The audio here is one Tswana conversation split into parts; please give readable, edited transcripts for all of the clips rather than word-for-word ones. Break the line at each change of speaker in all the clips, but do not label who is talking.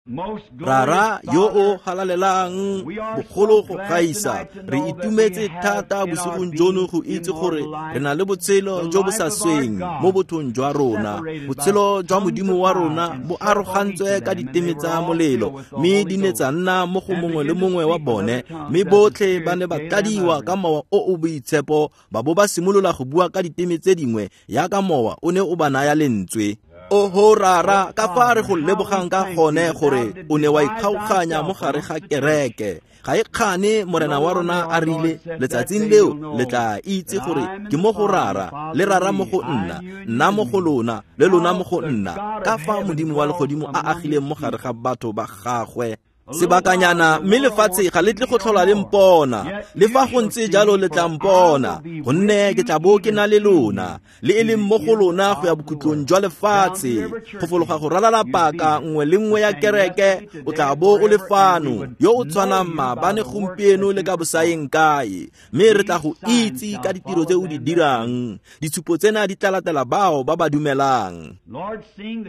Rara yo o galalelang bogolo go gaisa, re itumetse thata bosigong jono go itse gore re na le botshelo jo bo sa sweng mo bothong jwa rona. Botshelo jwa Modimo wa rona bo arogantswe ka diteme tsa molelo, mme di ne tsa nna mo go mongwe le mongwe wa bone, mme botlhe ba ne ba tladiwa ka mowa o o boitshepo ba bo ba simolola go bua ka diteme tse dingwe yaka mowa o ne o ba naya lentswe. Oho Rara, ka fa re go lebogang ka gone gore o ne wa ikgaoganya mo gare ga kereke. Ga e kgane Morena wa rona a rile, letsatsing leo le tla itse gore ke mo go Rara, le Rara mo go nna, nna mo go lona, le lona mo go nna. Ka fa Modimo wa legodimo a agileng mo gare ga batho ba gagwe. Sebakanyana mme lefatshe ga le tle go tlhola le mpona, le fa go ntse jalo le tla mpona, gonne ke tla bo ke na le lona, le e leng mo go lona go ya bokhutlong jwa lefatshe. Go fologa go ralala paka nngwe le nngwe ya kereke, o tla bo o le fano, yo o tshwanang maabane, gompieno le ka bosaeng kae, mme re tla go itse ka ditiro tse o di dirang. Ditshupo tsena di tla latela bao ba ba dumelang.
Lord, seeing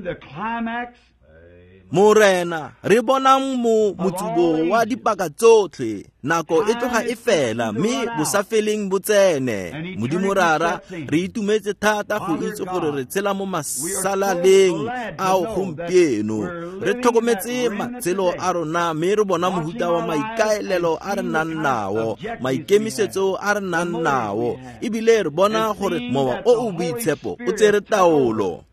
the climax
Morena, re bonang mo motsubo wa dipaka tsotlhe, nako e tloga e fela mme bosafeleng bo tsene. Modimo Rara, re itumetse thata go itse gore re tshela mo masalaleng ao gompieno. Re tlhokometse matshelo a rona mme re bona mohuta wa maikaelelo a re nang nao, maikemisetso a re nang nao, ebile re bona gore mowa o o boitshepo o tsere taolo.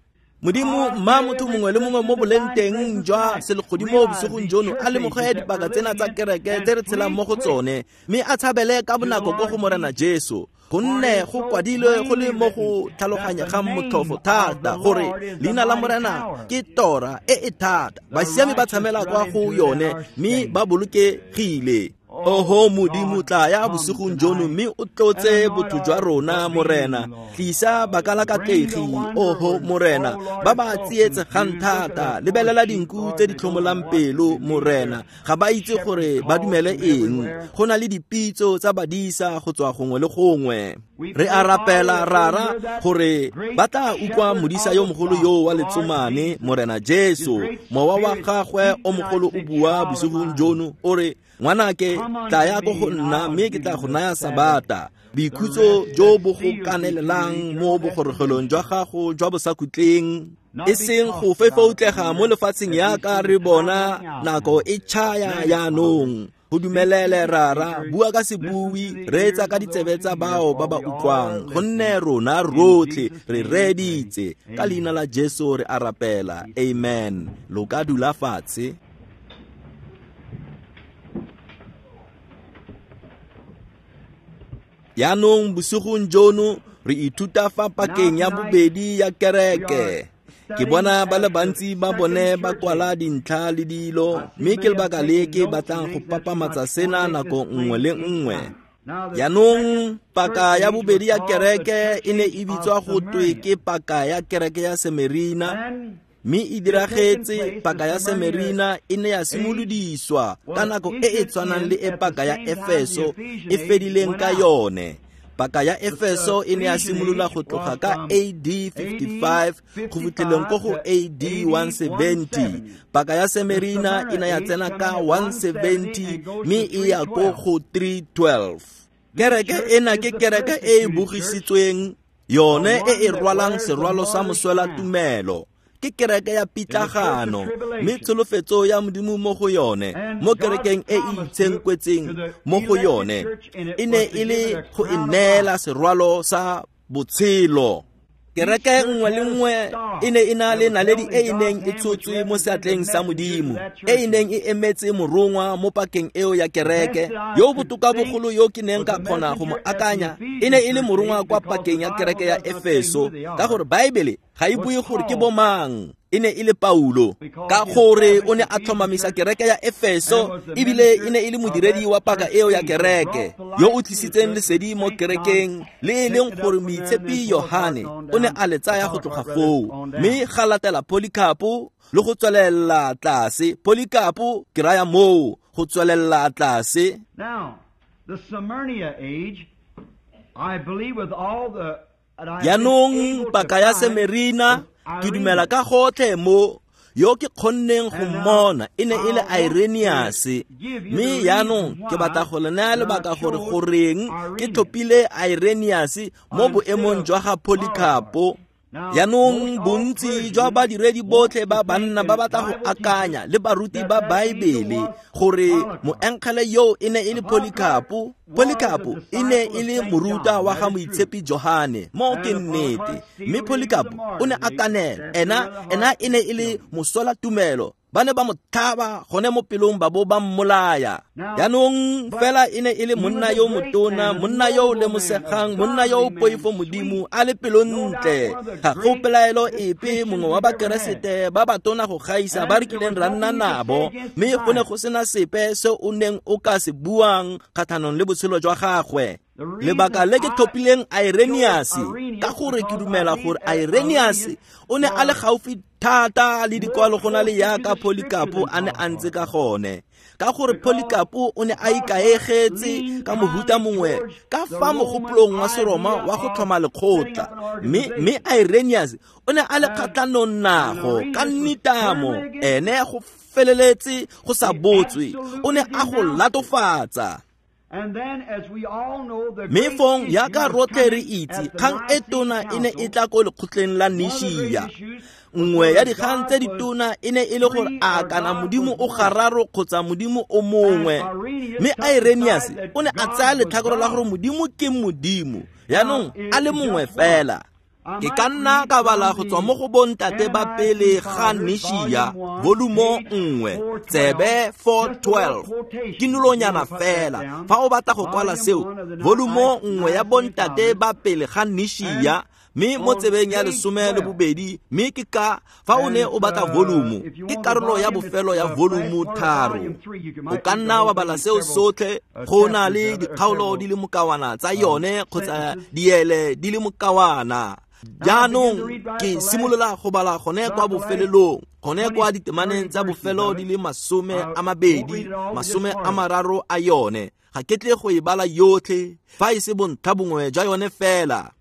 Modimo, mma motho mongwe le mongwe mo boleng teng jwa selegodimo bosigong jono a lemoge dipaka tsena tsa kereke tse re tshelang mo go tsone, mme a tshabele ka bonako ko go Morena Jesu, gonne go kwadilwe go le mo go tlhaloganyegang motlhofo thata gore leina la Morena ke tora e e thata, basiami ba tshamela kwa go yone mme ba bolokegile. Oho Modimo, tla ya bosigong jono mme o tlotse botho jwa rona. Morena, tlisa bakalakatlegi. Oho Morena, ba ba tsietsegang thata, lebelela dinku tse di tlhomolang pelo. Morena, ga ba itse gore ba dumele eng. Go na le dipitso tsa badisa go tswa gongwe le gongwe. Re a rapela, Rara, gore ba tla utlwa modisa yo mogolo yo wa letsomane, Morena Jesu, mowa wa gagwe o mogolo o bua bosigong jono o re, "Ngwanake, tla ya ko go nna mme ke tla go naya sabata, boikhutso jo bo go kanelelang mo bogorogelong jwa gago jwa bosakhutleng," e seng go fefoutlega mo lefatsheng yaka re bona nako e tšhaya yaanong. Go dumelele, Rara. Bua ka sebui, reetsa ka ditsebe tsa bao ba ba utlwang, gonne rona rotlhe re reeditse. Ka leina la Jesu re a rapela, amen. Lo ka dula fatshe. Yaanong bosigong jono re ithuta fa pakeng ya bobedi ya kereke. Ke bona ba le bantsi ba bone ba kwala dintlha le dilo, mme ke lebaka le ke batlang go papamatsa sena nako nngwe le nngwe. Yaanong paka ya bobedi ya kereke e ne e bitswa go twe ke paka ya kereke ya Semerina, mme e diragetse. Paka ya Semerina e ne ya simolodiswa ka nako e e tshwanang le e paka ya Efeso e fedileng ka yone. Paka ya Efeso e ne ya simolola go tloga ka AD 55 go fitlheleng ko go AD 170. Paka ya Semerina e ne ya tsena ka 170 mme e ya ko go 312. Kereke ena ke kereke e e bogisitsweng, yone e e rwalang serwalo sa moswela tumelo. Ke kereke ya pitlagano, mme tsholofetso ya Modimo mo go yone, mo kerekeng e e itshenkwetseng mo go yone, e ne e le go e neela serwalo sa botshelo. Kereke nngwe le nngwe e ne e na le naledi e e neng e tshotswe mo seatleng sa Modimo, e e neng e emetse morongwa mo pakeng eo ya kereke. Yo botoka bogolo yo ke neng ka kgona go mo akanya e ne e le morongwa kwa pakeng ya kereke ya Efeso, ka gore Baebele ga e bue gore ke bomang, e ne e le Paulo, ka gore o ne a tlhomamisa kereke ya Efeso ebile e ne e le modiredi wa paka eo ya kereke yo o tlisitseng lesedi mo kerekeng, le e leng gore moitshepi Yohane o ne a le tsaya go tloga foo, mme ga latela Polycarpo le go tswelela tlase. Polycarpo, ke raya moo, go tswelela tlase.
Now, the Smyrna age, I believe with all the
Yaanong paka ya Semerina, ke dumela ka gotlhe mo Yo ke kgonneng go mmona e ne e le Irenaeus, mme jaanong ke batla go le naya lebaka gore goreng ke tlhophile Irenaeus mo boemong jwa ga Polycarp. Jaanong bontsi jwa badiredi botlhe ba banna ba batla go akanya le baruti ba Baebele gore moengele yo e ne e le Polycarp. Polycarp e ne e le moruta wa ga moitshepi Johane, mo ke nnete, mme Polycarp o ne a kanela. Ena e ne e le mosola tumelo. Ba ne ba mo tlhaba gone mo pelong ba bo ba mmolaya. Jaanong fela e ne e le monna yo motona, monna yo o lemosegang, monna yo o poifo Modimo, a le pelontle. Ga go pelaelo epe mongwe wa Bakeresete ba batona go gaisa ba re kileng ra nna nabo, mme go ne go sena sepe se o neng o ka se buang kgatlhanong le botshelo jwa gagwe. Lebaka le ke tlhophileng Irenaeus ka gore ke dumela gore Irenaeus o ne a le gaufi thata le dikwalo go na le yaka Polycarp a ne a ntse ka gone, ka gore Polycarp o ne a ikaegetse ka mohuta mongwe ka fa mogopolong wa Seroma wa go tlhoma lekgotla, mme Irenaeus o ne a le kgatlhanong nago ka nitamo. Ene go feleletse go sa botswe, o ne a go latofatsa. Mme fong yaka rotlhe re itse, kgang e tona e ne e tla ko lekgotleng la Nishia. Nngwe ya dikgang tse ditona e ne e le gore a kana Modimo o gararo kgotsa Modimo o mongwe. Mme Irenaeus o ne a tsaya letlhakore la gore Modimo ke Modimo, jaanong a le mongwe fela. Ke ka nna ka bala go tswa mo go bontate ba pele ga Nishia, volumo 1, tsebe 412. Ke nolonyana fela fa o batla go kwala seo, volumo 1 ya bontate ba pele ga Nishia, mme mo tsebeng ya 12, mme ke ka fa o ne o batla volumo, ke karolo ya bofelo ya volumo 3. O ka nna wa bala seo sotlhe, go na le dikgaolo di le mokawana tsa yone kgotsa diele di le mokawana. Jaanong ke simolola go bala gone kwa bofelelong, gone kwa ditemaneng tsa bofelo di le 20, 30 a yone. Ga ke tle go e bala yotlhe, fa e se bontlha bongwe jwa yone fela.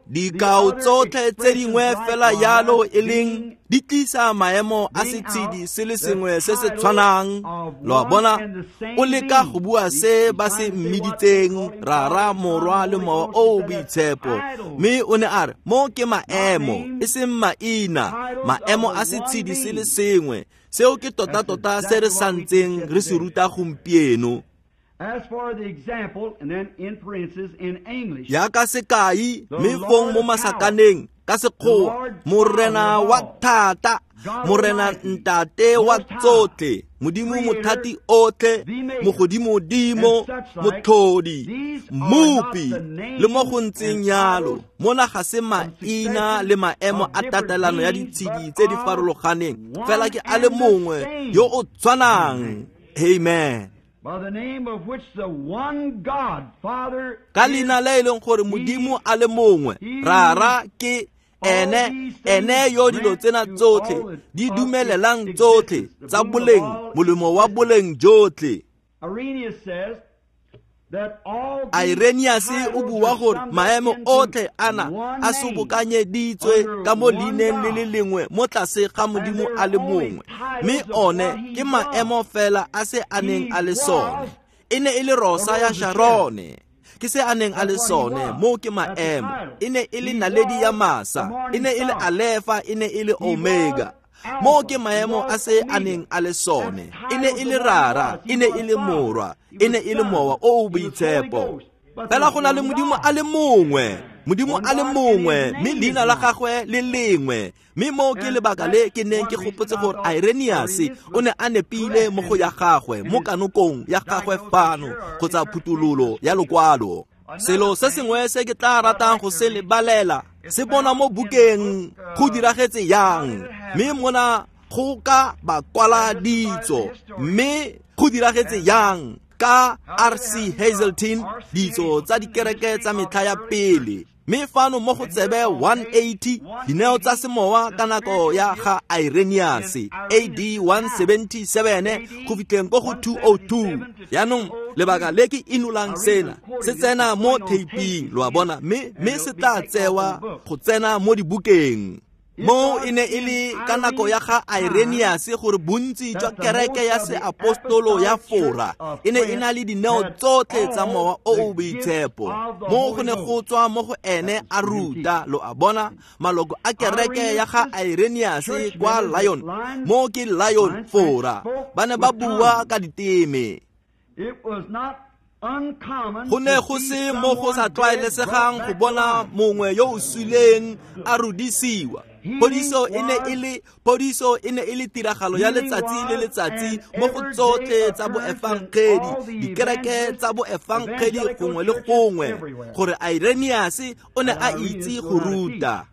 Dikao tsotlhe tse dingwe fela yalo e leng di tlisa maemo a setshedi se le sengwe se se tshwanang. Lo a bona, o leka go bua se ba se mmiditseng Rara, Morwa le Mowa o o Boitshepo, mme o ne a re mo ke maemo, e seng maina, maemo a setshedi se le sengwe. Seo ke tota-tota se re santseng re se ruta gompieno.
As for the example, and then in parentheses in English,
yaka sekai, mme fong mo masakaneng ka sekgowa, Morena wa thata, Morena ntate wa tsotlhe, Modimo mothati otlhe, mogodimodimo, motlhodi, mmopi, le mo go ntseng yalo. Mona ga se maina le maemo a tatelano ya ditshedi tse di farologaneng, fela ke a le mongwe yo o tshwanang. Amen.
By the name of which the one God, Father,
ka leina le e leng gore Modimo a le mongwe, Rara ke ene, ene yo dilo tsena tsotlhe di dumelelang tsotlhe tsa boleng, molemo wa boleng jotlhe. Irenaeus o bua gore maemo otlhe ana a sobokanyeditswe ka mo leineng le le lengwe mo tlase ga Modimo a le mongwe, mme one ke maemo fela a se a neng a le sone. E ne e le rosa ya Sharone, ke se a neng a le sone, mo ke maemo. E ne e le naledi ya masa, e ne e le Alefa, e ne e le Omega. Mo ke maemo a se a neng a le sone. E ne e le Rara, e ne e le Morwa, e ne e le Mowa o o Boitshepo. Fela go na le Modimo a le mongwe, Modimo a le mongwe, mme leina la gagwe le lengwe. Mme mo ke lebaka le ke neng ke gopotse gore Irenaeus o ne a nepile mo go ya gagwe, mo kanokong ya gagwe fano, kgotsa phuthololo ya lokwalo. Selo se sengwe se ke tla ratang go se lebalela se bona mo bukeng go diragetse yang, mme mona go ka ba kwala ditso, mme go diragetse yang ka R.C. Hazeltine, ditso tsa dikereke tsa metlha ya pele. Mme fano mo go tsebe 180, dineo tsa semowa ka nako ya ga Irenaeus, AD 177 go fitlheng ko go 202. Jaanong lebaka le ke inolang sena se tsena mo theiping, lo a bona, mme se tla tsewa go tsena mo dibukeng. Mo e ne e le ka nako ya ga Irenaeus gore bontsi jwa kereke ya seapostolo ya Fora e ne e na le dineo tsotlhe tsa mowa o o boitshepo. Mo go ne go tswa mo go ene a ruta, lo a bona, maloko a kereke ya ga Irenaeus kwa Lyon, mo ke Lyon Fora, ba ne ba bua ka diteme. Go ne go se mo go sa tlwaelesegang go bona mongwe yo o suleng a rudisiwa. Phodiso e ne e le tiragalo ya letsatsi le letsatsi mo go tsotlhe tsa boefangedi, dikereke tsa boefangedi gongwe le gongwe, gore Irenaeus o ne a itse go ruta.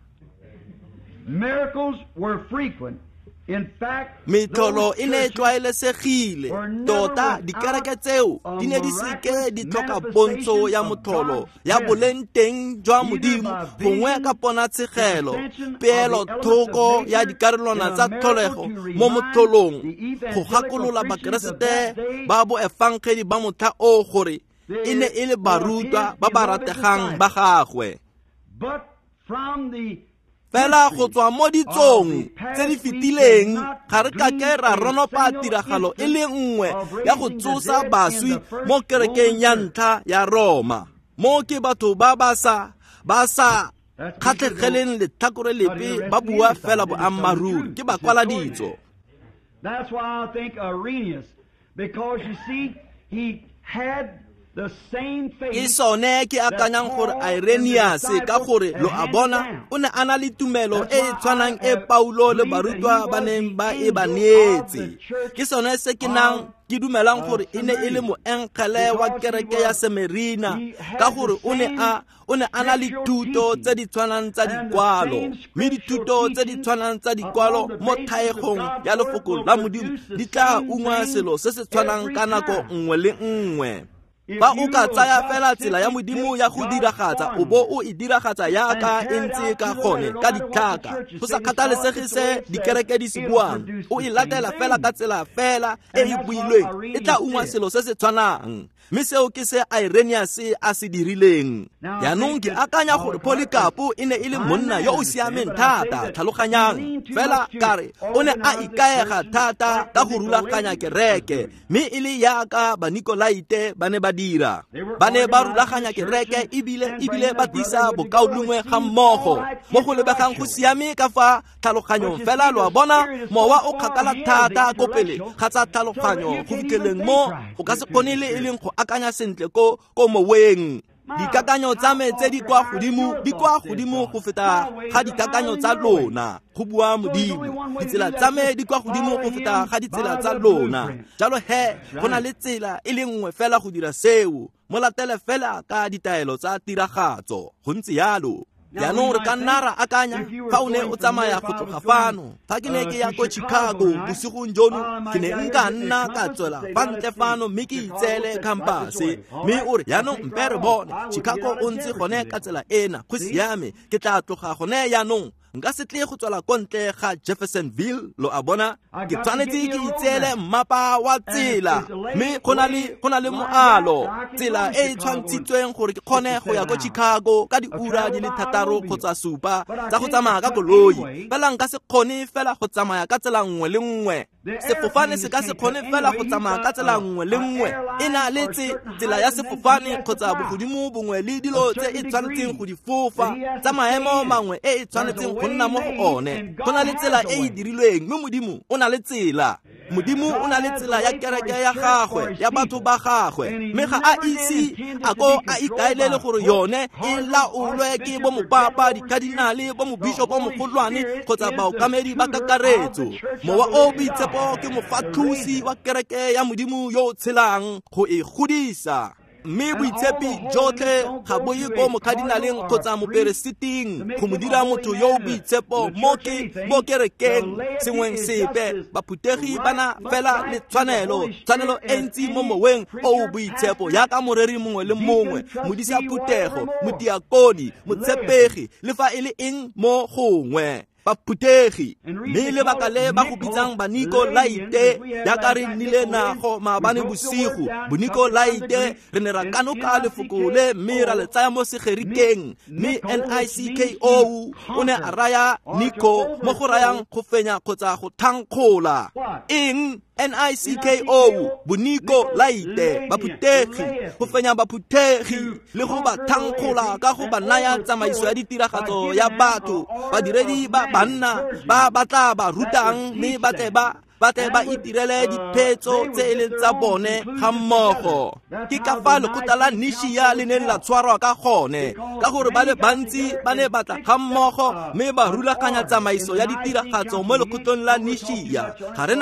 Miracles were frequent.
Metlholo e ne e tlwaelesegile tota, dikereke tseo di ne di seke di tlhoka pontsho ya motlholo ya boleng teng jwa Modimo, gongwe ka ponatshegelo, peelothoko ya dikarolwana tsa tlholego mo motlholong, go gakolola Bakeresete ba boefangedi ba motlha oo gore e ne e le barutwa ba ba rategang ba gagwe. Fela go tswa mo ditsong tse di fetileng ga re kake ra ronopa tiragalo e le nngwe ya go tsosa baswi mo kerekeng ya ntlha ya Roma. Mo ke batho ba ba sa kgatlhegeleng letlhakore lepe, ba bua fela boammaaruri, ke bakwala ditso.
That's why I think Irenaeus, because you see, he had
Ke sone ke akanyang gore Irenaeus, ka gore lo a bona, o ne a na le tumelo e e tshwanang e Paulo le barutwa ba neng ba e ba neetse. Ke sone se ke nang ke dumelang gore e ne e le moengele wa kereke ya Semerina, ka gore o ne a na le thuto tse di tshwanang tsa dikwalo, mme dithuto tse di tshwanang tsa dikwalo mo thaegong ya lefoko la Modimo di tla ungwa selo se se tshwanang ka nako nngwe le nngwe. Ba o ka tsaya fela tsela ya Modimo ya go diragatsa, o bo o e diragatsa yaka e ntse ka gone ka ditlhaka, go sa kgathalesege se dikereke di se buang, o e latela fela ka tsela fela e e builweng, e tla ungwa selo se se tshwanang. Mme seo ke se Irenaeus a se dirileng. Jaanong ke akanya gore Polycarp e ne e le monna yo o siameng thata, tlhaloganyang, fela kare o ne a ikaega thata ka go rulaganya kereke, mme e le yaka Banikolaite ba ne ba dira. Ba ne ba rulaganya kereke ebile ba tlisa bokaulengwe ga mmogo, mo go lebegang go siame ka fa tlhaloganyong fela, lo a bona, mowa o kgakala thata ko pele ga tsa tlhaloganyo go fitlheleng mo o ka se kgone le e leng go akanya sentle ko moweng. Dikakanyo tsa me tse di kwa godimo di kwa godimo go feta ga dikakanyo tsa lona, go bua Modimo. Ditsela tsa me di kwa godimo go feta ga ditsela tsa lona. Jalo he, go na le tsela e le nngwe fela go dira seo, mo latele fela ka ditaelo tsa tiragatso. Go ntse yalo. Jaanong re ka nna ra akanya, fa o ne o tsamaya go tloga fano, fa ke ne ke ya ko Chicago bosigong jono, ke ne nka nna ka tswela fa ntle fano mme ke itseele khampase, mme o re jaanong mpe re bone Chicago o ntse gone ka tsela ena, go siame, ke tla tloga gone jaanong, nka se tle go tswela ko ntle ga Jeffersonville, lo a bona, ke tshwanetse ke itseele mmapa wa tsela, mme go na le moalo, tsela e e tshwantshitsweng gore ke kgone go ya ko Chicago ka diura di le 6 kgotsa 7 tsa go tsamaya ka koloi, fela nka se kgone fela go tsamaya ka tsela nngwe le nngwe. Sefofane se ka se kgone fela go tsamaya ka tsela nngwe le nngwe, e na le tsela ya sefofane kgotsa bogodimo bongwe le dilo tse e tshwanetseng go di fofa tsa maemo mangwe e e tshwanetseng go nna mo go one. Go na le tsela e e dirilweng, mme Modimo o na le tsela. Modimo o na le tsela ya kereke ya gagwe, ya batho ba gagwe, mme ga a ise a ko a ikaelele gore yone e laolwe ke bo mopapa, dikadinale, bo mobishopo mogolwane kgotsa baokamedi ba kakaretso. Mowa o boitshepo ke mofatlhosi wa kereke ya Modimo yo o tshelang go e godisa. Mme boitshepi jotlhe ga bo ye ko mokadinaleng kgotsa moperesiting go mo dira motho yo o boitshepo mo kerekeng sengweng sepe. Baphutegi ba na fela le tshwanelo e ntsi mo moweng o o boitshepo, yaka moreri mongwe le mongwe, modisa phuthego, modiakoni, motshepegi, le fa e le eng mo gongwe. Baphuthegi mme lebaka le ba go bitsang Banikolaite jaaka re nnile nago maabane bosigo, Bonikolaite re ne ra kanoka lefoko le mme ra le tsaya mo Segerikeng, mme N-I-C-K-O o ne a raya Niko mo go rayang go fenya kgotsa go thankgola. Eng? N-I-C-K-O, Bonikolaite, baphuthegi, go fenya baphuthegi le go ba thankgola ka go ba naya tsamaiso ya ditiragatso ya batho, badiredi ba banna ba ba tla ba rutang mme ba tle ba itirele diphetso tse e leng tsa bone ga mmogo. Ke ka fa lekgotla la Nishia le neng la tshwarwa ka gone, ka gore ba le bantsi ba ne ba tla ga mmogo mme ba rulaganya tsamaiso ya ditiragatso mo lekgotlong la Nishia. Ga re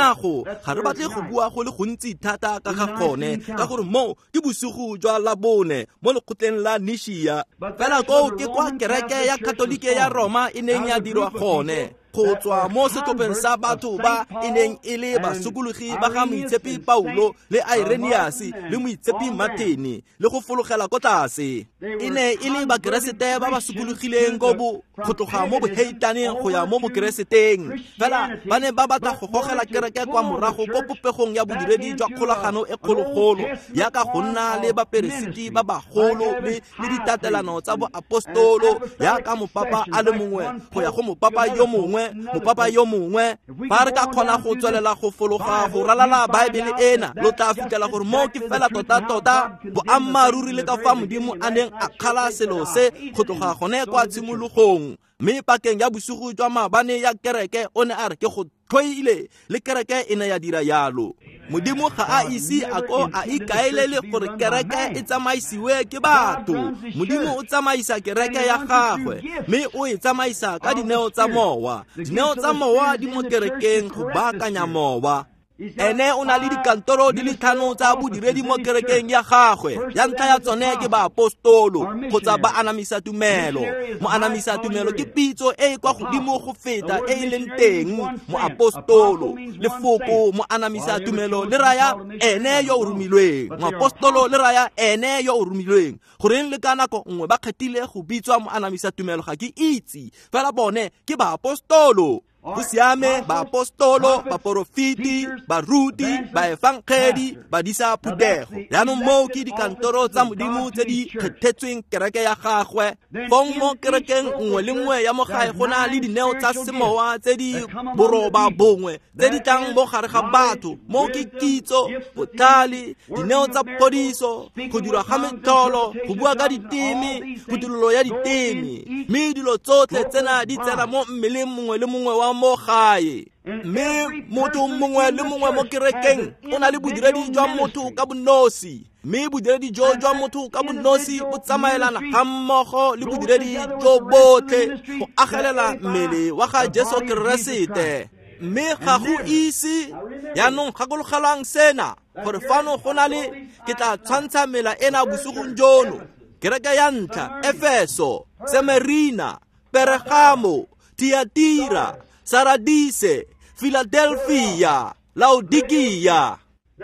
batle go bua go le gontsi thata ka ga gone, ka gore moo ke bosigo jwa Labone mo lekgotleng la Nishia. Fela koo ke kwa kereke ya Katolike ya Roma e neng ya dirwa gone, go tswa mo setlhopheng sa batho ba e neng e le basokologi ba ga Moitshepi Paulo le Irenaeus le Moitshepi Martin le go fologela ko tlase. E ne e le Bakeresete ba ba sokologileng go tloga mo boheitaneng go ya mo Bokereseteng, fela ba ne ba batla go gogela kereke kwa morago ko popegong ya bodiredi jwa kgolagano e kgologolo, yaka go nna le baperesiti ba bagolo le ditatelano tsa boapostolo, yaka mopapa a le mongwe go ya go mopapa yo mongwe, mopapa yo mongwe. Fa re ka kgona go tswelela go fologa go ralala Baebele ena, lo tla fitlhela gore mo ke fela tota-tota boammaaruri le ka fa Modimo a neng a kgala selo se go tloga gone kwa tshimologong. Mme pakeng ya bosigo jwa maabane ya kereke o ne a re ke go tlhoile, le kereke e ne ya dira yalo. Modimo ga a ise a ko a ikaelele gore kereke e tsamaisiwe ke batho. Modimo o tsamaisa kereke ya gagwe mme o e tsamaisa ka dineo tsa mowa. Dineo tsa mowa di mo kerekeng go baakanya mowa. Ene o na le dikantoro di le 5 tsa bodiredi mo kerekeng ya gagwe. Ya ntlha ya tsone ke baapostolo kgotsa ba anamisa tumelo. Moanamisa tumelo ke pitso e e kwa godimo go feta e e leng teng. Moapostolo, lefoko moanamisa tumelo le raya ene yo o romilweng. Moapostolo le raya ene yo o romilweng. Goreng le ka nako nngwe ba kgethile go bitswa moanamisa tumelo ga ke itse, fela bone ke baapostolo. Go siame, baapostolo, baporofiti, baruti, baefangedi, badisa phuthego. Jaanong moo ke dikantoro tsa Modimo tse di kgethetsweng kereke ya gagwe. Fong mo kerekeng nngwe le nngwe ya mo gae go na le dineo tsa semowa tse di 9 tse di tlang mo gare ga batho. Mo ke kitso, botlhale, dineo tsa phodiso, go dirwa ga metlholo, go bua ka diteme, phuthololo ya diteme. Mme dilo tsotlhe tsena di tsena mo mmeleng mongwe le mongwe wa mo gae. Mme motho mongwe le mongwe mo kerekeng o na le bodiredi jwa motho ka bonosi, mme bodiredi jo jwa motho ka bonosi bo tsamaelana ga mmogo le bodiredi jo botlhe go agelela mmele wa ga Jesu Keresete. Mme ga go ise jaanong gakologelwang sena, gore fano go na le, ke tla tshwantsha mela ena bosigong jono. Kereke ya ntlha, Efeso, Semerina, Pergamo, Tiatira, Saradise, Philadelphia, Laodikia.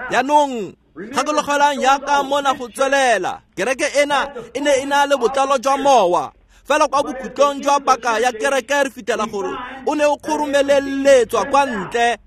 Jaanong gakologelwang yaka mona go tswelela. Kereke ena e ne e na le botlalo jwa mowa. Fela kwa bokhutlong jwa paka ya kereke re fitlhela gore o ne o kgoromeleletswa kwa ntle.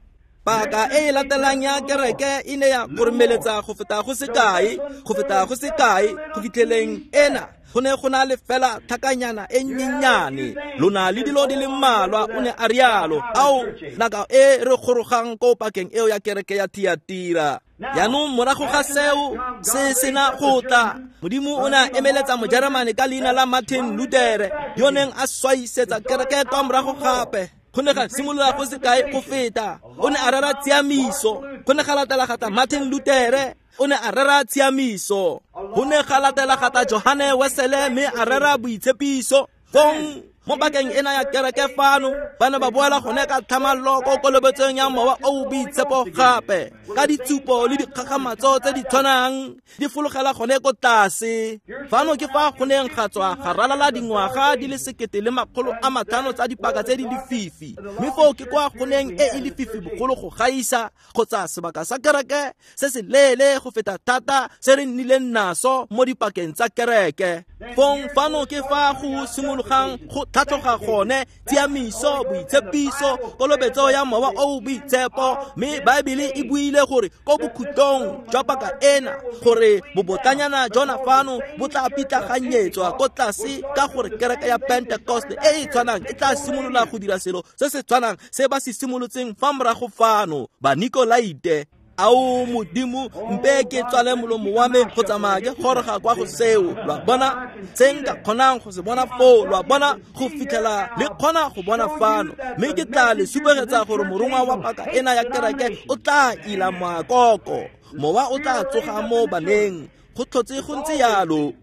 Paka e e latelang ya kereke e ne ya kgoromeletsa go feta go sekae, go feta go sekae, go fitlheleng ena go ne go na le fela tlhakanyana e nnyenyane. Lona le dilo di le mmalwa, o ne a rialo. Ao, nako e re gorogang ko pakeng eo ya kereke ya Tiatira. Jaanong morago ga seo se sena go tla, Modimo o ne a emeletsa Mojeremane ka leina la Martin Luther, yo neng a swaisetsa kereke kwa morago gape. Go ne ga simolola go sekae go feta. O ne a rera tshiamiso. Go ne ga latela gata Martin Luther, o ne a rera tshiamiso. Go ne ga latela gata Johane Wesele mme a rera boitshepiso. Fong mo pakeng ena ya kereke fano ba ne ba boela gone ka tlhamallo ko kolobetsong ya mowa o o boitshepo gape, ka ditshupo le dikgakgamatso tse di tshwanang di fologela gone ko tlase. Fano ke fa go neng ga tswa ga ralala dingwaga di le 1500 tsa dipaka tse di lefifi, mme foo ke kwa go neng e e lefifi bogolo go gaisa, kgotsa sebaka sa kereke se se leele go feta thata se re nnileng naso mo dipakeng tsa kereke. Fong fano ke fa go simologang go tlhatlhoga gone tshiamiso, boitshepiso, kolobetso ya mowa o boitshepo. Mme Baebele e buile gore ko bokhutlong jwa paka ena gore bobotlanyana jona fano bo tla pitlaganyetswa ko tlase, ka gore kereke ya Pentecost e e tshwanang e tla simolola go dira selo se se tshwanang se ba se simolotseng fa morago fano, Banikolaite. Ao Modimo, mpe ke tswale molomo wa me go tsamaya ke goroga kwa go seo. Lwa bona se nka kgonang go se bona foo, lwa bona go fitlhela le kgona go bona fano. Mme ke tla le supegetsa gore morongwa wa paka ena ya kereke o tla ila moakoko, mowa o tla tsoga mo baneng. Go tlhotse go ntse yalo.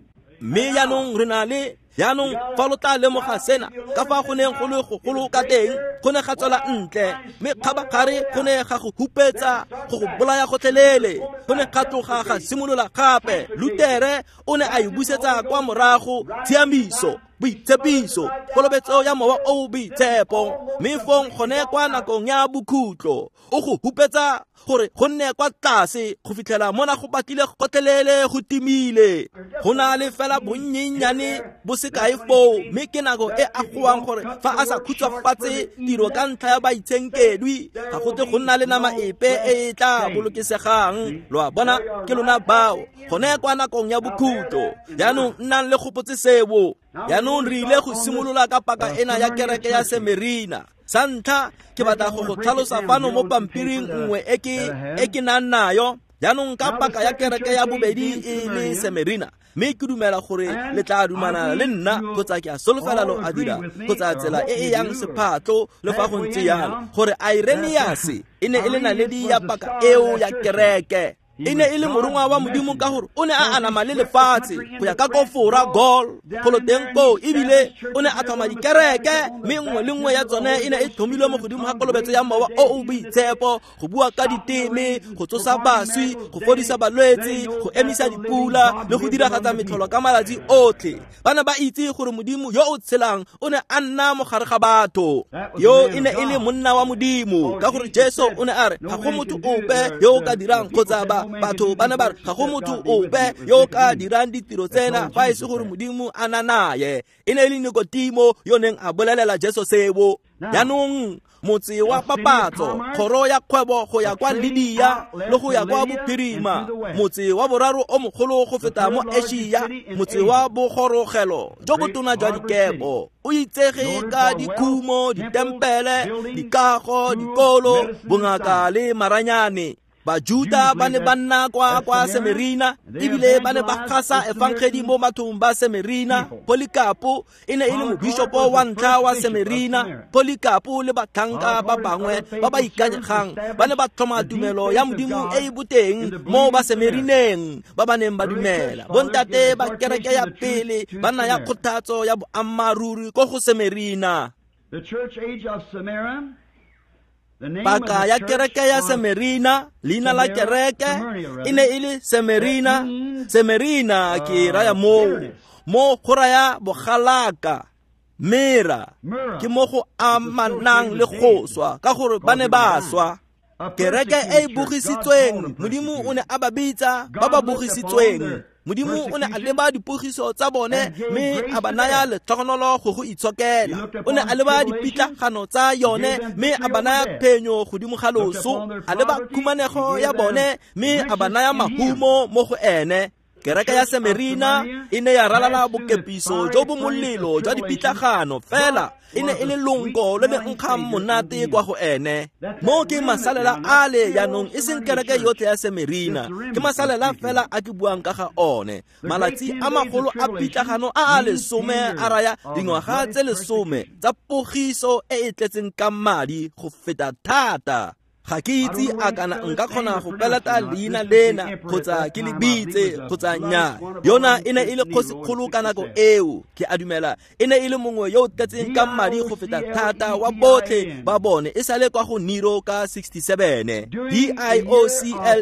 Mme jaanong re na le jaanong fa lo tla lemoga sena ka fa go neng go le gogolo ka teng, go ne ga tswela ntle, mme kgabagare go ne ga go hupetsa, go go bolaya gotlhelele. Go ne ga tloga ga simolola gape. Lutere o ne a e busetsa kwa morago, tshiamiso, boitshepiso, kolobetso ya mowa o boitshepo. Mme fong gone kwa nakong ya bokhutlo o go hupetsa gore go nne kwa tlase go fitlhela mona go batlile gotlhelele go timile. Go na le fela bonnyennyane bo sekae foo, mme ke nako e a goang gore fa a sa khutshwafatse tiro ka ntlha ya baitshenkedwi, ga go tle go nna le nama epe e e tla bolokesegang. Lo a bona, ke lona bao gone kwa nakong ya bokhutlo. Jaanong nnang le gopotse seo. Jaanong re ile go simolola ka paka ena ya kereke ya Semerina. Sa ntlha ke batla go go tlhalosa fano mo pampiring nngwe e ke nang nayo. Jaanong ka paka ya kereke ya bobedi e le Semerina, mme ke dumela gore le tla dumana le nna, kgotsa ke a solofela lo a dira, kgotsa tsela e e yang sephatlo le fa go ntse yalo, gore Irenaeus e ne e le naledi ya paka eo ya kereke. E ne e le morongwa wa Modimo ka gore o ne a anama le lefatshe go ya ka ko Fora Gaul golo teng koo, ebile o ne a tlhoma dikereke, mme nngwe le nngwe ya tsone e ne e tlhomilwe mo godimo ga kolobetso ya mowa o o boitshepo, go bua ka diteme, go tsosa baswi, go fodisa balwetse, go emisa dipula le go diragatsa metlholo ka malatsi otlhe. Ba ne ba itse gore Modimo yo o tshelang o ne a nna mo gare ga batho. Yo e ne e le monna wa Modimo, ka gore Jesu o ne a re ga go motho ope yo o ka dirang, kgotsa batho ba ne ba re ga go motho ope yo o ka dirang ditiro tsena fa e se gore Modimo a na naye. E ne e le Nikodimo yo neng a bolelela Jesu seo. Jaanong motse wa papatso, kgoro ya kgwebo go ya kwa Lydia le go ya kwa bophirima, motse wa boraro o mogolo go feta mo Asia, motse wa bogorogelo jo botona jwa dikepo, o itsege ka dikhumo, ditempele, dikago, dikolo, bongaka le maranyane. Bajuda ba ne ba nna kwa Semerina, ebile ba ne ba gasa efangedi mo bathong ba Semerina. Polycarpo e ne e le mobishopo wa ntlha wa Semerina. Polycarpo le batlhanka ba bangwe ba ba ikanyegang ba ne ba tlhoma tumelo ya Modimo e e boteng mo ba Semerineng ba ba neng ba dumela. Bontate ba kereke ya pele ba naya kgothatso ya boammaaruri ko go Semerina.
The church age of Samaria.
Paka ya kereke ya Semerina, leina la kereke e ne e le Semerina. Semerina ke raya mo go raya bogalaka. Mera ke mo go amanang le go swa, ka gore ba ne ba swa. Kereke e e bogisitsweng, Modimo o ne a ba bitsa ba ba bogisitsweng. Modimo o ne a leba dipogiso tsa bone mme a ba naya letlhogonolo go go itshokela. O ne a leba dipitlagano tsa yone mme a ba naya phenyo godimo ga loso. A leba khumanego ya bone mme a ba naya mahumo mo go ene. Kereke ya Semerina e ne ya ralala bokepiso jo bo molelo jwa dipitlagano, fela e ne e le lonko le le nkgang monate kwa go ene. Mo ke masalela ale jaanong, e seng kereke yotlhe ya Semerina, ke masalela fela a ke buang ka ga one. Malatsi a magolo a pitlagano a a lesome a raya dingwaga tse 10 tsa pogiso e e tletseng ka madi go feta thata. Ga ke itse a kana nka kgona go peleta leina lena kgotsa ke le bitse kgotsa nnyaa. Yona e ne e le kgosikgolo ka nako eo, ke a dumela e ne e le mongwe yo o tletseng ka madi go feta thata wa botlhe ba bone, e sale kwa go Nero ka 67.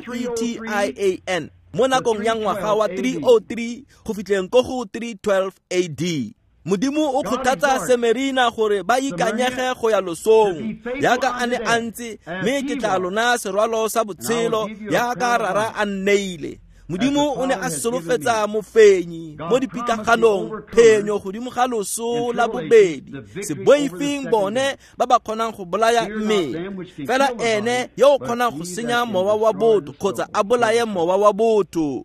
Diocletian mo nakong ya ngwaga wa 303 go fitlheng ko go 312 AD. Modimo o kgothatsa Semerina gore ba ikanyege go ya losong yaka a ne a ntse, mme ke tla lona serwalo sa botshelo yaka rara a nneile. Modimo o ne a solofetsa mofenyi mo dipitlaganong phenyo godimo ga loso la bobedi. Se boifeng bone ba ba kgonang go bolaya mmele, fela ene yo o kgonang go senya mowa wa botho kgotsa a bolaye mowa wa botho.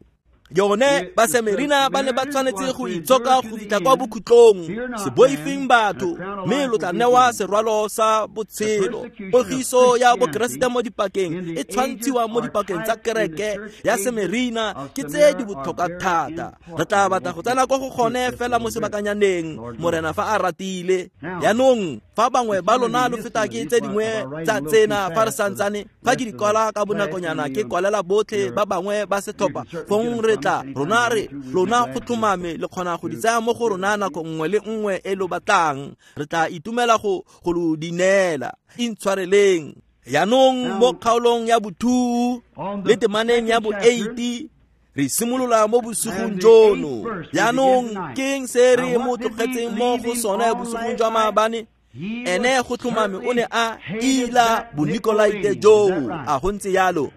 Yone Basemerina ba ne ba tshwanetse go itshoka go fitlha kwa bokhutlong. Se boifeng batho, mme lo tla newa serwalo sa botshelo. Pogiso ya Bokeresete mo dipakeng e tshwantshiwa mo dipakeng tsa kereke ya Semerina ke tse di botlhokwa thata. Re tla batla go tsena kwa go gone fela mo sebakanyaneng, Morena fa a ratile. Jaanong fa bangwe ba lona lo feta ke tse dingwe tsa tsena fa re santsane, fa ke di kwala ka bonakonyana ke kwalela botlhe ba bangwe ba setlhopha, fong re tla rona re lona go tlhomame le kgona go di tsaya mo go rona nako nngwe le nngwe e lo batlang. Re tla itumela go lo di neela. Intshwareleng. Jaanong mo kgaolong ya bo-2 le temaneng ya bo-8 re simolola mo bosigong jono. Jaanong ke eng se re mo tlogetseng mo go sone bosigong jwa maabane? Ene go tlhomame o ne a ila bonikolaite joo. A go ntse yalo?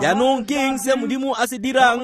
Jaanong ke eng se Modimo a se dirang?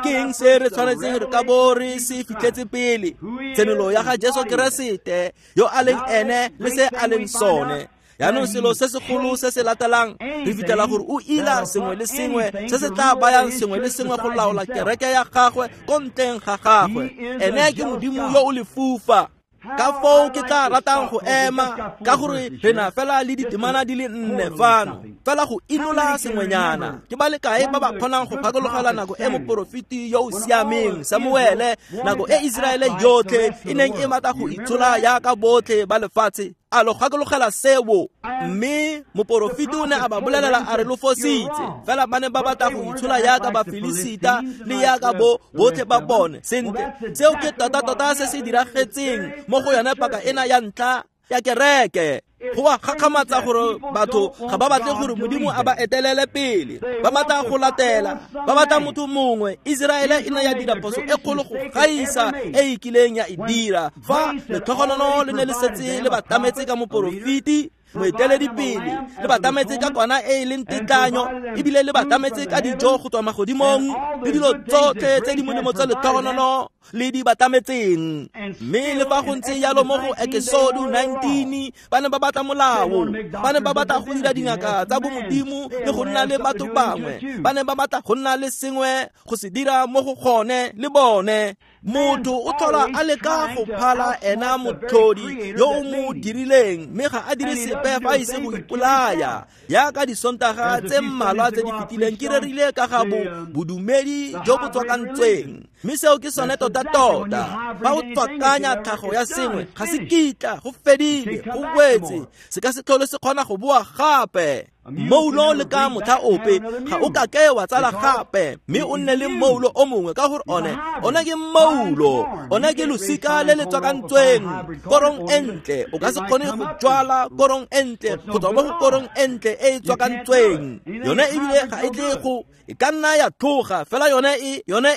Ke eng se re tshwanetseng re ka bo re se fitlhetse pele? Tshenolo ya ga Jesu Keresete yo a leng ene le se a leng sone. Jaanong selo se segolo se se latelang re fitlhela gore o ila sengwe le sengwe se se tla bayang sengwe le sengwe go laola kereke ya gagwe ko ntleng ga gagwe. Ene ke Modimo yo o lefufa. Ka foo ke tla ratang go ema, ka gore re na fela le ditemana di le nne fano, fela go inola sengwenyana. Ke ba le kae ba ba kgonang go gakologela nako e moporofeti yo o siameng Samuele, nako e Iseraele yotlhe e neng e batla go itshola yaka botlhe ba lefatshe? A lo gakologela seo? Mme moporofeti o ne a ba bolelela a re lo fositse, fela ba ne ba batla go itshola yaka Bafilisita le yaka bo botlhe ba bone. Sentle, seo ke tota-tota se se diragetseng mo go yone paka ena ya ntlha ya kereke. Go a gakgamatsa gore batho ga ba batle gore Modimo a ba etelele pele, ba batla go latela, ba batla motho mongwe. Iseraele e ne ya dira phoso e kgolo go gaisa e e kileng ya e dira fa letlhogonolo le ne le setse le ba tlametse ka moporofeti, moeteledipele, le ba tlametse ka kwana e e leng tetlanyo, ebile le ba tlametse ka dijo go tswa magodimong le dilo tsotlhe tse di molemo tsa letlhogonolo le di ba tlametseng. Mme le fa go ntse jalo mo go Ekesodo 19 ba ne ba batla molao, ba ne ba batla go dira dingaka tsa bomodimo le go nna le batho bangwe, ba ne ba batla go nna le sengwe go se dira mo go gone le bone. Motho o tlhola a leka go phala ena motlhodi yo o mo dirileng, mme ga a dire sepe fa a ise go ipolaya. Yaka disontaga tse mmalwa tse di fetileng ke rerile ka ga bodumedi jo bo tswakantsweng, mme seo ke sone tota-tota. Fa o tswakanya tlhago ya sengwe, ga se kitla, go fedile, go wetse, se ka se tlhole se kgona go boa gape. Moulo le ka motlha ope ga o ka ke wa tsala gape, mme o nne le moulo o mongwe, ka gore one ke moulo, one ke losika le le tswakantsweng. Korong e ntle, o ka se kgone go jwala korong e ntle go tswa mo go korong e ntle e e tswakantsweng. Yone ebile ga e tle go, e ka nna ya tloga fela yone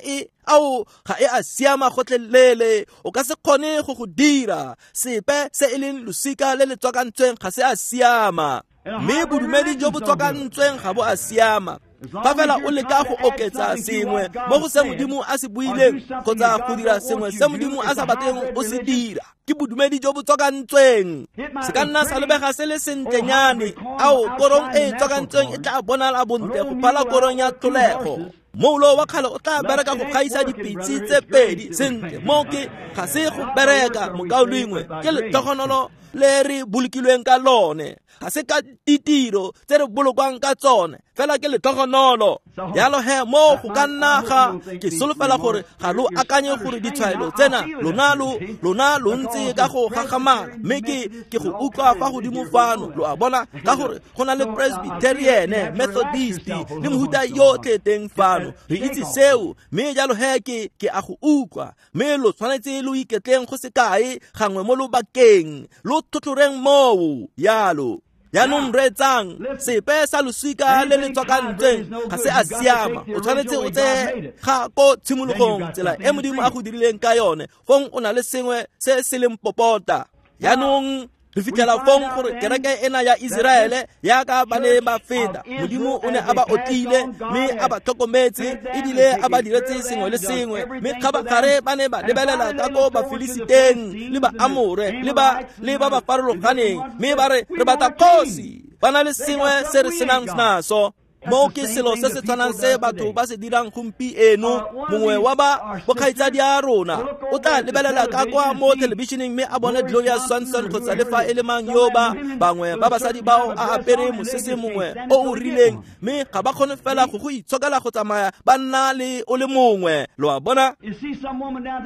e ao ga e a siama gotlhelele. O ka se kgone go dira sepe se e leng losika le le tswakantsweng, ga se a siama. Mme bodumedi jo bo tswakantsweng ga bo a siama. Fa fela o leka go oketsa sengwe mo go se Modimo a se buileng kgotsa go dira sengwe se Modimo a sa batleng o se dira, ke bodumedi jo bo tswakantsweng. Se ka nna sa lebega se le sentlenyane, ao korong e e tswakantsweng e tla bonala bontle go phala korong ya tlholego. Moulo wa kgale o tla bereka go gaisa dipitse tse pedi. Sentle, mo ke ga se go bereka, mokaulengwe, ke letlhogonolo le re bolokilweng ka lone. Ga se ka ditiro tse re bolokwang ka tsone, fela ke letlhogonolo. Jalo he mo go ka nna ga ke solofela gore ga lo akanye gore ditshwaelo tsena lona lo ntse ka go gagamala, mme ke go utlwa fa godimo fano, lo a bona, ka gore go na le Presbyterian, Methodist le mohuta yotlhe teng fano. Re itse seo, mme jalo he ke a go utlwa. Mme lo tshwanetse lo iketleng go sekae gangwe mo lobakeng, lo tlhotlhoreng moo yalo. Jaanong reetsang, sepe sa losika le le tswakantsweng ga se a siama. O tshwanetse o tseye ga ko tshimologong tsela e Modimo a go dirileng ka yone, fong o na le sengwe se se leng popota. Jaanong Re fitlhela fong gore kereke ena ya Iseraele yaka ba ne ba feta, Modimo o ne a ba otlile mme a ba tlhokometse ebile a ba diretse sengwe le sengwe, mme kgabagare ba ne ba lebelela ka ko Bafilisiteng le ba Amore le ba farologaneng, mme ba re re batla kgosi, ba na le sengwe se re senang naso. Mo ke selo se se tshwanang se batho ba se dirang gompieno. Mongwe wa ba bokgaitsadi a rona o tla lebelela ka kwa mo thelebišeneng mme a bone Gloria Swanson kgotsa le fa e le mang yo ba bangwe ba basadi bao a apere mosese mongwe o o rileng, mme ga ba kgone fela go itshokela go tsamaya ba nna le o le mongwe. Lo a bona?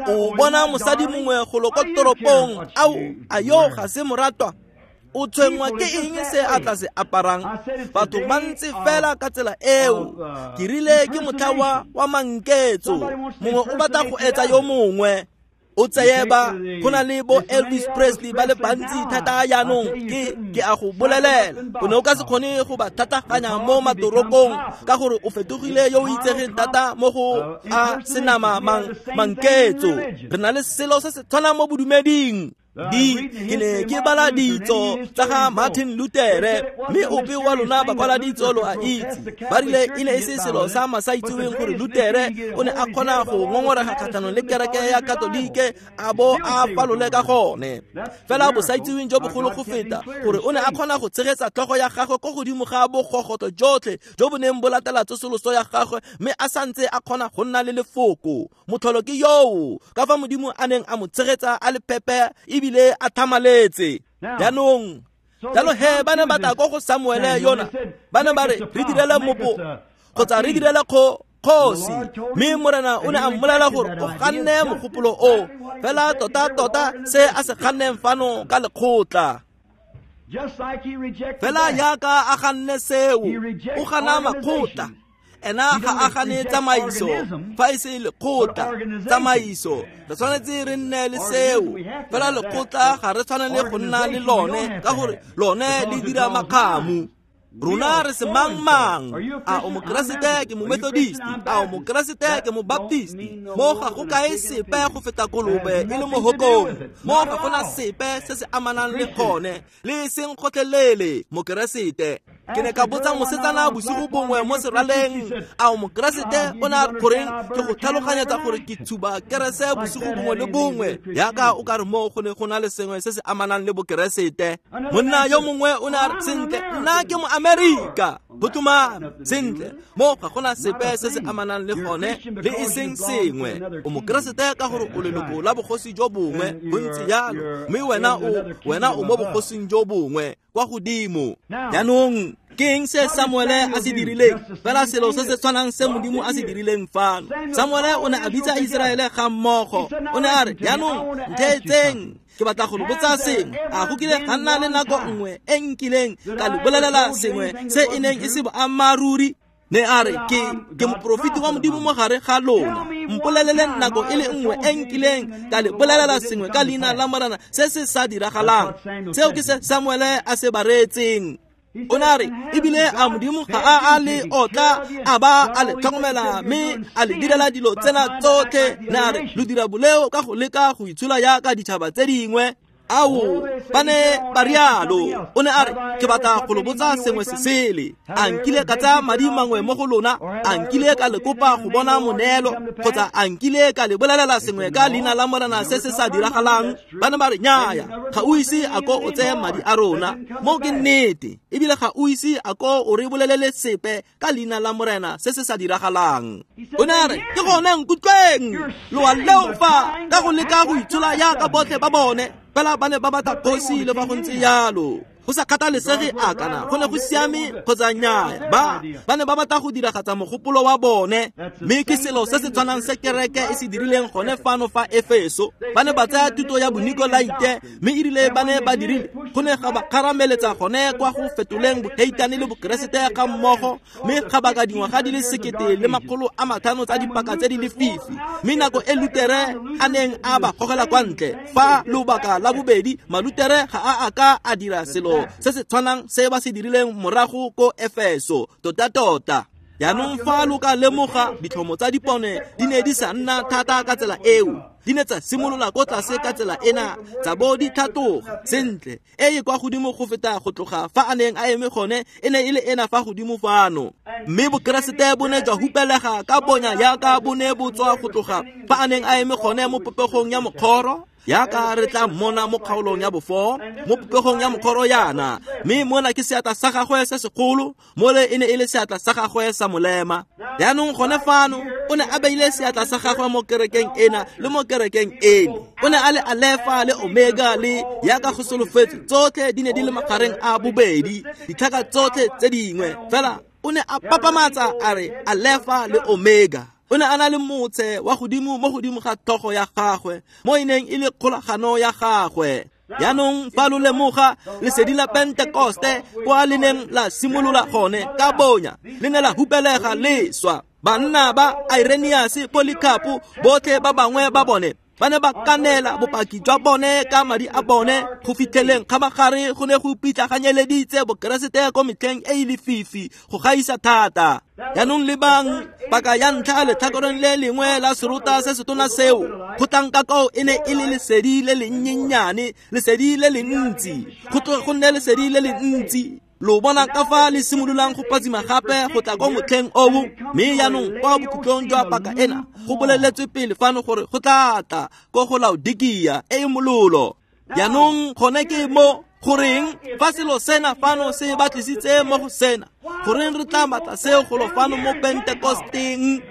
O bona mosadi mongwe golo ko toropong, ao a yo ga se moratwa, o tshwenngwa ke eng se a tla se aparang? Batho ba ntse fela ka tsela eo. Ke rile ke motlha wa manketso, mongwe o batla go etsa yo mongwe. O tseye ba go na le bo Elvis Presley ba le bantsi thata jaanong, ke a go bolelela, o ne o ka se kgone go ba thataganya mo matorokong ka gore o fetogile yo o itsegeng thata mo go a senama manketso. Re na le selo se se tshwanang mo bodumeding. Ke ne ke bala ditso tsa ga Martin Luther, mme ope wa lona ba kwala ditso lo a itse, ba rile e ne e se selo sa masaitseweng gore Luther o ne a kgona go ngongorega kgatlhanong le kereke ya Katolike a bo a falole ka gone. Fela bosaitseweng jo bogolo go feta gore o ne a kgona go tshegetsa tlhogo ya gagwe ko godimo ga bogogotlo jotlhe jo bo neng bo latela tsosoloso ya gagwe, mme a santse a kgona go nna le lefoko. Motlholo ke yoo ka fa Modimo a neng a mo tshegetsa a le pepe ebile a thamaletse. Jaanong jalo he ba ne ba tla ko go Samuele yona, ba ne ba re re direle mopo kgotsa re direle kgosi, mme Morena o ne a mmolela gore o ganne mogopolo o, fela tota-tota se a se ganneng fano ka lekgotla. Fela yaka a ganne seo, o gana makgotla. Ena ga a gane tsamaiso fa e se lekgotla tsamaiso, re tshwanetse re nne le seo. Fela lekgotla ga re tshwanele go nna le lone ka gore lone le dira makgamu. Rona re se mang-mang. A o mokeresete ke mo-Methodist, a o mokeresete ke mo-Baptist. Mo ga go kae sepe go feta kolobe e le mo hokong. Mo ga gona sepe se se amanang le gone, le seng gotlhelele mokeresete. Ke ne ka botsa mosetsana bosigo bongwe mo seraleng, a o mokeresete? O ne a goreng ke go tlhaloganyetsa gore ke tshuba kerese bosigo bongwe le bongwe, yaka o ka re mo go ne go na le sengwe se se amanang le bokeresete. Monna yo mongwe o ne a re, sentle, nna ke mo-Amerika. Go tlhomame, sentle, mo ga gona sepe se se amanang le gone le e seng sengwe. O mokeresete ka gore o leloko la bogosi jo bongwe, bontsi jalo, mme wena o mo bogosing jo bongwe kwa godimo. Jaanong ke eng se Samuele a se dirileng? Fela selo se se tshwanang se Modimo a se dirileng fano. Samuele o ne a bitsa Iseraele ga mmogo. O ne a re, jaanong ntheetseng, ke batla go lo botsa sengwe. A go kile ga nna le nako nngwe e nkileng ka lo bolelela sengwe se e neng e se boammaaruri? Ne a re, ke moprofeti wa Modimo mo gare ga lona. Mpolelele nako e le nngwe e nkileng ka le bolelela sengwe ka leina la Morena se se sa diragalang. Seo ke se Samuele a se bareetseng. O ne a re, ebile a Modimo ga a le otla a ba a le tlhokomela mme a le direla dilo tsena tsotlhe. Ne a re, lo dira boleo ka go leka go itshola yaka ditšhaba tse dingwe. Ao, ba ne ba rialo. O ne a re, ke batla go lo botsa sengwe se sele. A nkile ka tsaya madi mangwe mo go lona? A nkile ka le kopa go bona moneelo? Kgotsa a nkile ka le bolelela sengwe ka leina la Morena se se sa diragalang? Ba ne ba re, nnyaya, ga o ise a ko o tseye madi a rona. Mo ke nnete, ebile ga o ise a ko o re bolelele sepe ka leina la Morena se se sa diragalang. O ne a re, ke gone nkutlweng, lo a leofa ka go leka go itshola yaka botlhe ba bone. Fela ba ne ba batla kgosi le ba go ntse jalo. Go sa kgathalesege a kana go ne go siame kgotsa nnyaa, ba ne ba batla go diragatsa mogopolo wa bone. Mme ke selo se se tshwanang se kereke e se dirileng gone fano fa Efeso. Ba ne ba tsaya thuto ya Bonikolaite, mme erile ba ne ba dirile, go ne ga ba kgarameletsa gone kwa go fetoleng boheitane le bokeresete ga mmogo, mme ga baka dingwaga di le 1500 tsa dipaka tse di lefifi. Mme nako e Lutere a neng a ba gogela kwa ntle fa lobaka la bobedi, Malutere ga a a ka a dira selo se se tshwanang se ba se dirileng morago ko Efeso. Tota-tota. Jaanong fa lo ka lemoga, ditlhomo tsa dipone di ne di sa nna thata ka tsela eo. Di ne tsa simolola ko tlase ka tsela ena, tsa bo di tlhatloga sentle, e e kwa godimo go feta go tloga fa a neng a eme gone, e ne e le ena fa godimo fano. Mme bokeresete bo ne jwa hupelega ka bonya yaka bo ne bo tswa go tloga fa a neng a eme gone mo popegong ya mokgoro, yaka re tla mmona mo kgaolong ya bofo mo popegong ya mokgoro yana. Mme mona ke seatla sa gagwe se segolo, mole e ne e le seatla sa gagwe sa molema. Jaanong gone fano o ne a beile seatla sa gagwe mo kerekeng ena le mo kerekeng ene. O ne a le Alefa le Omega le yaka go solofetse, tsotlhe di ne di le magareng a bobedi, ditlhaka tsotlhe tse dingwe fela o ne a papamatsa a re Alefa le Omega. O ne a na le motse wa godimo mo godimo ga tlhogo ya gagwe, mo e neng e le kgolagano ya gagwe. Jaanong fa lo lemoga lesedi la Pentekoste kwa le neng la simolola gone ka bonya, le ne la hupelega leswa. Banna ba Irenaeus, Polycarp, botlhe ba bangwe ba bone ba ne ba kanela bopaki jwa bone ka madi a bone go fitlheleng kgabagare go ne go pitlaganyeleditse bokeresete ko metlheng e e lefifi go gaisa thata. Jaanong lebang paka ya ntlha letlhakoreng le lengwe la serota se setona seo, go tlang ka koo e ne e le lesedi le lennyennyane, lesedi le le ntsi, go tloge go nne lesedi le le ntsi. Lo bona ka fa le simololang go phatsima gape go tla ko motlheng oo. Mme jaanong kwa bokhutlong jwa paka ena go boleletswe pele fano gore go tla tla ko go Laodikia e e mololo. Jaanong gone ke mo goreng fa selo sena fano se batlisitse mo go sena, goreng re tla batla seo golo fano mo Pentekosteng?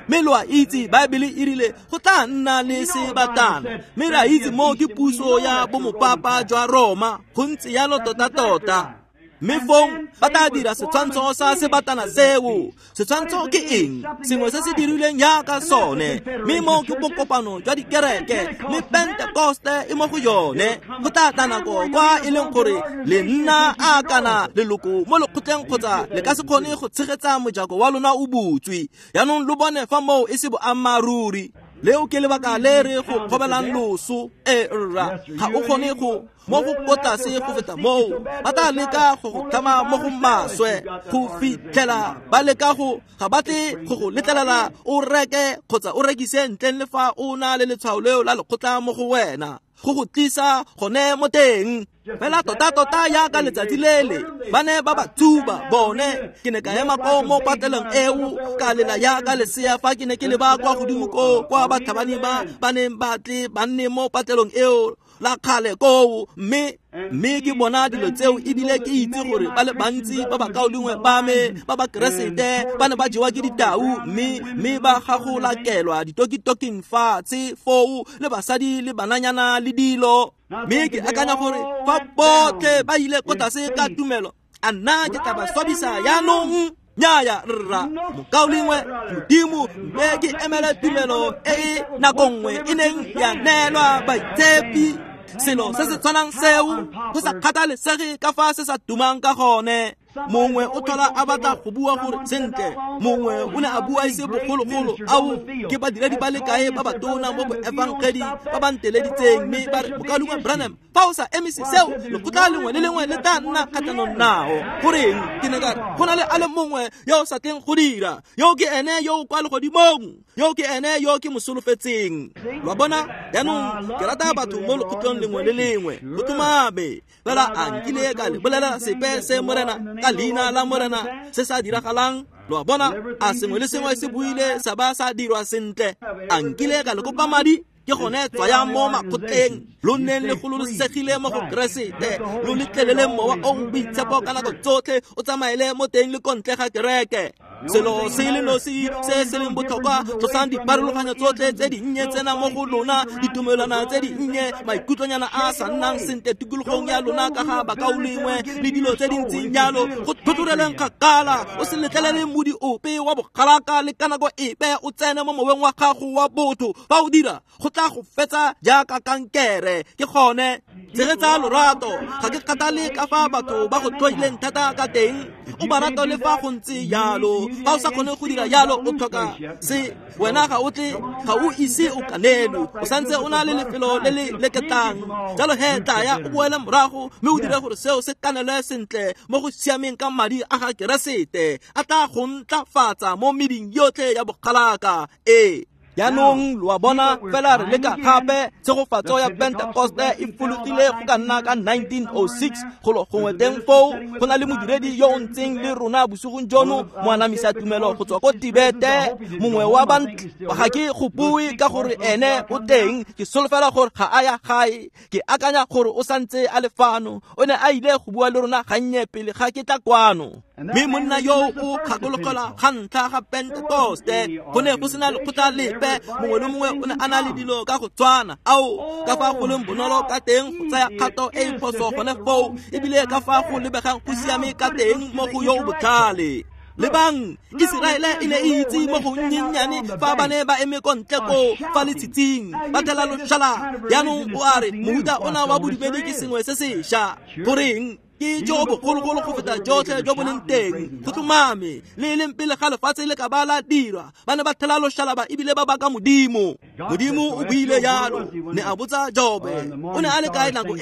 Mme lo a itse Baebele e rile go tla nna le sebatana, mme re a itse mo ke puso ya bomopapa jwa Roma, go ntse yalo tota-tota. Mme fong ba tla dira setshwantsho sa sebatana seo. Setshwantsho ke eng? Sengwe se se dirilweng jaaka sone. Mme mo ke bokopano jwa dikereke, mme Pentekoste e mo go yone. Go tla tla nako kwa e leng gore le nna a kana leloko mo lekgotleng kgotsa le ka se kgone go tshegetsa mojako wa lona o butswe. Jaanong lo bone fa moo e se boammaaruri. Leo ke lebaka le re go kgobelang loso. E rra, ga o kgone go mo go ko tlase go feta moo. Ba tla leka go go tlhama mo go maswe go fitlhela ba leka go ga batle go go letlelela o reke kgotsa o rekise ntleng le fa o na le letshwao leo la lekgotla mo go wena, go go tlisa gone mo teng. Fela tota-tota yaka letsatsi lele ba ne ba ba tsuba bone. Ke ne ka ema ko mo pateleng eo ka lela yaka lesea fa ke ne ke leba kwa godimo ko kwa batlhabani ba ba neng ba tle ba nne mo patelong eo la kgale koo. Mme ke bona dilo tseo ebile ke itse gore ba le bantsi ba bakaulengwe ba me ba ba keresete ba ne ba jewa ke ditau, mme ba gagolakelwa ditokitoking fatshe foo le basadi le bananyana le dilo. Mme ke akanya gore fa botlhe ba ile ko tlase ka tumelo, a nna ke tla ba swabisa jaanong? Nnyaya rra, mokaulengwe, Modimo mme ke emele tumelo e e nako nngwe e neng ya neelwa baitshepi. Selo se se tshwanang seo, go sa kgathalesege ka fa se sa tumang ka gone. Mongwe o tlhola a batla go bua gore sentle, mongwe o ne a bua ise bogologolo, ao ke badiredi ba le kae ba batona mo boefangedi ba ba nteleditseng, mme ba re mokaulengwe Branham, fa o sa emise seo, lekgotla lengwe le lengwe le tla nna kgatlhanong nao. Goreng? Ke ne ka re go na le a le mongwe yo o sa tleng go dira, yo ke ene yo o kwa legodimong, yo ke ene yo ke mo solofetseng. Lo a bona? Jaanong ke rata batho mo lekgotlong lengwe le lengwe, go tlhomame. Fela a nkile ka le bolela sepe se Morena ka leina la Morena se sa diragalang? Lo a bona? A sengwe le sengwe se buile sa ba sa dirwa sentle? A nkile ka le kopa madi? Ke gone tswayang mo makgotleng, lo nneng le gololosegile mo go Keresete, lo letlelele mowa o o boitshepo ka nako tsotlhe o tsamaele mo teng le ko ntle ga kereke. Selo se le nosi se se leng botlhokwa, tlosang diparologanyo tsotlhe tse dinnye tsena mo go lona, ditumelwana tse dinnye, maikutlonyana a sa nnang sentle tikologong ya lona ka ga bakaulengwe le dilo tse di ntseng jalo. Go tlhotlhoreleng kgakala, o se letlelele modi ope wa bogalaka le ka nako epe o tsene mo moweng wa gago wa botho. Fa o dira, go tla go fetsa jaaka kankere. Ke gone tshegetsa lorato, ga ke kgathale ka fa batho ba go tlhoileng thata ka teng, o ba rata le fa go ntse jalo. Fa o sa kgone go dira jalo, o tlhoka se wena ga o tle, ga o ise o kanelwe, o santse o na le lefelo le le leketlang. Jalo he tlaya o boele morago mme o dire gore seo se kanelwe sentle mo go siameng ka madi a ga Keresete, a tla go ntlafatsa mo meding yotlhe ya bogalaka. Ee. Jaanong lo a bona fela re leka gape tshegofatso ya Pentekoste e fologile go ka nna ka 1906 golo gongwe teng foo. Go na le modiredi yo o ntseng le rona bosigong jono, moanamisa tumelo go tswa ko Tibete, mongwe wa bantle. Ga ke go bue ka gore ene o teng, ke solofela gore ga a ya gae, ke akanya gore o santse a le fano. O ne a ile go bua le rona gannye pele ga ke tla kwano. Mme monna yo o kgakologelwa ga ntlha ga Pentekoste, go ne go sena lekgotla lepe, mongwe le mongwe o ne a na le dilo ka go tshwana. Ao, ka fa go leng bonolo ka teng go tsaya kgato e e phoso gone foo, ebile ka fa go lebegang go siame ka teng mo go yo o botlhale. Lebang, Iseraele e ne e itse mo go nnyennyane fa ba ne ba eme ko ntle koo fa letshitsing ba thela loshalaba. Jaanong o a re mohuta ona wa bodumedi ke sengwe se sešwa. Goreng? Ke jo bogologolo go feta jotlhe jo bo leng teng. Go tlhomame, le e leng pele ga lefatshe le ka ba la dirwa, ba ne ba thela loshalaba ebile ba baka Modimo. Modimo o buile jalo, ne a botsa Jobe, o ne a le kae nako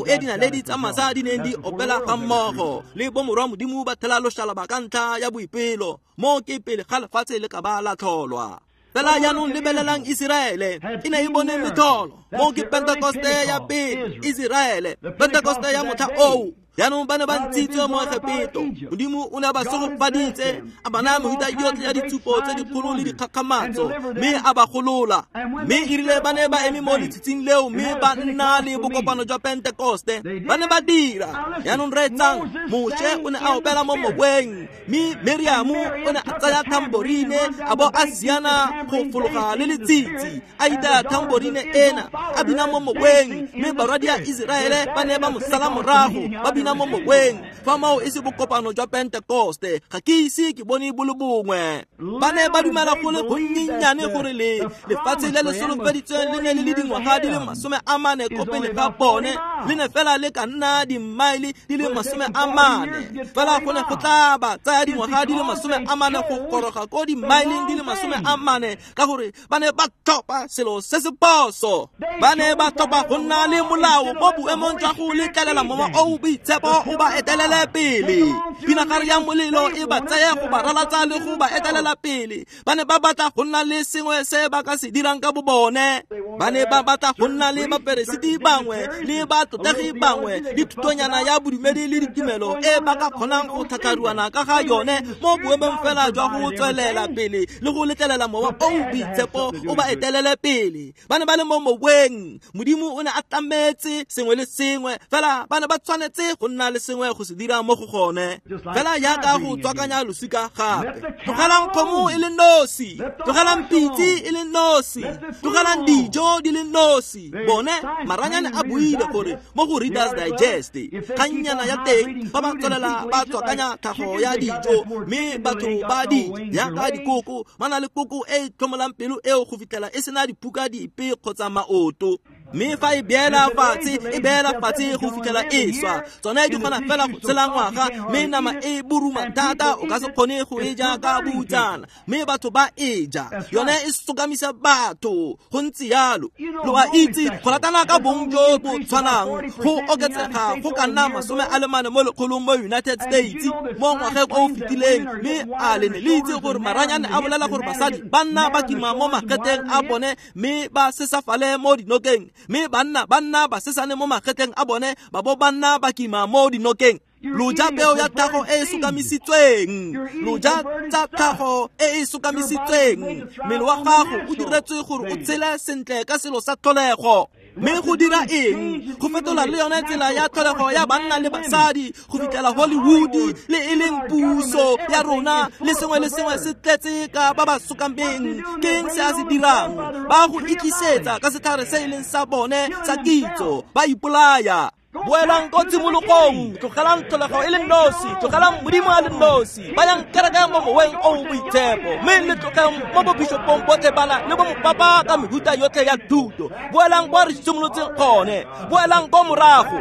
e dinaledi tsa masa di neng di opela ga mmogo le bomorwa Modimo ba thela loshalaba ka ntlha ya boipelo, mo ke pele ga lefatshe le ka ba la tlholwa. Fela jaanong lebelelang Iseraele, e ne e bone metlholo. Mo ke Pentekoste ya pele, Iseraele, Pentekoste ya motlha oo. Jaanong ba ne ba ntshitswe mo Egepeto. Modimo o ne a ba segofaditse, a ba naya mehuta yotlhe ya ditshupo tse dikgolo le dikgakgamatso, mme a ba golola. Mme erile ba ne ba eme mo letshitsing leo mme ba nna le bokopano jwa Pentekoste, ba ne ba dira. Jaanong reetsang, Moshe o ne a opela mo moweng, mme Miriamo o ne a tsaya tamborine a bo a siana go fologa le letsitsi, a itaya tamborine ena, a bina mo moweng, mme barwadi ya Iseraele ba ne ba mo sala morago, ba bina mo moweng. Fa mao e se bokopano jwa Pentekoste, ga ke ise ke bone bo le bongwe. Ba ne ba dumela go le gonnyennyane gore le lefatshe le le solofeditsweng le ne le le dingwaga di le 40 ko pele ga bone, le ne fela le ka nna dimmaele di le 40. Fela go ne go tla ba tsaya dingwaga di le 40 go goroga ko dimmaeleng di le 40, ka gore ba ne ba tlhopha selo se se phoso. Ba ne ba tlhopha go nna le molao mo boemong jwa go letlelela mowa o o boitshepo o ba etelele pele. Pinagare ya molelo e ba tseye go ba ralatsa le go ba etelela pele. Ba ne ba batla go nna le sengwe se ba ka se dirang ka bobone. Ba ne ba batla go nna le baperesiti bangwe le batlotlegi bangwe le thutonyana ya bodumedi le ditumelo e ba ka kgonang go tlhatlharuana ka ga yone mo boemong fela jwa go tswelela pele le go letlelela mowa o o boitshepo o ba etelele pele. Ba ne ba le mo moweng. Modimo o ne a tlametse sengwe le sengwe, fela ba ne ba tshwanetse go nna le sengwe go se dira mo go gone. Fela jaaka go tswakanya losika gape. Tlogelang kgomo e le nosi, tlogelang pitse e le nosi, tlogelang dijo di le nosi. Bone maranyane a buile gore mo go Reader's Digest, kgannyana ya teng ba ba tswelela ba tswakanya tlhago ya dijo, mme batho ba di jaaka dikoko ba na le koko e e tlhomolang pelo eo go fitlhela e sena diphuka dipe kgotsa maoto. Mme fa e beela fatshe, e beela fatshe go fitlhela e swa. Tsone di kgona fela go tshela ngwaga, mme nama e boruma thata o ka se kgone go e ja ka boutsana. Mme batho ba e ja, yone e sokamisa batho. Go ntse jalo. Lo a itse go ratana ka bong jo bo tshwanang go oketsega go ka nna 44 mo lekgolong mo United States mo ngwageng o o fetileng. Mme a le ne le itse gore maranyane a bolela gore basadi ba nna ba kima mo magetleng a bone mme ba sesafale mo dinokeng, mme banna ba nna ba sesane mo magetleng a bone ba bo ba nna ba kima mo dinokeng. Lo ja peo ya tlhago e e sokamisitsweng, lo ja tsa tlhago e e sokamisitsweng. Mmele wa gago o diretswe gore o tshele sentle ka selo sa tlholego. Mme go dira eng? Go fetola le yone tsela ya tlholego ya banna le basadi go fitlhela Hollywood le e leng puso ya rona le sengwe le sengwe se tletse ka ba ba sokameng. Ke eng se a se dirang? Ba go iklisetsa ka setlhare se e leng sa bone sa kitso, ba ipolaya. Boelang ko tshimologong, tlogelang tlholego e le nosi, tlogelang Modimo a le nosi, bayang kereke mo moweng o o boitshepo, mme le tlogeng mo bobishopong botlhe bana le bo mopapa ka mehuta yotlhe ya thuto. Boelang kwa re simolotseng gone, boelang ko morago.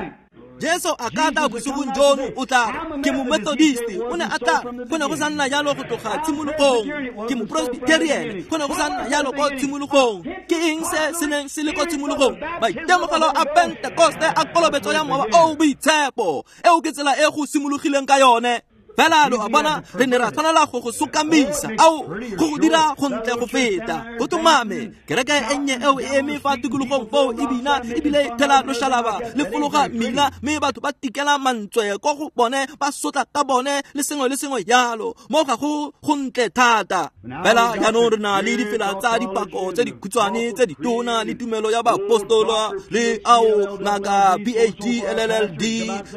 Jesu a ka tla bosigong jono, o tla re, ke mo-Methodist, o ne a tla, go ne go sa nna jalo go tloga tshimologong. Ke mo-Presbyterian, go ne go sa nna jalo ko tshimologong. Ke eng se se neng se le ko tshimologong? Maitemogelo a Pentekoste a kolobetso ya mowa o o boitshepo. Eo ke tsela e go simologileng ka yone. Fela lo a bona re ne ra tshwanela go go sokamisa, ao go go dira go ntle go feta. Go tumame kereke e nnye eo e eme fa tikologong foo e bina ebile thela loshalaba le fologa mmila, mme batho ba tikela mantswe ko go bone, ba sotla ka bone le sengwe le sengwe jalo. Mo ga go go ntle thata. Fela jaanong re na le difela tsa dipako tse dikhutshwane tse ditona le tumelo ya baapostola le ao ngaka PhD LLD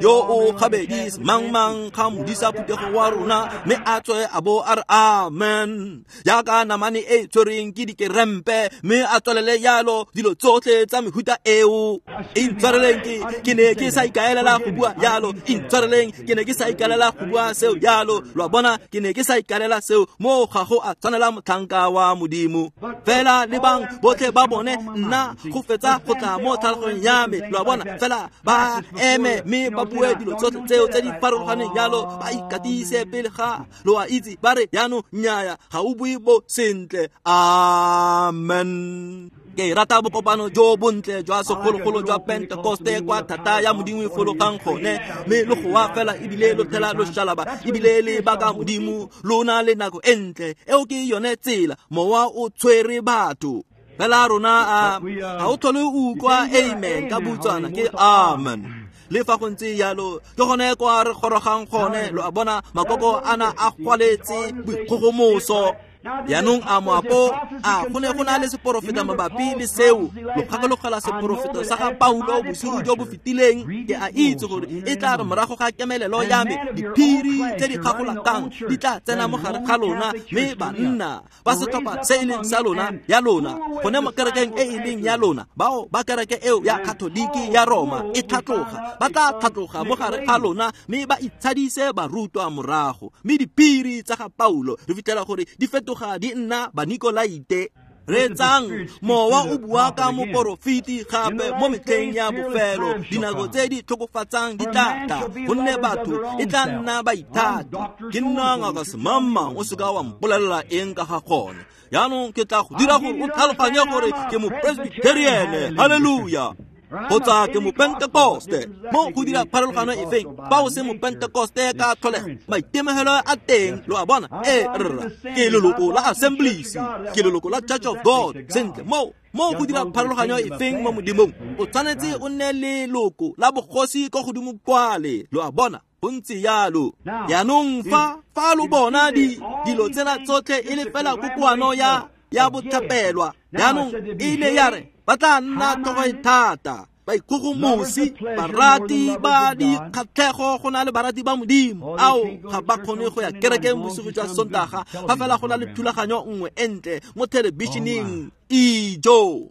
yo o gabedi mang mang ga modisa phuthego wa rona, mme a tswe a bo a re amen jaaka namane e tshwereng ke dikerempe, mme a tswelele jalo dilo tsotlhe tsa mehuta eo. Intshwareleng, ke ne ke sa ikaelela go bua jalo. Intshwareleng, ke ne ke sa ikaelela go bua seo jalo. Lo a bona, ke ne ke sa ikaelela seo. Mo ga go a tshwanela motlhanka wa Modimo. Fela lebang botlhe ba bone, nna go fetsa go tla mo tlhaloganyong ya me. Lo a bona, fela ba eme mme ba bue dilo tsotlhe tseo tse di farologaneng jalo, ba ikatise pele ga lo a itse, ba re jaanong nnyaya ga o bue bo sentle. Amen. Ke rata bokopano jo bontle jwa segologolo jwa Pentekoste kwa thata ya Modimo e fologang gone, mme lo goa fela ebile lo thela loshalaba ebile le baka Modimo, lona le nako e ntle. Eo ke yone tsela mowa o tshwere batho. Fela rona a ga o tlhole o utlwa amen ka butswana ke amen. Le fa go ntse jalo ke gone kwa re gorogang gone. Lo a bona, makoko ana a gwaletse boikgogomoso. Jaanong a moapo a go ne go na le seporofeta mabapi le seo. Lo gakologela seporofeto sa ga Paulo bosigo jo bo fetileng? Ke a itse gore e tla re morago ga kemelelo ya me diphiri tse di kgagolakang di tla tsena mo gare ga lona, mme banna ba setlhopha se e leng sa lona ya lona gone mo kerekeng e e leng ya lona, bao ba kereke eo ya Katoliki ya Roma e tlhatloga, ba tla tlhatloga mo gare ga lona mme ba itshadise barutwa morago. Mme diphiri tsa ga Paulo re fitlhela gore di fetoga di nna Banikolaite. Reetsang, mowa o bua ka moporofeti gape mo metlheng ya bofelo, dinako tse di tlhokofatsang di tla tla, gonne batho e tla nna baithati. Ke nna ngaka semangmang, o seka wa mpolelela eng ka ga gone. Jaanong ke tla go dira gore o tlhaloganye gore ke mopresbyteriane, halleluja, kgotsa ke mopentekoste. Mo go dira pharologano efeng fa o se mopentekoste ka tlholego, maitemogelo a teng. Lo a bona, e rra, ke leloko la Assemblies, ke leloko la Church of God. Sentle, mo go dira pharologanyo efeng mo Modimong? O tshwanetse o nne leloko la bogosi ko godimo kwale. Lo a bona, go ntse jalo. Jaanong fa lo bona dilo tsena tsotlhe e le fela kokoano ya botlhapelwa, jaanong e ile ya re ba tla nna tlhogo e thata, baikgogomosi, barati ba dikgatlhego go na le barati ba Modimo. Ao ga ba kgone go ya kerekeng bosigo jwa Sontaga fa fela go na le thulaganyo nngwe e ntle mo thelebišeneng. Ijo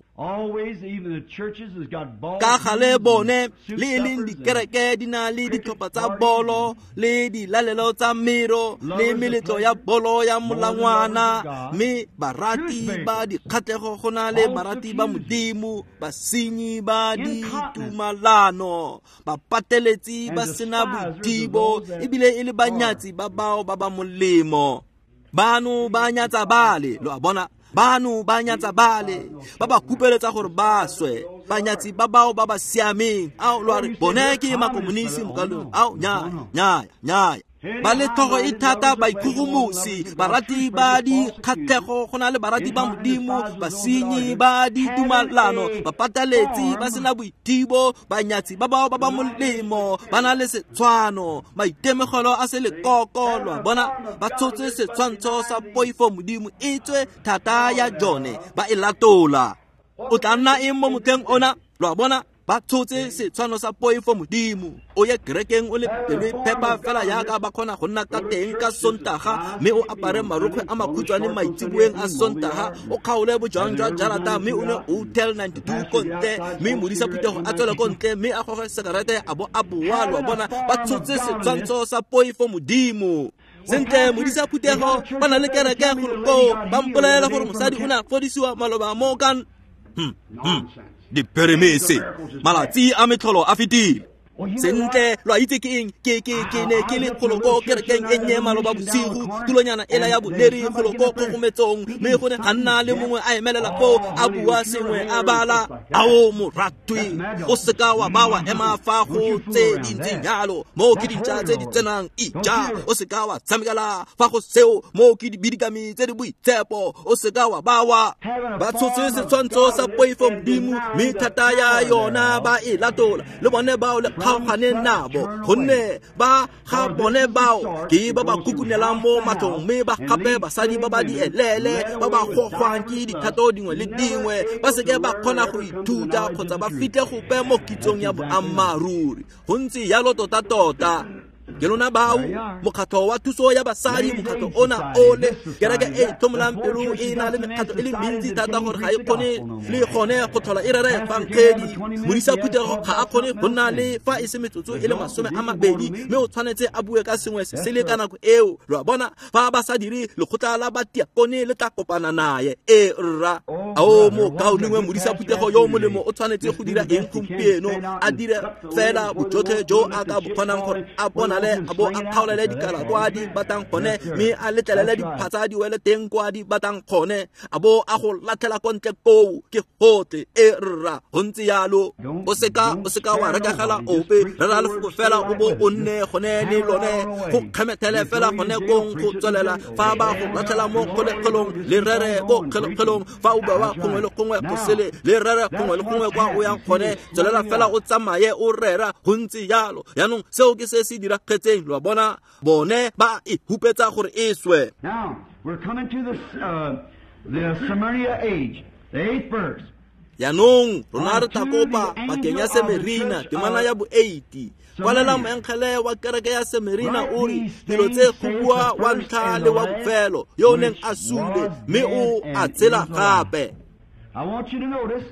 ka gale bone le e leng dikereke di na le ditlhopha tsa bolo le dilalelo tsa mero le meletlo ya bolo ya molangwana, mme barati ba dikgatlhego go na le barati ba Modimo, basenyi ba ditumalano, bapateletsi ba sena boithibo ebile e le banyatsi ba bao ba ba molemo. Bano ba nyatsa bale, lo a bona, bano ba nyatsa bale, ba ba kupeletsa gore ba swe, banyatsi ba bao ba ba siameng. Ao lo a re bone ke makomonisi mokalong. Ao nyaya nyaya nyaya, ba le tlhogo e thata, baikgogomosi, barati ba dikgatlhego go na le barati ba Modimo, basenyi ba ditumalano, bapataletsi ba sena boithibo, banyatsi ba bao ba ba molemo, ba na le setshwano, maitemogelo a selekoko. Lo a bona, ba tshotse setshwantsho sa poifo Modimo e tswe thata ya jone ba e latola. O tla nna eng mo motlheng ona? Lo a bona, ba tshotse setshwano sa poifo Modimo. O ye kerekeng o le pelo e phepa fela jaaka ba kgona go nna ka teng ka Sontaga, mme o apare marokgwe a makhutshwane maitseboeng a Sontaga, o kgaole bojang jwa jarata mme o ne Hotel 92 ko ntle, mme modisa phuthego a tswele ko ntle mme a goge sekarete a bo a boa. Lo a bona, ba tshotse setshwantsho sa poifo Modimo. Sentle, modisa phuthego ba na le kereke golo koo, ba mpolelela gore mosadi o ne a fodisiwa maloba mo kan diperemese, malatsi a metlholo a fetile. Sentle lo a itse ke eng ke ne ke le kgoloko kerekeng e nnye maloba bosigo tulonyana ela ya boneri kgoloko kgogometsong mme go ne ga nna le mongwe a emelela foo a bua sengwe a bala ao moratwi o seka wa ba wa ema fa go tse di ntseng jalo moo ke dintša tse di tsenang ija o seka wa tshamekela fa go seo moo ke dibidikami tse di boitshepo o seka wa ba wa ba tshotse setshwantsho sa poifo modimo mme thata ya yona ba e latola le bone bao le kgaoganeng nabo gonne ba ga bone bao ke ba ba kukunelang mo matlong mme ba gape basadi ba ba di elele ba ba gogwang ke dithato dingwe le dingwe ba seke ba kgona go ithuta kgotsa ba fitlhe gope mo kitsong ya boammaaruri go ntse jalo tota-tota ke lona bao mokgatlho wa thuso ya basadi mokgatlho ona ole kereke e tlhomolang pelo e na le mekgatlho e le mentsi thata gore ga e kgone le gone go tlhola e rera efangedi modisa phuthego ga a kgone go nna le fa e se metsotso e le 20 mme o tshwanetse a bue ka sengwe se se le ka nako eo lo a bona fa ba sa dire lekgotla la batiakone le tla kopana naye e rra ao mokaulengwe modisa phuthego yo molemo o tshwanetse go dira eng gompieno a dire fela bojotlhe jo a ka bo kgonang gore a bonale a bo a kgaolele dikala kwa di batang gone mme a letlelele diphatsa di wele teng kwa di batang gone a bo a go latlhela ko ntle koo ke gotlhe e rra go ntse yalo o seka wa rekegela ope rera lefoko fela o bo o nne gone le lone go kgemethele fela gone kong go tswelela fa ba go latlhela mo kgolegong le rere ko kgolegong fa o bewa gongwe le gongwe go sele le rere gongwe le gongwe kwa o yang gone tswelela fela o tsamaye o rera go ntse jalo jaanong seo ke se se diragetseng lo a bona bone ba e hupetsa gore e swe.
Now we're coming to the Smyrna age, the 8th verse.
Jaanong rona re tla kopa pakeng ya Semerina temana ya bo 8 kwalela moengele wa kereke ya Semerina o re dilo tse go bua wa ntlha le wa bofelo yo o neng a sule mme o a tshela gape.
I want you to notice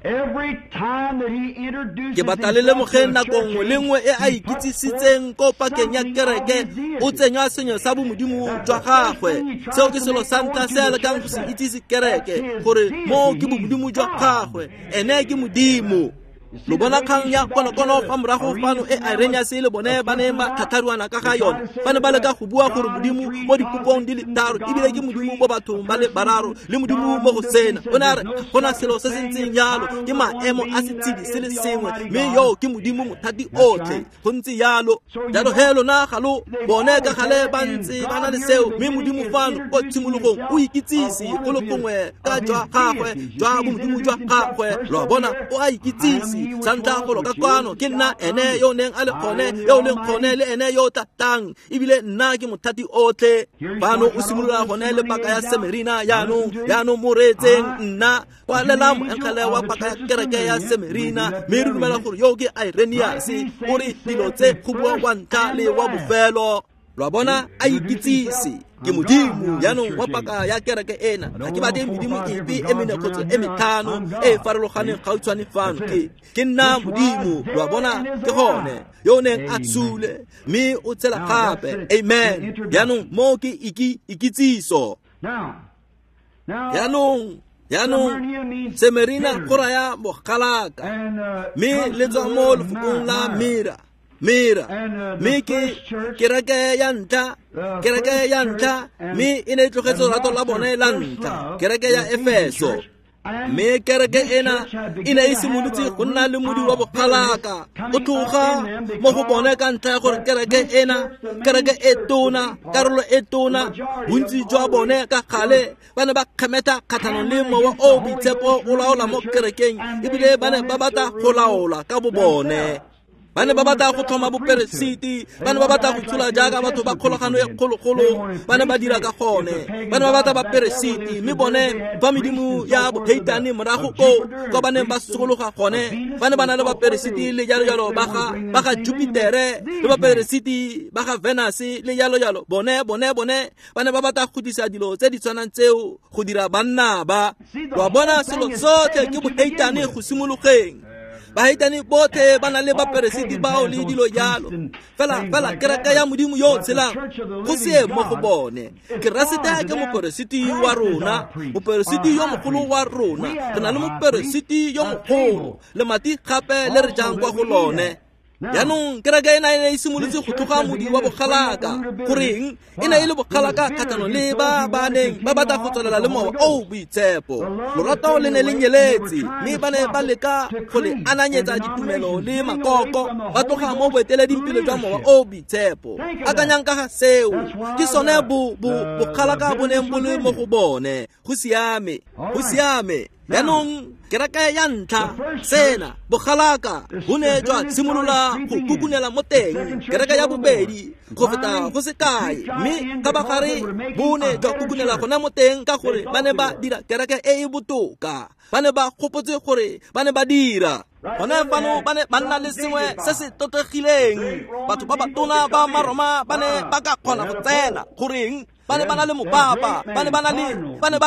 every time that he introduces
ke batla le lemogeng nako nngwe le nngwe e a ikitsisitseng ko pakeng ya kereke o tsenya sengwe sa bomodimo jwa gagwe seo ke selo sa ntlha se a lekang go se itsise kereke gore moo ke bomodimo jwa gagwe ene ke modimo. Lo bona kgang ya konokono fa morago fano e Irenaeus le bone ba ne ba tlhatlharuana ka ga yone ba ne ba leka go bua gore modimo mo dikopong di le tharo ebile ke modimo mo bathong ba le bararo le modimo mo go sena o ne a re gona selo se se ntseng jalo ke maemo a setshedi se le sengwe mme yo ke modimo mothati otlhe go ntse jalo jalo he lona ga lo bone ka gale ba ntse ba na le seo mme modimo fano ko tshimologong o ikitsise go le gongwe ka jwa gagwe jwa bomodimo jwa gagwe lo a bona o a ikitsise sa ntlha golo ka kwano ke nna ene yo o neng a le gone yo o leng gone le ene yo o tlatang ebile nna ke mothati otlhe fano o simolola gone le paka ya Semerina jaanong mo reetseng nna kwalela moengele wa paka ya kereke ya Semerina mme re dumela gore yo ke Irenaeus o re dilo tse go bua wa ntlha le wa bofelo lo a bona a ikitsise ke modimo jaanong wa paka ya kereke ena ga ke batle medimo epe e mene kgotsa e metlhano e e farologaneng gautshwane fano ke nna modimo lo a bona ke gone yo o neng a sule mme o tshela gape amen jaanong moo ke ikitsiso jaanong Semerina go raya bogalaka mme le tswa mo lefokong la mira mira mme ke kereke ya ntlha mme e ne e tlogetse lorato la bone la ntlha kereke ya Efeso mme kereke ena e ne e simolotse go nna le modi wa bogalaka o tloga mo go bone ka ntlha ya gore kereke ena kereke e tona karolo e tona bontsi jwa bone ka gale ba ne ba kgemetha kgatlhanong le mowa o boitshepo o laola mo kerekeng ebile ba ne ba batla go laola ka bo bone ba ne ba batla go tlhoma boperesiti ba ne ba batla go tshola jaaka batho ba kgolagano e kgologolo ba ne ba dira ka gone ba ne ba batla baperesiti mme bone ba medimo ya boheitane morago koo kwa ba neng ba sokologa gone ba ne ba na le baperesiti le jalo jalo ba ga Jupitere le baperesiti ba ga Venus le jalo jalo bone ba ne ba batla go tlisa dilo tse di tshwanang tseo go dira banna ba lo a bona selo sotlhe ke boheitane go simologeng baheitane botlhe ba na le baperesiti bao le dilo jalo fela kereke ya modimo yo o tshelang go se mo go bone Keresete ke moperesiti wa rona moperesiti yo mogolo wa rona re na le moperesiti yo mogolo lemati gape le re jang kwa go lone. Jaanong kereke ena e ne e simolotse go tloga modi wa bogalaka. Goreng e ne e le bogalaka kgatlhanong le ba ba neng ba batla go tswelela le mowa o boitshepo. Lorato le ne le nyeletse, mme ba ne ba leka go le ananyetsa ditumelo le makoko, ba tloga mo boeteledingpele jwa mowa o boitshepo. Akanyang ka ga seo, ke sone bogalaka bo neng bo le mo go bone. Go siame, go siame. Jaanong kereke ya ntlha sena bogalaka bo ne jwa simolola go kukunela mo teng. Kereke ya bobedi go feta go se kae, mme kgabagare bo ne jwa kukunela gona mo teng ka gore ba ne ba dira kereke e e botoka. Ba ne ba gopotse gore ba ne ba dira. Gone fano ba ne ba nna le sengwe se se totlegileng. Batho ba batona ba Maroma ba ne ba ka kgona go tsena. Goreng? Ba ne ba na le mopapa, ba ne ba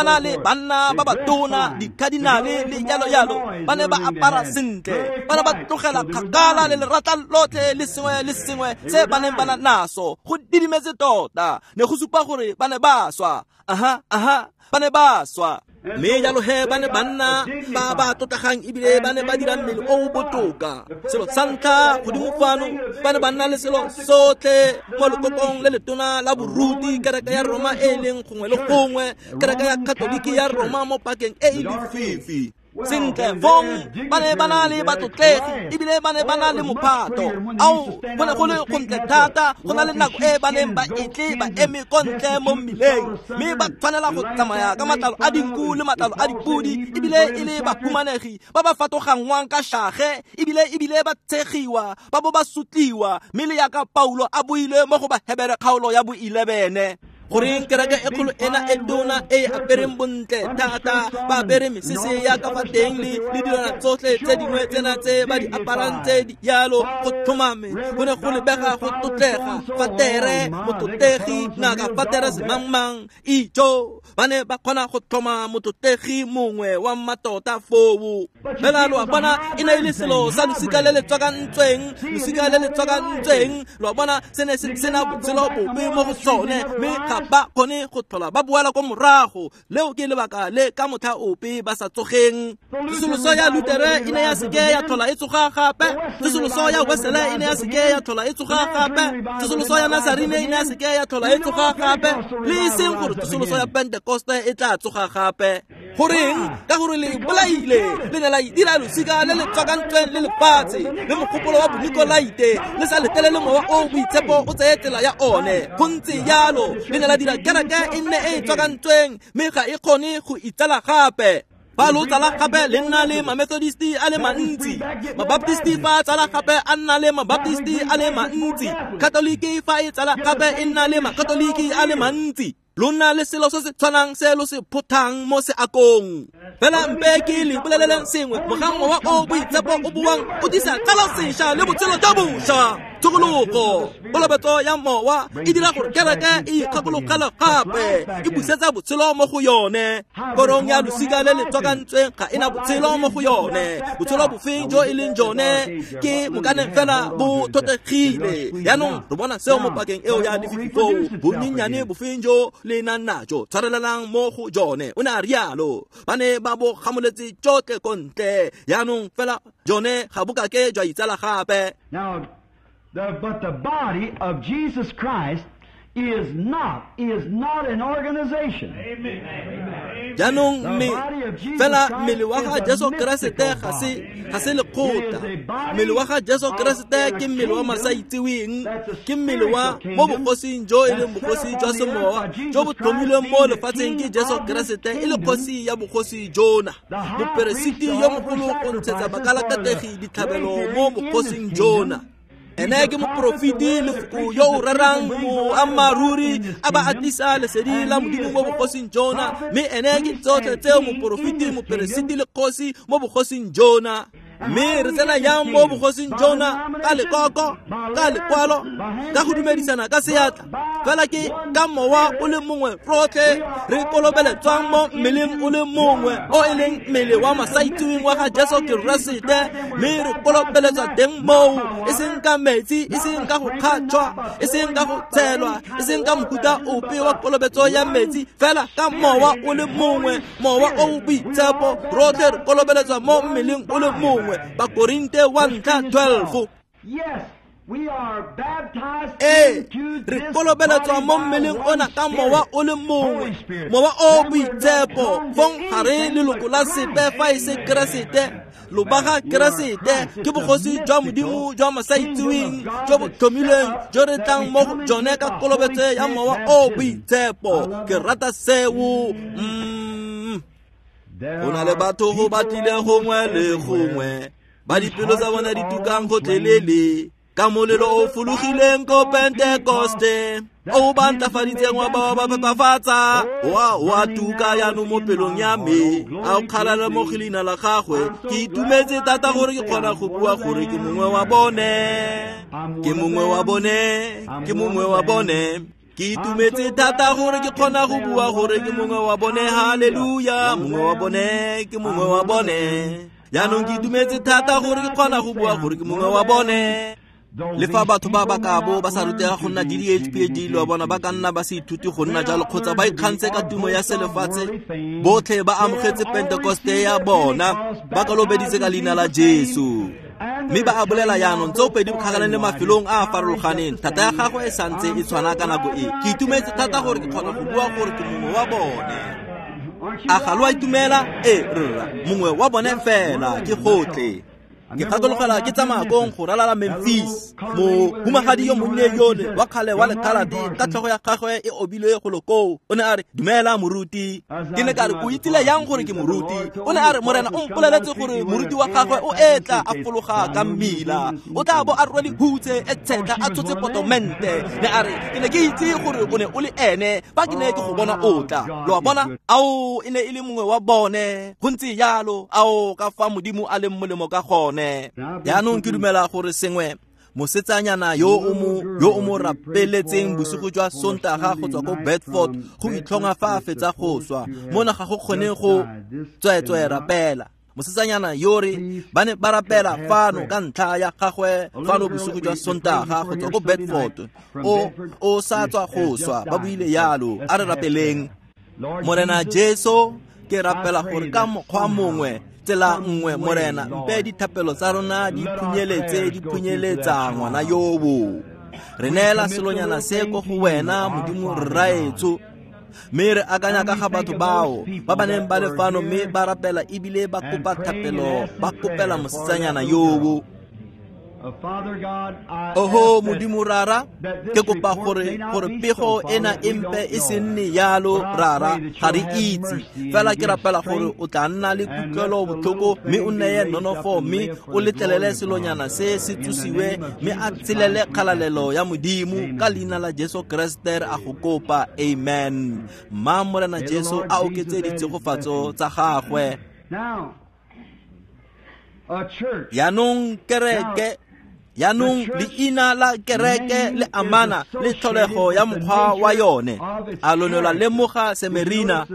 na le banna ba batona, dikadinale le jalo jalo. Ba ne ba apara sentle, ba ne ba tlogela kgakala le lerata lotlhe le sengwe le sengwe se ba neng ba na naso. Go didimetse tota, ne go supa gore ba ne ba swa. Aha, aha, ba ne ba swa. Mme jalo he ba ne ba nna ba ba tlotlegang ebile ba ne ba dira mmele o o botoka. Selo sa ntlha godimo fano ba ne ba nna le selo sotlhe mo lekokong le letona la boruti, kereke ya Roma e e leng gongwe le gongwe, kereke ya Katoliki ya Roma mo pakeng e e lefifi. Sentle fong ba ne ba na le batlotlegi ebile ba ne ba na le mophato. Ao, go ne go le gontle thata go na le nako e ba neng ba etle ba eme ko ntle mo mmileng, mme ba tshwanela go tsamaya ka matlalo a dinku le matlalo a dipodi, ebile e le bahumanegi ba ba fatogangwang ka shage, ebile ba tshegiwa, ba bo ba sotliwa, mme le yaka Paulo a buile mo go Bahebere kgaolo ya bo 11. Goreng kereke e kgolo ena e tona e apereng bontle thata, ba apere mesese ya ka fa teng le dilwana tsotlhe tse dingwe tsena tse ba di aparang tse di yalo, go tlhomame go ne go lebega go tlotlega. Fatere motlotlegi, ngaka fatere semangmang, ijo ba ne ba kgona go tlhoma motlotlegi mongwe wa mmatota foo. Fela lo a bona e ne e le selo sa losika le le tswakantsweng, losika le le tswakantsweng. Lo a bona se ne se sena botshelo bobe mo go sone, mme ga ba kgone go tlhola ba boela ko morago. Leo ke lebaka le ka motlha ope ba sa tsogeng. Tsosoloso ya Lutere e ne ya seke ya tlhola e tsoga gape. Tsosoloso ya Wesele e ne ya seke ya tlhola e tsoga gape. Tsosoloso ya Nazarene e ne ya seke ya tlhola e tsoga gape. Le e seng gore tsosoloso ya Pentekoste e tla tsoga gape. Goreng? Ka gore le bolaile, le ne la dira losika le le tswakantsweng le lefatshe le mogopolo wa bonikolaite, le sa letlelele mowa o boitshepo o tseye tsela ya one. Go ntse jalo, le ne la dira kereke e nne e e tswakantsweng, mme ga e kgone go itsala gape. Fa lo tsala gape le nna le Mamethodisti a le mantsi, Mabaptisti fa tsala gape a nna le Mabaptisti a le mantsi, Katoliki fa e tsala gape e nna le Makatoliki a le mantsi. Lo nna le selo se se tshwanang se lo se phothang mo seakong. Fela mpe ke le boleleleng sengwe, mogang mowa o boitshepo o boang o tlisa tsala sešwa le botshelo jwa bošwa. Tshokologo, kolobetso ya mowa e dira gore kereke e ikgakologele gape, e busetsa botshelo mo go yone. Korong ya losika le le tswakantsweng ga ena botshelo mo go yone. Botshelo bofeng jo e leng jone ke mokane fela bo thotlegile. Jaanong re bona seo mo pakeng eo ya lefifi foo, bonyenyane bofeng jo le nang najo, tshwarelelang mo go jone. O ne a rialo, ba ne ba bo gamoletse tsotlhe ko ntle. Jaanong fela jone ga bo kake jwa itsala gape.
But the body of Jesus Christ is not an organization.
Jaanong mme fela mmele wa ga Jesu Keresete ga se lekgotla. Mmele wa ga Jesu Keresete ke mmele wa masaitseweng, ke mmele wa mo bogosing jo e leng bogosi jwa semowa jo bo tlhomilweng mo lefatsheng ke Jesu Keresete e le kgosi ya bogosi jona. Moperesiti yo mogolo go ntshetsa bakalakategi ditlhabelo mo bogosing jona. Ene ke moporofeti lefoko yo o rerang boammaaruri a ba a tlisa lesedi la Modimo mo bogosing jona, mme ene ke tsotlhe tseo moporofeti, moperesiti le kgosi mo bogosing jona. Mme re tsena jang mo bogosing jona? Ka lekoko, ka lekwalo, ka go dumedisana ka seatla. Fela ke ka mowa o le mongwe rotlhe re kolobeletswang mo mmeleng o le mongwe o e leng mmele wa masaitseweng wa ga Jesu Keresete, mme re kolobeletswa teng moo, e seng ka metsi, e seng ka go kgatšhwa, e seng ka go tshelwa, e seng ka mofuta ope wa kolobetso ya metsi, fela ka mowa o le mongwe, mowa o o boitshepo, rotlhe re kolobeletswa mo mmeleng o le mongwe. Bakorinte 1:12. Ee, re kolobeletswa mo mmeleng ona ka mowa o le mongwe, mowa o boitshepo. Fong ga re leloko la sepe fa e se Keresete. Lobaga Keresete ke bogosi jwa Modimo jwa masaitseweng jo bo tlhomilweng jo re tlang mo go jone ka kolobetso ya mowa o boitshepo. Ke rata seo. Go na le batho go batlile gongwe le gongwe ba dipelo tsa bona di tukang gotlhelele ka molelo o fologileng ko Pentekoste o ba ntlafaditseng wa ba ba phepafatsa wa tuka jaanong mo pelong ya me. A o kgalala mo go leina la gagwe. Ke itumetse thata gore ke kgona go bua gore ke mongwe wa bone, ke mongwe wa bone, ke mongwe wa bone. Ke itumetse thata gore ke kgona go bua gore ke mongwe wa bone. Haleluya, mongwe wa bone, ke mongwe wa bone. Jaanong ke itumetse thata gore ke kgona go bua gore ke mongwe wa bone. Le fa batho ba ba ka bo ba sa rutega go nna DDH PhD, lo bona ba ka nna ba se ithuti go nna jalo kgotsa ba ikgantshe ka tumo ya selefatshe, botlhe ba amogetse Pentekoste ya bona, ba kolobeditse ka leina la Jesu. Mme ba a bolela jaanong tseo pedi kgakaleng le mafelong a a farologaneng, thata ya gagwe e santse e tshwana ka nako e. Ke itumetse thata gore ke kgona go bua gore ke mongwe wa bone. A ga lo a itumela? Ee, rra, mongwe wa bone fela ke gotlhe. Ke gakologelwa ke tsamaya kong go ralala Memphis, mohumagadi yo monnye yole wa kgale wa lekgaladi ka tlhogo ya gagwe e obilwe golo koo. O ne a re, dumela moruti. Ke ne ka re, o itsile yang gore ke moruti? O ne a re, Morena o mpoleletse gore moruti wa gagwe o etla a fologa ka mmila, o tla bo a rwele hutse e tshetla a tshotse potomente. Ne a re, ke ne ke itse gore o ne o le ene fa ke ne ke go bona o tla. Lo a bona? Ao, e ne e le mongwe wa bone. Go ntse jalo. Ao, ka fa Modimo a leng molemo ka gone. Jaanong ke dumela gore sengwe mosetsanyana yo o mo rapeletseng bosigo jwa Sontaga go tswa ko Bedford go itlhonga fa a fetsa go swa, mona ga go kgone go tsweetswe rapela. Mosetsanyana yo re ba ne ba rapela fano ka ntlha ya gagwe fano bosigo jwa Sontaga go tswa ko Bedford, o sa tswa go swa, ba buile yalo. A re rapeleng. Morena Jesu, ke rapela gore ka mokgwa mongwe, tsela nngwe, Morena, mpe dithapelo tsa rona di phunyeletse, di phunyeletsa ngwana yobo. Re neela selonyana se ko go wena, Modimo rraetsho. Mme re akanya ka ga batho bao ba ba neng ba le fano mme ba rapela ebile ba kopa thapelo, ba kopela mosetsanyana yobo. Oho Modimo rara, ke kopa gore pego ena e mpe e se nne yalo, rara, ga re itse. Fela ke rapela gore o tla nna le kutlwelo botlhoko mme o neye nonofo mme o letlelele selonyana se se tsosiwe mme a tshelele kgalalelo ya Modimo ka leina la Jesu Kreste re a go kopa. Amen. Mma Morena Jesu a oketse ditshegofatso tsa gagwe. Jaanong kereke, jaanong leina la kereke le amana le tlholego ya mokgwa wa yone. A lo ne lwa lemoga Semerina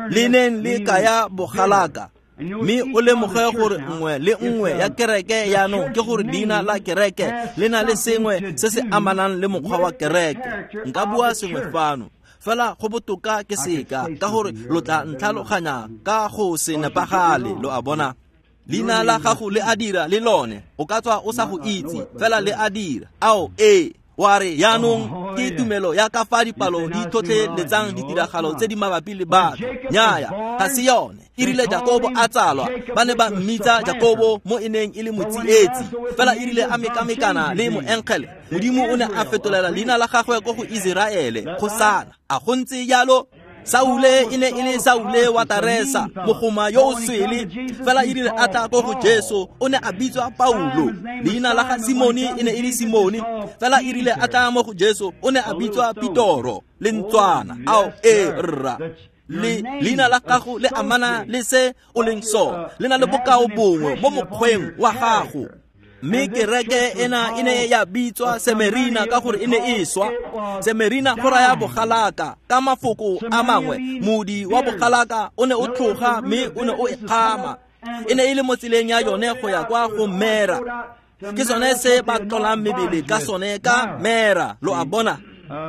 le neng le kaya bogalaka? Mme o lemoge gore nngwe le nngwe ya kereke jaanong ke gore leina la kereke le na le sengwe se se amanang le mokgwa wa kereke. Nka bua sengwe fano, fela go botoka ke seka, ka gore lo tla ntlhaloganya ka go se nepagale. Lo a bona? Leina la gago le a dira le lone, o ka tswa o sa go itse, fela le a dira. Ao, ee, wa re jaanong ke tumelo ya ka fa dipalo di tlhotlheletsang ditiragalo tse di mabapi le batho. Nnyaya, ga se yone. E rile Jakobo a tsalwa, ba ne ba mmitsa Jakobo mo e neng e le motsietsi. Fela e rile a mekamekana le moengele, Modimo o ne a fetolela leina la gagwe ko go Iseraele, kgosana. A go ntse jalo? Saule e ne e le Saule wa Taresa, mogoma yo o swele. Fela e rile a tla ko go Jesu, o ne a bitswa Paulo. Leina la ga Simone e ne e le Simone. Fela e rile a tla mo go Jesu, o ne a bitswa Pitoro, lentswana. Ao, ee, rra. Le leina la gago le amana le se o leng sone, le na le bokao bongwe mo mokgweng wa gago. Mme kereke ena e ne ya bitswa Semerina ka gore e ne e swa. Semerina go raya bogalaka. Ka mafoko a mangwe, modi wa bogalaka o ne o tloga mme o ne o e kgama. E ne e le mo tseleng ya yone go ya kwa go Mera. Ke sone se ba tlolang mebele ka sone ka Mera. Lo a bona?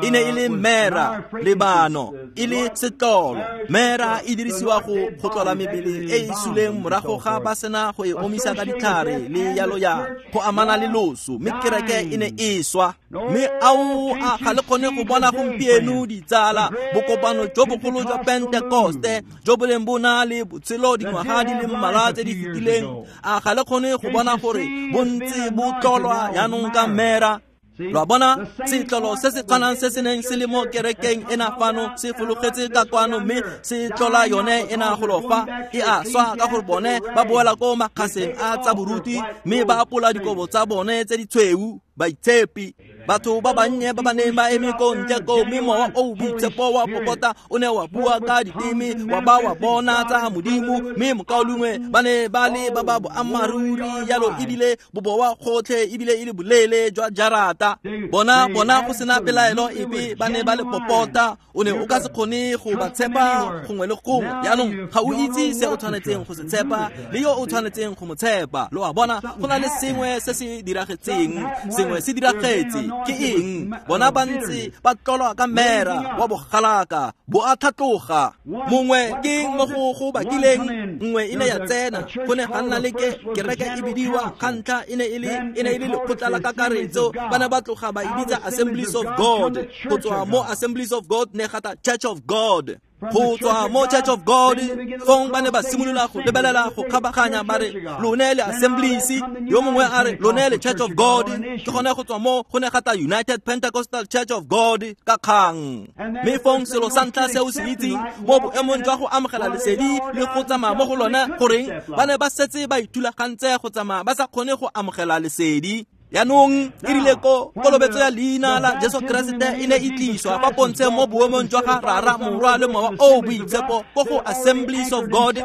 E ne e le mera lebano, e le setlolo. Mera e dirisiwa go tlola mebele e e suleng morago ga ba sena go e omisa ka ditlhare le yalo ya go amana le loso, mme kereke e ne e swa. Mme ao a ga le kgone go bona gompieno ditsala bokopano jo bogolo jwa Pentekoste jo bo leng bo na le botshelo dingwaga di le mmalwa tse di fetileng, a ga le kgone go bona gore bontse bo tlolwa jaanong ka mera? Lo a bona, setlolo se se tshwanang se se neng se le mo kerekeng ena fano se fologetse ka kwano, mme se tlola yone ena golo fa e a swa, ka gore bone ba boela ko makgaseng a tsa boruti mme ba apola dikobo tsa bone tse di tshweu. Baitshepi, batho ba bannye ba ba neng ba eme ko ntle ko, mme mowa o boitshepo wa popota o ne wa bua ka diteme, wa ba wa bona tsa Modimo, mme mokaulengwe ba ne ba le ba ba boammaaruri yalo, ebile bobowa gotlhe, ebile e le boleele jwa jarata. Bona go sena pelaelo epe ba ne ba le popota. O ne o ka se kgone go ba tshepa gongwe le gongwe. Jaanong ga o itse se o tshwanetseng go se tshepa le yo o tshwanetseng go mo tshepa. Lo a bona, go na le sengwe se se diragetseng, sengwe se diragetse. Ke eng? Bona ba ntse ba tlolwa ka mera wa bogalaka, bo a tlhatloga. Mongwe ke mo go bakileng, nngwe e ne ya tsena, go ne ga nna le kereke e bidiwa ga ntlha e ne e le lekgotla la kakaretso, ba ne ba tloga ba e bitsa Assemblies of God. Go tswa mo Assemblies of God ne gata Church of God. Go tswa mo Church of God fong ba ne ba simolola go lebelela go kgabaganya, ba re lone le Assemblies, yo mongwe a re lone le Church of God. Ke gone go tswa mo go ne gata United Pentecostal Church of God ka kgang. Mme fong selo sa ntlha se o se itseng mo boemong jwa go amogela lesedi le go tsamaya mo go lone, goreng ba ne ba setse ba ithulagantse go tsamaya ba sa kgone go amogela lesedi. Jaanong e rile ko kolobetso ya leina la Jesu Keresete e ne e tliswa fa pontsheng mo boemong jwa ga Rara, Morwa le Mowa o Boitshepo ko go Assemblies of God,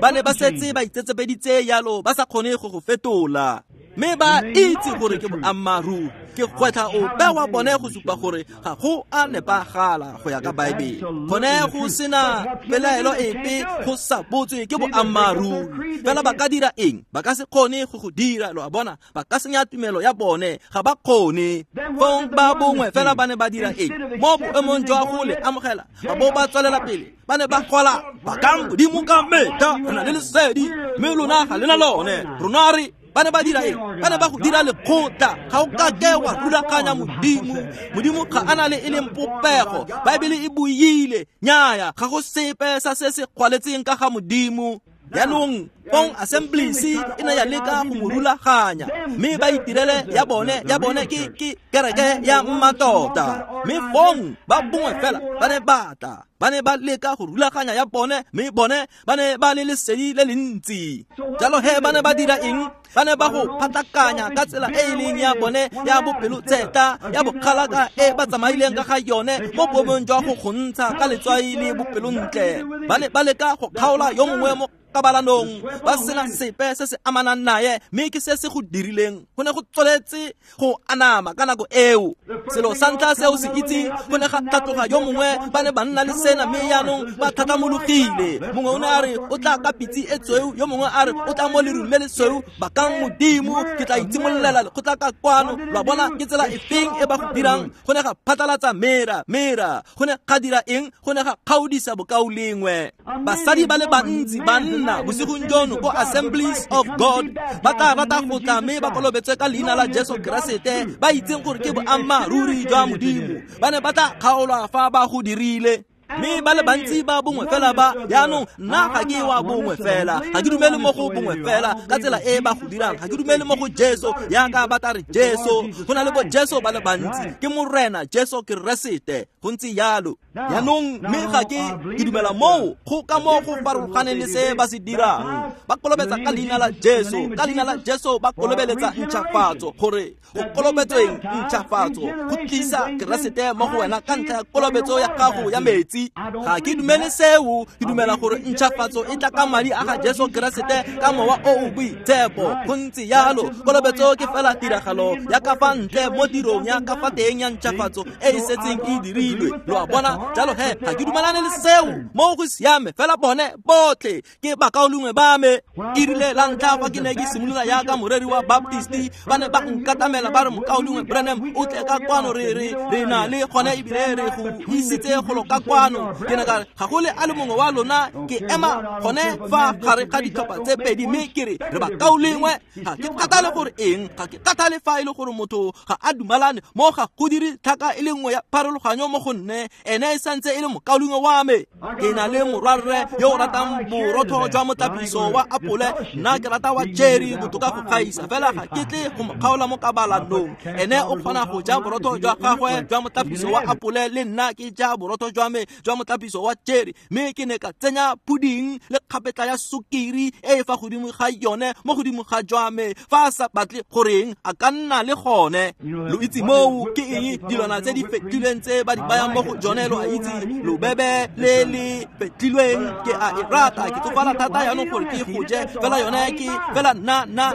ba ne ba setse ba itsetsepeditse yalo, ba sa kgone go go fetola. Mme ba itse gore ke boammaaruri. Ke kgwetlha ope wa bone go supa gore ga go a nepagala go ya ka Baebele. Gone go sena pelaelo epe, go sa botswe ke boammaaruri. Fela ba ka dira eng? Ba ka se kgone go go dira, lo a bona. Ba ka senya tumelo ya bone, ga ba kgone. Fong ba bongwe fela ba ne ba dira eng? Mo boemong jwa go le amogela, ba bo ba tswelela pele, ba ne ba gola, bakang Modimo ka metlha, re na le lesedi, mme lona ga le na lone. Rona re ba ne ba dira eng? Ba ne ba go dira lekgotla. Ga o ka ke wa rulaganya Modimo. Modimo ga a na le e leng popego. Baebele e buile, nnyaya, ga go sepe sa se se kwaletseng ka ga Modimo. Jaanong fong Assemblies e ne ya leka go mo rulaganya, mme ba itirele ya bone ke kereke ya mmatota. Mme fong ba bongwe fela ba ne ba tla, ba ne ba leka go rulaganya ya bone, mme bone ba ne ba le lesedi le le ntsi. Jalo he ba ne ba dira eng? Ba ne ba go phatlakanya ka tsela e e leng ya bone ya bopelotseta, ya bokgalaka e ba tsamaileng ka ga yone mo boemong jwa go go ntsha ka letswai le bopelontle. Ba ne ba leka go kgaola yo mongwe mo kabalanong, ba sena sepe se se amanang naye, mme ke se se go dirileng. Go ne go tsweletse go anama ka nako eo. Selo sa ntlha se o se itseng, go ne ga tlhatloga yo mongwe, ba ne ba nna le sena, mme jaanong ba tlhatlamologile. Mongwe o ne a re o tla ka pitse e tshweu, yo mongwe a re o tla mo lerung le lesweu. Bakang Modimo, ke tla itshimololela lekgotla ka kwano. Lo a bona ke tsela efeng e ba go dirang? Go ne ga phatlalatsa mera. Go ne ga dira eng? Go ne ga kgaodisa bokaulengwe. Basadi ba le bantsi banna bosigong jono ko Assemblies of God ba tla rata go tla mme ba kolobetswe ka leina la Jesu Keresete, ba itseng gore ke boammaaruri jwa Modimo. Ba ne ba tla kgaolwa fa ba go dirile. Mme ba le bantsi ba bongwe fela ba, jaanong nna ga ke wa bongwe fela, ga ke dumele mo go bongwe fela ka tsela e ba go dirang. Ga ke dumele mo go Jesu yaka ba tla re Jesu. Go na le bo Jesu ba le bantsi, ke Morena Jesu Keresete, go ntse yalo. Jaanong mme ga ke dumela moo go ka mo go farologaneng le se ba se dirang. Ba kolobetsa ka leina la Jesu, ka leina la Jesu ba kolobeletsa ntšhafatso, gore go kolobetsweng ntšhafatso go tlisa Keresete mo go wena ka ntlha ya kolobetso ya gago ya metsi. metsi. Ga ke dumele seo, ke dumela gore ntšhafatso e tla ka madi a ga Jesu Keresete ka mowa o o boitshepo. Go ntse yalo, kolobetso ke fela tiragalo ya ka fa ntle mo tirong ya ka fa teng ya ntšhafatso e e setseng e dirilwe. Lo a bona? Jalo he, ga ke dumalane le seo. Mo go siame fela bone botlhe ke bakaulengwe ba me. E rile la ntlha fa ke ne ke simolola yaka moreri wa Baptist, ba ne ba nkatamela ba re mokaulengwe Branham o tle ka kwano, re na le gone ebile re go isitse golo ka kwano. Ke ne ka re ga go le a le mongwe wa lona, ke ema gone fa gare ga ditlhopha tse pedi mme ke re re bakaulengwe. Ga ke kgathale gore eng, ga ke kgathale fa e le gore motho ga a dumalane mo, ga go dire tlhaka e le nngwe ya pharologanyo mo go nne, ene e santse e le mokaulengwe wa me. Ke na le morwarre yo o ratang borotho jwa motlapiso wa apole, nna ke rata wa cherry botoka go gaisa, fela ga ke tle go mo kgaola mo kabalanong. Ene o kgona go ja borotho jwa gagwe jwa motlapiso wa apole, le nna ke ja borotho jwa me jwa motlapiso wa cherry, mme ke ne ka tsenya pudding le kgapetla ya sukiri e e fa godimo ga yone mo godimo ga jwa me. Fa a sa batle goreng a ka nna le gone. Lo itse moo ke eng dilwana tse di fetilweng tse ba di bayang mo go jone, lo a itse, lobebe le le fetilweng, ke a e rata. Ke tsofala thata jaanong gore ke go je, fela yone ke fela nna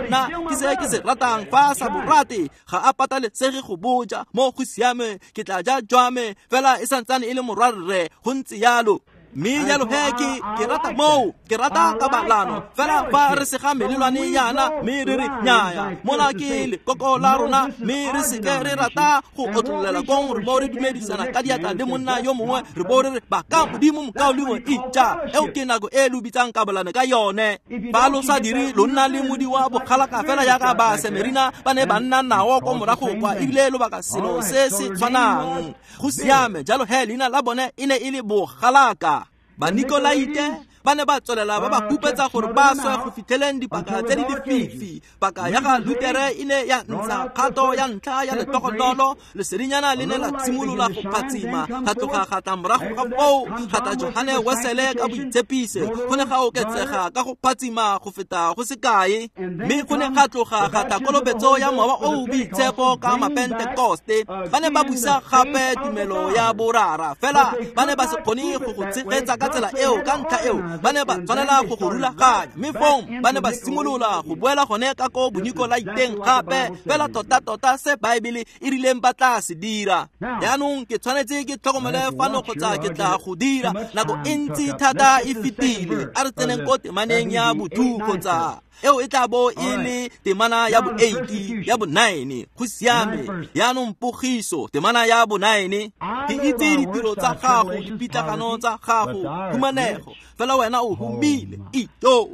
ke se ke se ratang. Fa a sa borate ga a patalesege go boja, mo go siame ke tla ja jwa me, fela e santsane e le morwarre. Go ntse yalo. Mme jalo he ke rata moo, ke rata kabalano. Fela fa re sega melelwane yana mme re re nnyaya, mona ke lekoko la rona, mme re seke re rata go otlololela kong, re bo re dumedisana ka diatla le monna yo mongwe, re bo re re ba ka modimo mokaulengwe ija. Eo ke nako e lo bitsang kabalano ka yone. Fa lo sa dire, lo nna le modi wa bokgalaka fela yaka ba Semerina ba ne ba nna nao ko morago kwa, ebile lobaka selo se se tshwanang. Go siame. Jalo he, leina la bone e ne e le bogalaka. Banikolaite ba ne ba tswelela ba ba hupetsa gore ba swe go fitlheleng dipaka tse di lefifi. Paka ya ga Lutere e ne ya ntsha kgato ya ntlha ya letogonolo, lesedinyana le ne la simolola go phatsima, ga tloga ga tla morago ga foo ga tla Johane Wesele ka boitshepise. Go ne ga oketsega ka go phatsima go feta go sekae, mme go ne ga tloga ga tla kolobetso ya mowa o o boitshepo ka Mapentekoste. Ba ne ba busa gape tumelo ya borara, fela ba ne ba se kgone go go tshegetsa ka tsela eo. Ka ntlha eo ba ne ba tshwanela go go rulaganya, mme fong ba ne ba simolola go boela gone ka ko bonikolaiteng gape, fela tota-tota se Baebele e rileng ba tla se dira. Jaanong ke tshwanetse ke tlhokomele fano kgotsa ke tla go dira. Nako e ntsi thata e fetile. A re tseneng ko temaneng ya bo-2 kgotsa eo e tla bo e le temana ya bo-8 ya bo-9. Go siame. Jaanong pogiso, temana ya bo-9. Ke itse ditiro tsa gago, dipitlagano tsa gago, humanego, fela wena o humile. Ito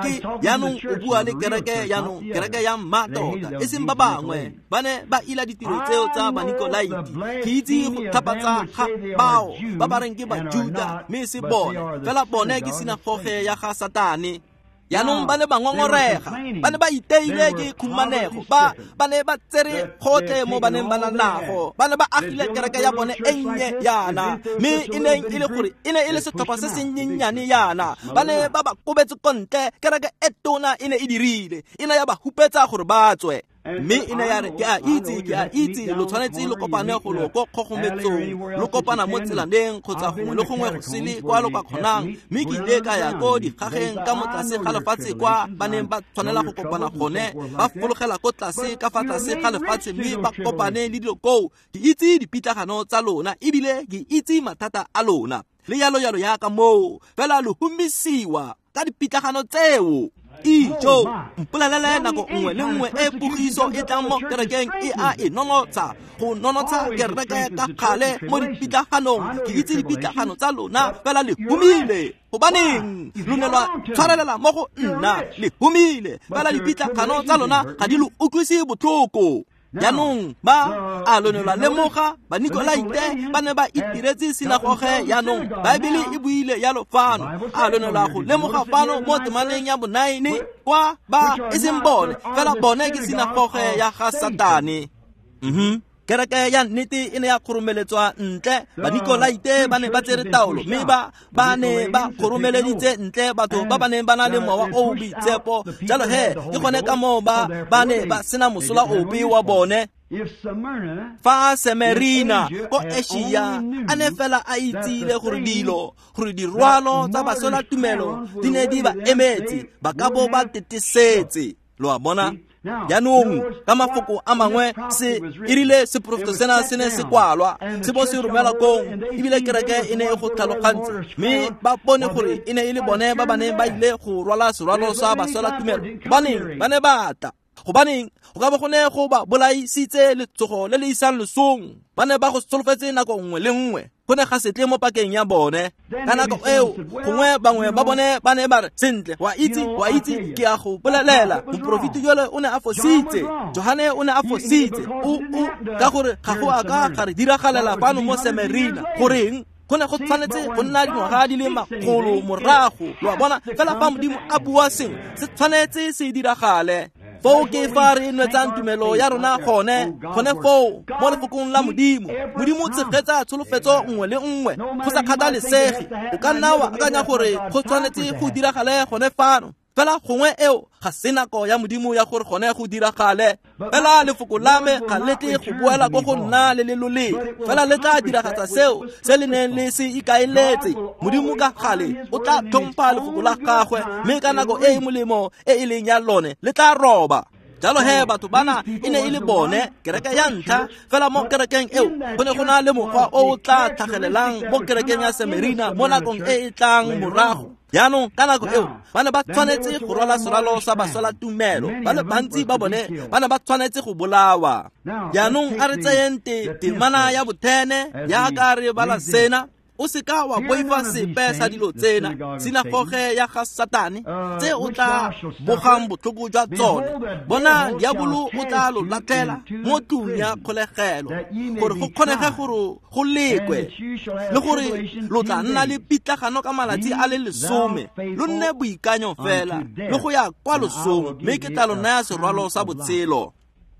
ke jaanong o bua le kereke, jaanong kereke ya mmatota, e seng ba bangwe ba ne ba ila ditiro tseo tsa Banikolaite. Ke itse go tlhapatsa ga bao ba ba reng ke Bajuda, mme se bone, fela bone ke sinagoge ya ga Satane. Jaanong ba ne ba ngongorega, ba ne ba iteile ke khumanego, ba ne ba tsere gotlhe mo ba neng ba na nago, ba ne ba agile kereke ya bone e nnye yana, mme e neng e le gore e ne e le setlhopha se se nnyennyane yana. Ba ne ba ba kobetse ko ntle, kereke e tona e ne e dirile, e ne ya ba hupetsa gore ba tswe. Mme e ne ya re, ke a itse, lo tshwanetse lo kopane go lo ko kgogometsong, lo kopana mo tselaneng kgotsa gongwe le gongwe go sele kwa lo ka kgonang. Mme ke ile ka ya ko dikgageng ka mo tlase ga lefatshe kwa ba neng ba tshwanela go kopana gone, ba fologela ko tlase ka fa tlase ga lefatshe mme ba kopane le dilo koo. Ke itse dipitlagano tsa lona ebile ke itse mathata a lona, le yalo yalo yaka moo, fela lo humisiwa ka dipitlagano tseo. Ijo, mpolelele nako nngwe le nngwe e pogiso e tlang mo kerekeng e a e nonotsha, go nonotsha kereke ka kgale mo dipitlaganong. Ke itse dipitlagano tsa lona, fela le humile. Gobaneng lo ne lwa tshwarelela mo go nna? Le humile, fela dipitlagano tsa lona ga di lo utlwise botlhoko. Jaanong ba a lo ne lwa lemoga Banikolaite ba ne ba itiretse sinagoge. Jaanong Baebele e buile yalo fano. A lo ne lwa go lemoga fano mo temaneng ya bo-9 kwa ba e seng bone, fela bone ke sinagoge ya ga Satane. Kereke ya nnete e ne ya kgoromeletswa ntle. Banikolaite ba ne ba tsere taolo, mme ba ne ba kgoromeleditse ntle batho ba ba neng ba na le mowa o o boitshepo. Jalo he, ke gone ka moo ba ne ba sena mosola ope wa bone. Fa Semerina ko Asia a ne fela a itsile gore dilo gore dirwalo tsa baswela tumelo di ne di ba emetse, ba ka bo ba tetesetse. Lo a bona? Jaanong ka mafoko a mangwe se erile seporofeto sena se ne se kwalwa se bo se romela kong, ebile kereke e ne e go tlhalogantse, mme ba bone gore e ne e le bone ba ba neng ba ile go rwala serwalo sa baswela tumelo. Gobaneng ba ne ba tla? Gobaneng go ka bo go ne go ba bolaisitse letsogo le le isang losong? Ba ne ba go solofetse nako nngwe le nngwe, go ne ga se tle mo pakeng ya bone. Ka nako eo gongwe bangwe ba bone ba ne ba re, sentle, wa itse ke a go bolelela, moporofeti jole o ne a fositse, Johane o ne a fositse, o ka gore ga go a ka ga re diragalela fano mo Semerina. Goreng go ne go tshwanetse go nna dingwaga di le makgolo morago? Lo a bona? Fela fa Modimo a bua sengwe, se tshwanetse se diragale. Foo ke fa re nwetsang tumelo ya rona gone foo mo lefokong la Modimo. Modimo o tshegetsa tsholofetso nngwe le nngwe go sa kgathalesege. O ka nna wa akanya gore go tshwanetse go diragale gone fano, fela gongwe eo ga se nako ya Modimo ya gore gone go diragale. Fela lefoko la me ga le tle go boela ko go nna le le loleng, fela le tla diragatsa seo se le neng le se ikaeletse. Modimo ka gale o tla tlhompha lefoko la gagwe, mme ka nako e e molemo e e leng ya lone le tla roba. Jalo he batho bana e ne e le bone kereke ya ntlha, fela mo kerekeng eo go ne go na le mokgwa o o tla tlhagelelang mo kerekeng ya Semerina mo nakong e e tlang morago. Jaanong ka nako eo ba ne ba tshwanetse go rwala serwalo sa baswela tumelo, ba le bantsi ba bone ba ne ba tshwanetse go bolawa. Jaanong a re tseyeng temana ya bothene jaaka re bala sena. O seka wa boifa sepe sa dilo tsena, sinagoge ya ga Satane tse o tla bogang botlhoko jwa tsone. Bona, diabolo o tla lo latlhela mo tlung ya kgolegelo gore go kgonege gore go lekwe, le gore lo tla nna le pitlagano ka malatsi a le 10. Lo nne boikanyo fela le go ya kwa losong, mme ke tla lo naya serwalo sa botshelo.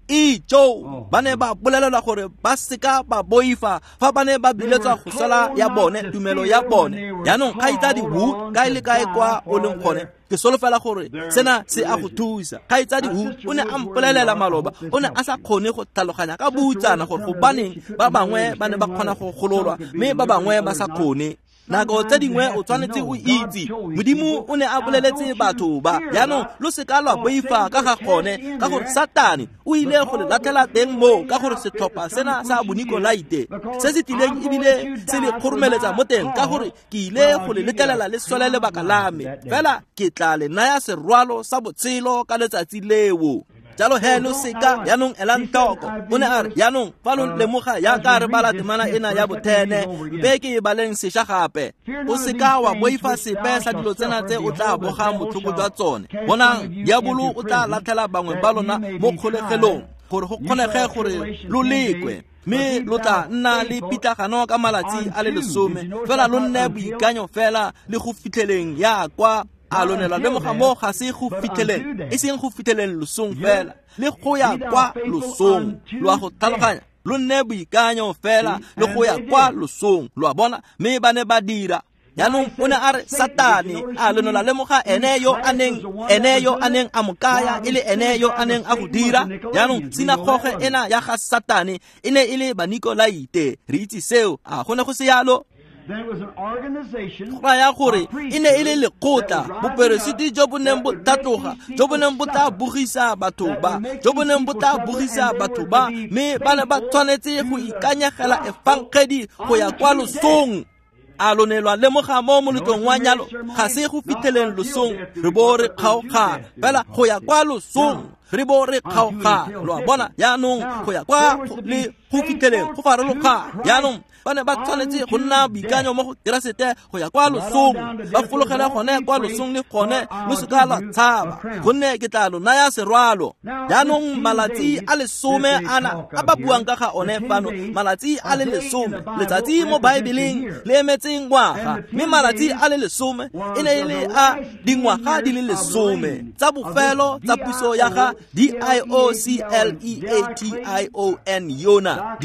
Ijo ba ne ba bolelelwa gore ba seka ba boifa fa ba ne ba biletswa go sala ya bone tumelo ya bone. Jaanong kgaitsadi Wu, kae le kae kwa o leng gone, ke solofela gore sena se a go thusa. Kgaitsadi Wu o ne a mpolelela maloba, o ne a sa kgone go tlhaloganya ka butsana gore gobaneng ba bangwe ba ne ba kgona go gololwa mme ba bangwe ba sa kgone. Nako tse dingwe o tshwanetse o itse Modimo o ne a boleletse batho ba. Jaanong lo seka lwa boifa ka ga gone, ka gore Satane o ile go le latlhela teng moo, ka gore setlhopha sena sa Bonikolaite se se tlileng ebile se le kgoromeletsa mo teng, ka gore ke ile go le letlelela le swele lebaka la me, fela ke tla le naya serwalo sa botshelo ka letsatsi leo. Jalo he lo seka jaanong elang tlhoko. O ne a re, jaanong fa lo lemoga jaaka re bala temana ena ya bothene, mpe ke e baleng sešwa gape. O seka wa boifa sepe sa dilo tsena tse o tla bogang botlhoko jwa tsone. Bonang, diabolo o tla latlhela bangwe ba lona mo kgolegelong gore go kgonege gore lo lekwe, mme lo tla nna le pitlagano ka malatsi a le 10. Fela lo nne boikanyo fela le go fitlheleng ya kwa. A lo ne lwa lemoga mo ga se go fitlheleng, e seng go fitlheleng losong fela, le go ya kwa losong. Lo a go tlhaloganya? Lo nne boikanyo fela le go ya kwa losong. Lo a bona? Mme ba ne ba dira. Jaanong o ne a re Satane, a lo ne lwa lemoga ene yo a neng a mo kaya e le ene yo a neng a go dira. Jaanong sinagoge ena ya ga Satane e ne e le Banikolaite. Re itse seo, a go ne go se yalo? Go raya gore e ne e le lekgotla, boperesiti jo bo neng bo tlhatloga, jo bo neng bo tla bogisa batho ba, jo bo neng bo tla bogisa batho ba, mme ba ne ba tshwanetse go ikanyegela efangedi go ya kwa losong. A lo ne lwa lemoga mo moletlong wa nyalo ga se go fitlheleng losong re bo re kgaogana, fela go ya kwa losong re bo re kgaogana. Lo a bona? Jaanong go ya kwa le go fitlheleng go farologana. Jaanong ba ne ba tshwanetse go nna boikanyo mo go Keresete go ya kwa losong, ba fologele gone kwa losong le gone lo seka lwa tshaba, gonne ke tla lo naya serwalo. Jaanong malatsi a le 10 ana a ba buang ka ga one fano, malatsi a le 10, letsatsi mo Baebeleng le emetse ngwaga, mme malatsi a le 10 e ne e le a dingwaga di le 10 tsa bofelo tsa puso ya ga Diocleation yona,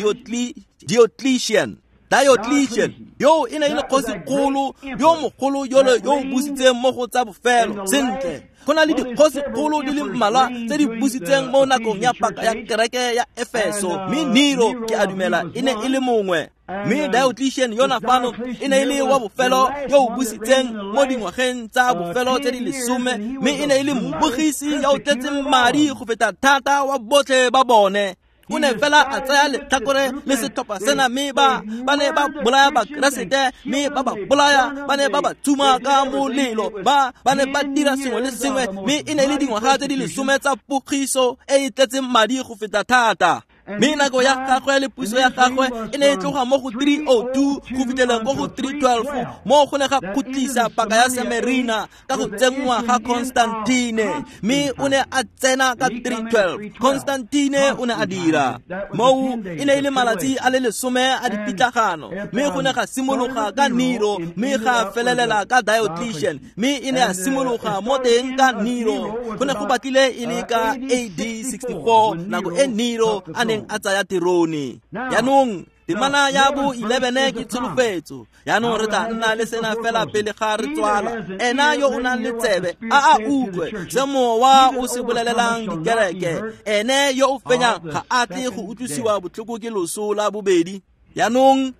Diocletian. Diocletian yo e ne e le kgosikgolo yo mogolo yole yo o busitseng mo go tsa bofelo. Sentle, go na le dikgosikgolo di le mmalwa tse di busitseng mo nakong ya paka ya kereke ya Efeso, mme Nero ke a dumela e ne e le mongwe. Mme Diocletian yona fano e ne e le wa bofelo yo o busitseng mo dingwageng tsa bofelo tse di 10, mme e ne e le mbogisi ya o tletseng madi go feta thata wa botlhe ba bone. O ne fela a tsaya letlhakore le setlhopha sena, mme ba ne ba bolaya Bakeresete, mme ba ba bolaya, ba ne ba ba tsuma ka molelo, ba ne ba dira sengwe le sengwe, mme e ne e le dingwaga tse di 10 tsa pogiso e e tletseng madi go feta thata. Mme nako ya gagwe le puso ya gagwe e ne e tloga mo go 302 go fitlheleng ko go 312, mo go ne ga khutlisa paka ya Semerina ka go tsenngwa ga Constantine, mme o ne a tsena ka 312. Constantine o ne a dira moo e ne e le malatsi a le 10 a dipitlagano, mme go ne ga simologa ka Nero, mme ga felelela ka Diocletian, mme e ne a simologa mo teng ka Nero. Go ne go batlile e le ka AD 64 nako e Nero a neng a tsaya terone. Jaanong temana ya bo 11 ke tsholofetso. Jaanong re tla nna le sena fela pele ga re tswala. Ena yo o nang le tsebe a a utlwe se mowa o se bolelelang dikereke. Ene yo o fenyang ga a tle go utlwisiwa botlhoko ke loso la bobedi. Jaanong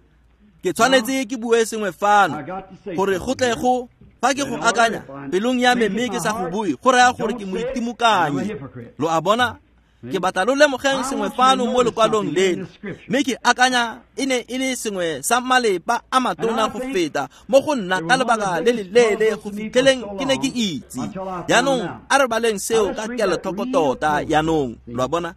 ke tshwanetse ke bue sengwe fano gore go tle go fa ke go akanya pelong ya me mme ke sa go bue, go raya gore ke moitimokanyi. Lo a bona? Ke batla lo lemogeng sengwe fano mo lekwalong leno, mme ke akanya e ne e le sengwe sa malepa a matona go feta mo go nna ka lebaka le le leele go fitlheleng ke ne ke itse. Jaanong a re baleng seo ka kelotlhoko tota. Jaanong lo a bona,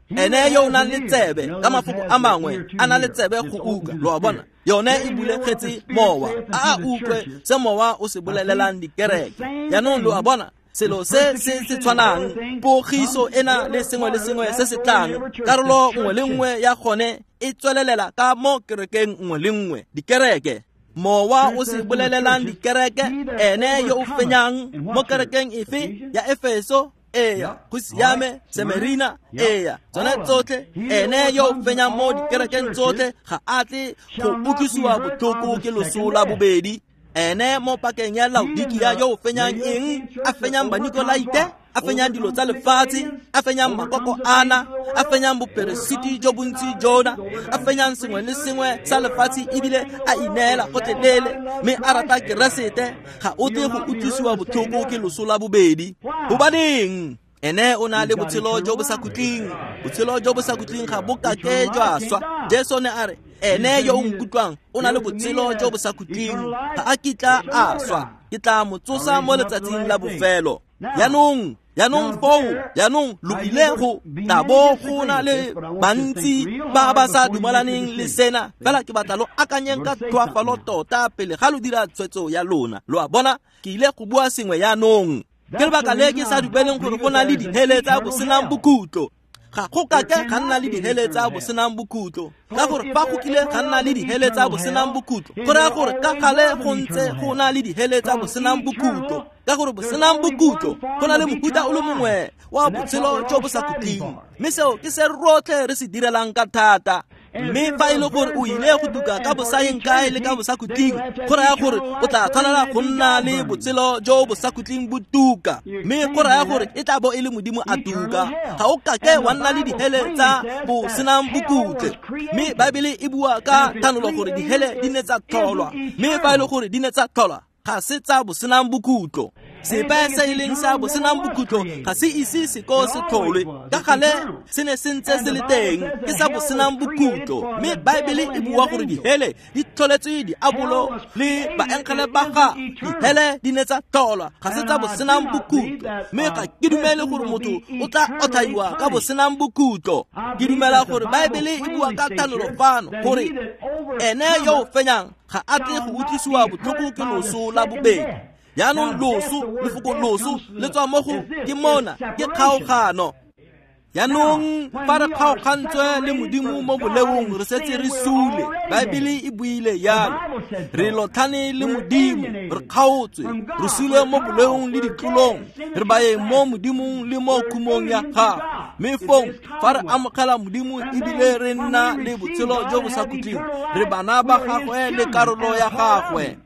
ene yo o nang le tsebe, ka mafoko a mangwe a na le tsebe go utlwa. Lo a bona, yone e bulegetse mowa, a a utlwe se mowa o se bolelelang dikereke. Jaanong lo a bona, selo se se se tshwanang, pogiso ena le sengwe le sengwe se se tlang, karolo nngwe le nngwe ya gone e tswelelela ka mo kerekeng nngwe le nngwe. Dikereke, mowa o se bolelelang dikereke, ene yo o fenyang mo kerekeng efe ya Efeso, eya, go siame, Semerina, eya, tsone tsotlhe, ene yo o fenyang mo dikerekeng tsotlhe ga a tle go utlwisiwa botlhoko ke loso la bobedi. Ene mo pakeng ya Laodikia yo o fenyang eng? A fenyang Banikolaite, a fenyang dilo tsa lefatshe, a fenyang makoko ana, a fenyang boperesiti jo bontsi jona, a fenyang sengwe le sengwe sa lefatshe ebile a ineela gotlhelele, mme a rata Keresete, ga o tle go utlwisiwa botlhoko ke loso la bobedi. Gobaneng? Ene o na le botshelo jo bo sa khutleng. Botshelo jo bo sa khutleng ga bo kake jwa swa. Jesu ne a re, ene yo o nkutlwang o na le botshelo jo bo sa khutleng, ga a kitla a swa, ke tla mo tsosa mo letsatsing la bofelo. Jaanong foo, jaanong lo ile go tla bo go na le bantsi ba ba sa dumalaneng le sena, fela ke batla lo akanyeng ka tlhoafalo tota pele ga lo dira tshwetso ya lona. Lo a bona, ke ile go bua sengwe jaanong. Ke lebaka le ke sa dumeleng gore go na le dihele tsa bosenang bokhutlo. Ga go kake ga nna le dihele tsa bosenang bokhutlo, ka gore fa go kile ga nna le dihele tsa bosenang bokhutlo, go raya gore ka gale go ntse go na le dihele tsa bosenang bokhutlo, ka gore bosenang bokhutlo go na le mofuta o le mongwe wa botshelo jo bo sa khutleng, mme seo ke se rotlhe re se direlang ka thata. Mme fa e le gore o ile go tuka ka bosaeng kae le ka bosakhutleng, go raya gore o tla tshwanela go nna le botshelo jo bosakhutleng bo tuka, mme go raya gore e tla bo e le Modimo a tuka. Ga o kake wa nna le dihele tsa bosenang bokhutlo. Mme Baebele e bua ka thanolo gore dihele di ne tsa tlholwa, mme fa e le gore di ne tsa tlholwa, ga se tsa bosenang bokhutlo. Sepe se e leng sa bosenang bokhutlo ga se ise se ko se tlholwe, ka gale se ne se ntse se le teng, ke sa bosenang bokhutlo. Mme Baebele e bua gore dihele di tlholetswe diabolo le baengele ba ga. Dihele di ne tsa tlholwa, ga se tsa bosenang bokhutlo. Mme ga ke dumele gore motho o tla otlhaiwa ka bosenang bokhutlo. Ke dumela gore Baebele e bua ka thanolo fano gore ene yo o fenyang ga a tle go utlwisiwa botlhoko ke loso la bobedi. Jaanong loso, lefoko loso le tswa mo go ke mona, ke kgaogano. Jaanong fa re kgaogantswe le Modimo mo boleong, re setse re sule. Baebele e buile jalo. Re lotlhane le Modimo, re kgaotswe, re sule mo boleong le ditlolong, re baeng mo Modimong le mo khumong ya gagwe. Mme fong fa re amogela Modimo ebile re nna le botshelo jo bo sa khutleng, re bana ba gagwe le karolo ya gagwe.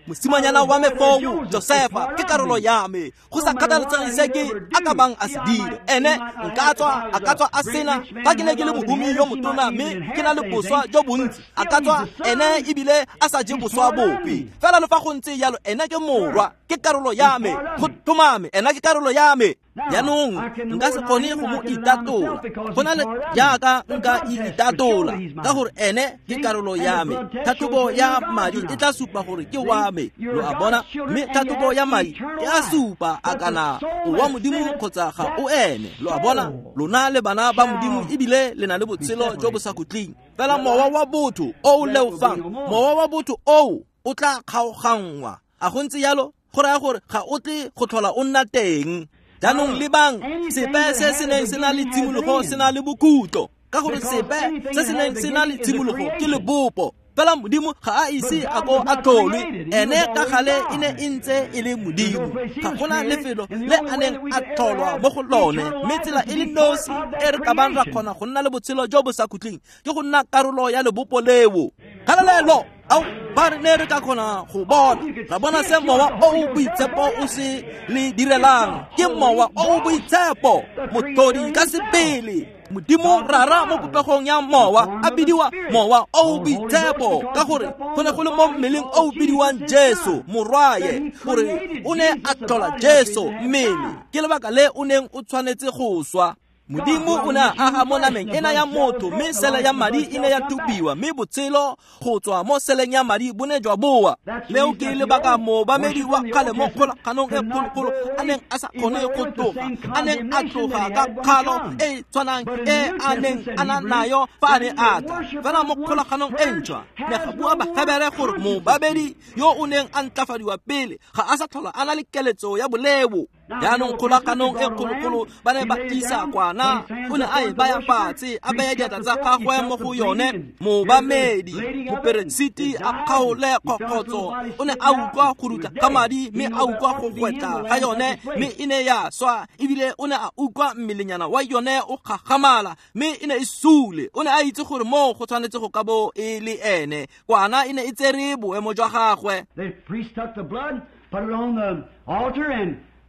Mosimanyana wa me foo, Josefa, ke karolo ya me. Go sa kgathaletsege se ke a ka bang a se dire, ene nka tswa a ka tswa a sena. Fa ke ne ke le mohumi yo motona mme ke na le boswa jo bontsi, a ka tswa ene ebile a sa je boswa bope. Fela le fa go ntse jalo, ene ke morwa, ke karolo ya me. Go tlhomame, ena ke karolo ya me. Jaanong nka se kgone go mo itatola go na le jaaka nka itatola, ka gore ene ke karolo ya me. Tlhatlhobo ya madi e tla supa gore ke wa me, lo a bona. Mme tlhatlhobo ya madi e a supa a kana o wa Modimo kgotsa ga o ene, lo a bona. Lona le bana ba Modimo ebile le na le botshelo jo bo sa khutleng. Fela mowa wa botho o o leofang, mowa wa botho oo o tla kgaoganngwa. A go ntse jalo? Go raya gore ga o tle go tlhola o nna teng. Jaanong lebang, sepe se se neng se na le tshimologo se na le bokhutlo, ka gore sepe se se neng se na le tshimologo ke lebopo. Fela Modimo ga a ise a ko a tlholwe, ene ka gale e ne e ntse e le Modimo. Ga gona lefelo le a neng a tlholwa mo go lone, mme tsela e le nosi e re ka bang ra kgona go nna le botshelo jo bo sa khutleng ke go nna karolo ya lebopo leo. Kgalalelo! Ao, ba re ne re ka kgona go bona, ra bona se mowa o o boitshepo o se le direlang. Ke mowa o o boitshepo, motlhodi ka sebele. Modimo Rara mo popegong ya mowa a bidiwa mowa o o boitshepo, ka gore go ne go le mo mmeleng o o bidiwang Jesu morwaye, gore o ne a tlhola Jesu mmele. Ke lebaka le o neng o tshwanetse go swa. Modimo o ne a aga mo nameng ena ya motho, mme sele ya madi e ne ya thubiwa, mme botshelo go tswa mo seleng ya madi bo ne jwa boa. Leo ke lebaka moobamedi wa kgale mo kgolaganong e kgologolo a neng a sa kgone go tloga, a neng a tloga ka kgalo e e tshwanang e a neng a na nayo fa a ne a tla. Fela mo kgolaganong e ntšhwa, ne ga bua Bahebere gore moobamedi yo o neng a ntlafadiwa pele ga a sa tlhola a na le keletso ya boleo. Jaanong kgolaganong e kgologolo ba ne ba tlisa kwana, o ne a e baya fatshe, a baya diatla tsa gagwe mo go yone. Moobamedi moperesiti a kgaole kgokgotso, o ne a utlwa go rutla ga madi, mme a utlwa go gwetla ga yone, mme e ne ya swa. Ebile o ne a utlwa mmelenyana wa yone o gagamala, mme e ne e sule. O ne a itse gore moo go tshwanetse go ka bo e le ene. Kwana e ne e tsere boemo jwa gagwe.
The priest took the blood, put it on the altar,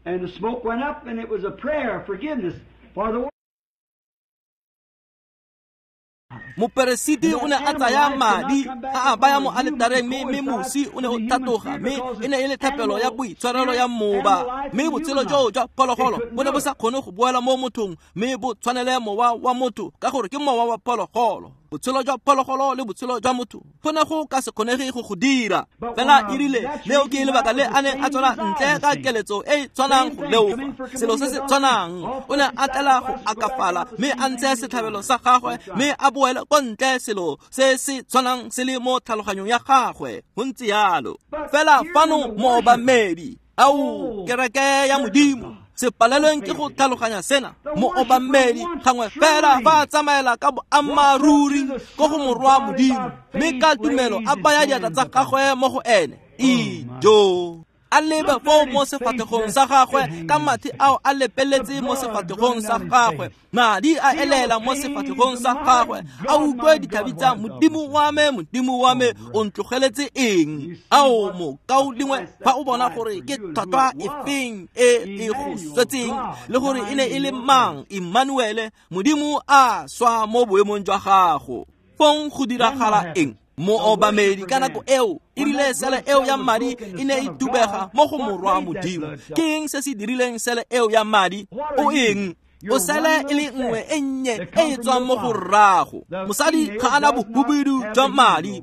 and the smoke went up, and it was a prayer of forgiveness for the world.
Moperesiti o ne a tsaya madi a a baya mo aletareng, mme mosi o ne o tlhatloga, mme e ne e le thapelo ya boitshwarelo ya moba. Mme botshelo joo jwa phologolo bo ne bo sa kgone go boela mo mothong, mme bo tshwanele mowa wa motho, ka gore ke mowa wa phologolo. Botshelo jwa phologolo le botshelo jwa motho go ne go ka se kgonege go go dira. Fela erile leo ke lebaka le a neng a tswela ntle ka keletso e e tshwanang go leofa, selo se se tshwanang. O ne a tlela go akafala, mme a ntshe setlhabelo sa gagwe, mme a boele ko ntle selo se se tshwanang se le mo tlhaloganyong ya gagwe. Go ntse jalo. Fela fano moobamedi, ao kereke ya Modimo, se palelweng ke go tlhaloganya sena. Moobamedi gangwe fela fa a tsamaela ka boammaaruri ko go morwa Modimo, mme ka tumelo a baya diatla tsa gagwe mo go ene. Ijo! A lebe foo mo sefatlhegong sa gagwe, ka mathe ao a lepeletse mo sefatlhegong sa gagwe, madi a elela mo sefatlhegong sa gagwe, a utlwe ditlhabi tsa Modimo wa me, Modimo wa me, o ntlogeletse eng? Ao mokaulengwe, fa o bona gore ke tlhwatlhwa efeng e e go swetseng, le gore e ne e le mang, Emmanuele, Modimo a swa mo boemong jwa gago. Fong go diragala eng? Moobamedi ka nako eo e rile sele eo ya madi e ne e tubega mo go morwa Modimo. Ke eng se se dirileng sele eo ya madi? O eng? O sele e le nngwe e nnye e e tswang mo go rrago. Mosadi ga a na bohubedu jwa madi.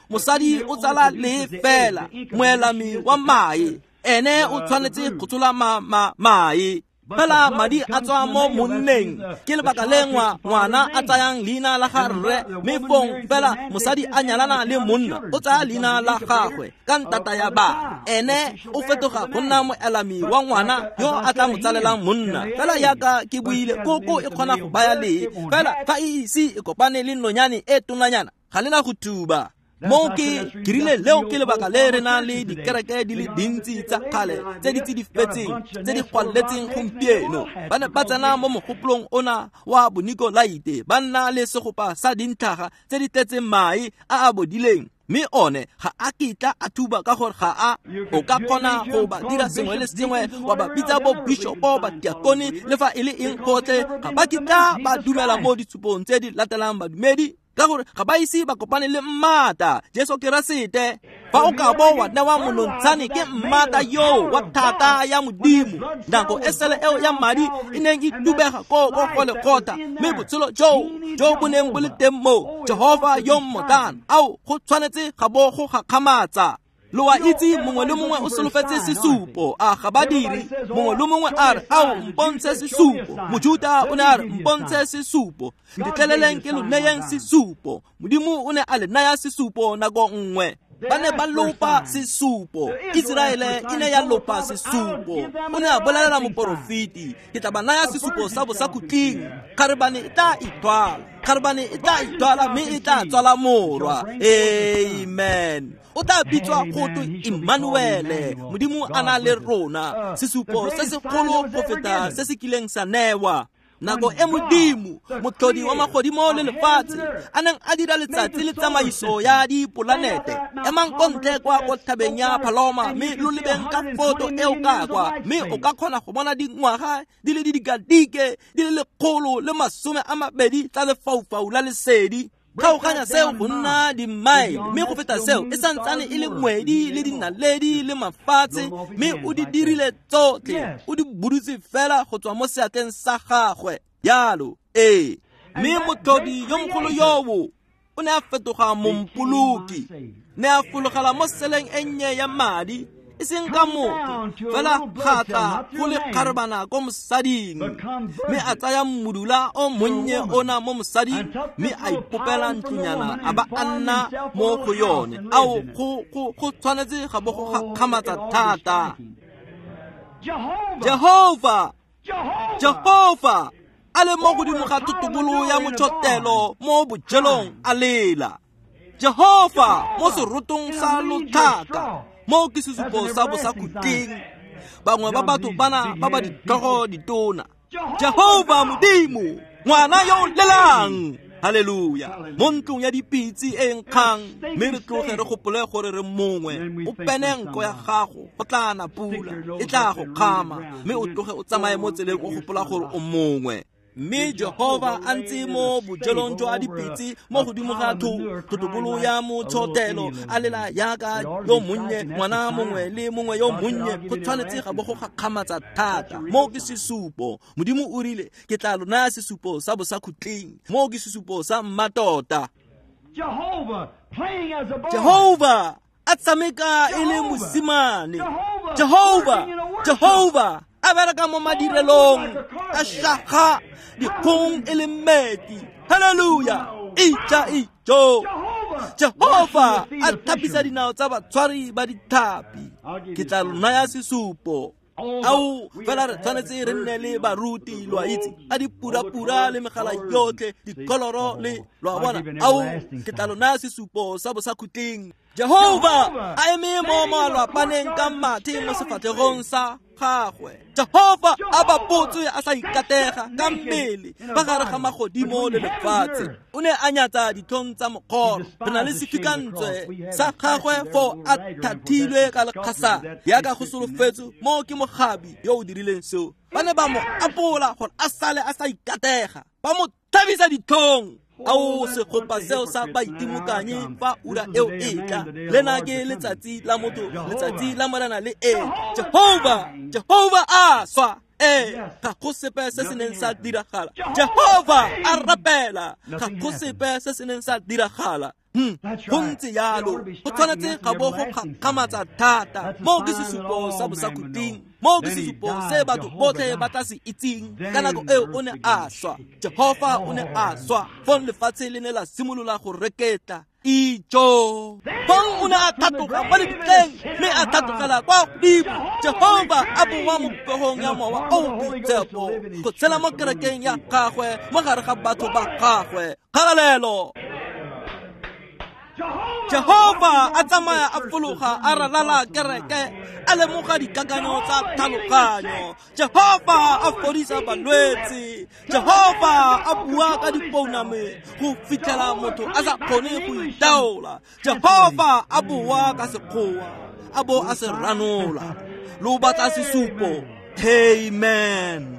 Mosadi o tsala lee fela, moelami wa mae. Ene o tshwanetse go tshola mae. Fela madi a tswa mo monneng. Ke lebaka le ngwana a tsayang leina la ga rre, mme fong fela mosadi a nyalana le monna, o tsaya leina la gagwe ka ntata ya bana. Ene o fetoga go nna moelami wa ngwana yo a tla mo tsalelang monna. Fela yaka ke buile, koko e kgona go baya lee, fela fa e ise e kopane le nonyane e tonanyana, ga le na go tuba. Mo ke rile leo ke lebaka le re nang le dikereke di le dintsi tsa kgale tse di tsidifetseng tse di gwaletseng gompieno. Ba ne ba tsena mo mogopolong ona wa bonikolaite, ba nna le segopa sa dintlhaga tse di tletseng mae a a bodileng, mme one ga a kitla a thuba ka gore ga a o ka kgona go ba dira sengwe le sengwe, wa ba bitsa bo bishopo, ba diakone, le fa e le eng gotlhe, ga ba kitla ba dumela mo ditshupong tse di latelang badumedi, ka gore ga ba ise ba kopane le mmata Jesu Keresete. Fa o ka bo wa newa monontshane ke mmata yo wa thata ya Modimo, nako e sele eo ya madi e neng e tubega ko go lekgotla, mme botshelo jo bo neng bo le teng mo Jehova yo mmotlana, ao go tshwanetse ga bo go gakgamatsa. Lo wa itse mongwe le mongwe o solofetse sesupo, a ga ba dire? Mongwe le mongwe a re, ao mpontshe sesupo. Mojuta o ne a re, mpontshe sesupo, ntetleleleng ke lo neyeng sesupo. Modimo o ne a le naya sesupo nako nngwe. Ba ne ba lopa sesupo, Iseraele e ne ya lopa sesupo. O ne a bolelela moporofeti, ke tla ba naya sesupo sa bosakhutleng, kgarebane e tla ithwala, kgarebane e tla ithwala mme e tla tswala morwa. Amen. O tla bitswa go twe Emmanuele, Modimo a na le rona, sesupo se segolo go feta se se kileng sa newa. Nako e Modimo, motlhodi wa magodimo le lefatshe, a neng a dira letsatsi le tsamaiso ya dipolanete, emang ko ntle kwa ko thabeng ya Paloma mme lo lebeng ka foto eo ka kwa, mme o ka kgona go bona dingwaga di le didikadike di le 120 tsa lefaufau la lesedi. Kgaoganya seo go nna dimaele, mme go feta seo e santsane e le ngwedi le dinaledi le mafatshe, mme o di dirile tsotlhe, o di budutse fela go tswa mo seatleng sa gagwe. Jalo ee, mme motlhodi yo mogolo yowo o ne a fetoga mompoloki, ne a fologela mo seleng e nnye ya madi, e seng ka motho fela, ga tla go le kgarebana ko mosading, mme a tsaya mmudula o monnye ona mo mosading, mme a ipopela ntlonyana a ba a nna mo go yone. Ao go tshwanetse ga bo go gakgamatsa thata. Jehova, Jehova a le mo godimo ga thotobolo ya motšhotelo mo bojelong a lela. Jehova mo serotong sa lotlhaka, mo ke sesupo sa bosakhutleng. Bangwe ba batho bana ba ba ditlhogo ditona. Jehova Modimo, ngwana yo o lelang, haleluya, mo ntlong ya dipitse e nkgang, mme re tloge re gopole gore re mongwe. O pene nko ya gago, go tla na pula, e tla go kgama, mme o tloge o tsamaye mo tseleng o gopola gore o mongwe. Mme Jehova a ntse mo bojelong jwa dipitse mo godimo ga thotobolo ya motshotelo, a lela yaka yo monnye, ngwana mongwe le mongwe yo monnye. Go tshwanetse ga bo go gakgamatsa thata. Mo ke sesupo. Modimo o rile, ke tla lo naya sesupo sa bosakhutleng. Mo ke sesupo sa mmatota. Jehova a tshameka e le mosimane. Jehova, Jehova a bereka mo madirelong, a shaga dikgong e le mmetli. Haleluya, ija ijo. Jehova a thapisa dinao tsa batshwari ba dithapi. Ke tla lo naya sesupo. Ao fela re tshwanetse re nne le baruti, lo a itse, a dipurapura le megala yotlhe, dikoloro le lo a bona. Ao ke tla lo naya sesupo sa bosakhutleng. Jehova a eme mo malwapaneng ka mathe mo sefatlhegong sa gagwe. Jehova a bapotswe a sa ikatega ka mmele fa gare ga magodimo le lefatshe. O ne a nyatsa ditlhong tsa mokgoro. Re na le sefikantswe sa gagwe fo a thathilwe ka lekgasa, yaka go solofetswe mo ke mogabi yo o dirileng seo. Ba ne ba mo apola gore a sale a sa ikatega, ba mo thabisa ditlhong. Ao segopa seo sa baitimokanye fa ura eo e tla. Lena ke letsatsi la motho, letsatsi la Morena le e. Jehova, Jehova a swa. Ga go sepe se se neng sa diragala. Jehova a rapela, ga go sepe se se neng sa diragala. Go ntse yalo, go tshwanetse ga bo go gakgamatsa thata. Mo ke sesupo sa bosakhutleng, mo ke sesupo se batho botlhe ba tla se itseng. Ka nako eo o ne a swa, Jehova o ne a swa. Fong lefatshe le ne la simolola go reketla. Ijo. Fong o ne a thatoga mo lebitleng, mme a thatogela kwa godimo. Jehova a boa mo popegong ya mowa o boitshepo, go tshela mo kerekeng ya gagwe, mo gare ga batho ba gagwe. Kgalalelo. Jehofa a tsamaya a fologa a ralala kereke a lemoga dikakanyo tsa tlhaloganyo. Jehofa a fodisa balwetse. Jehofa a bua ka dipouname go fitlhela motho a sa kgone go itaola. Jehofa a boa ka sekgowa a bo a se ranola. Lo batla sesupo. Amen.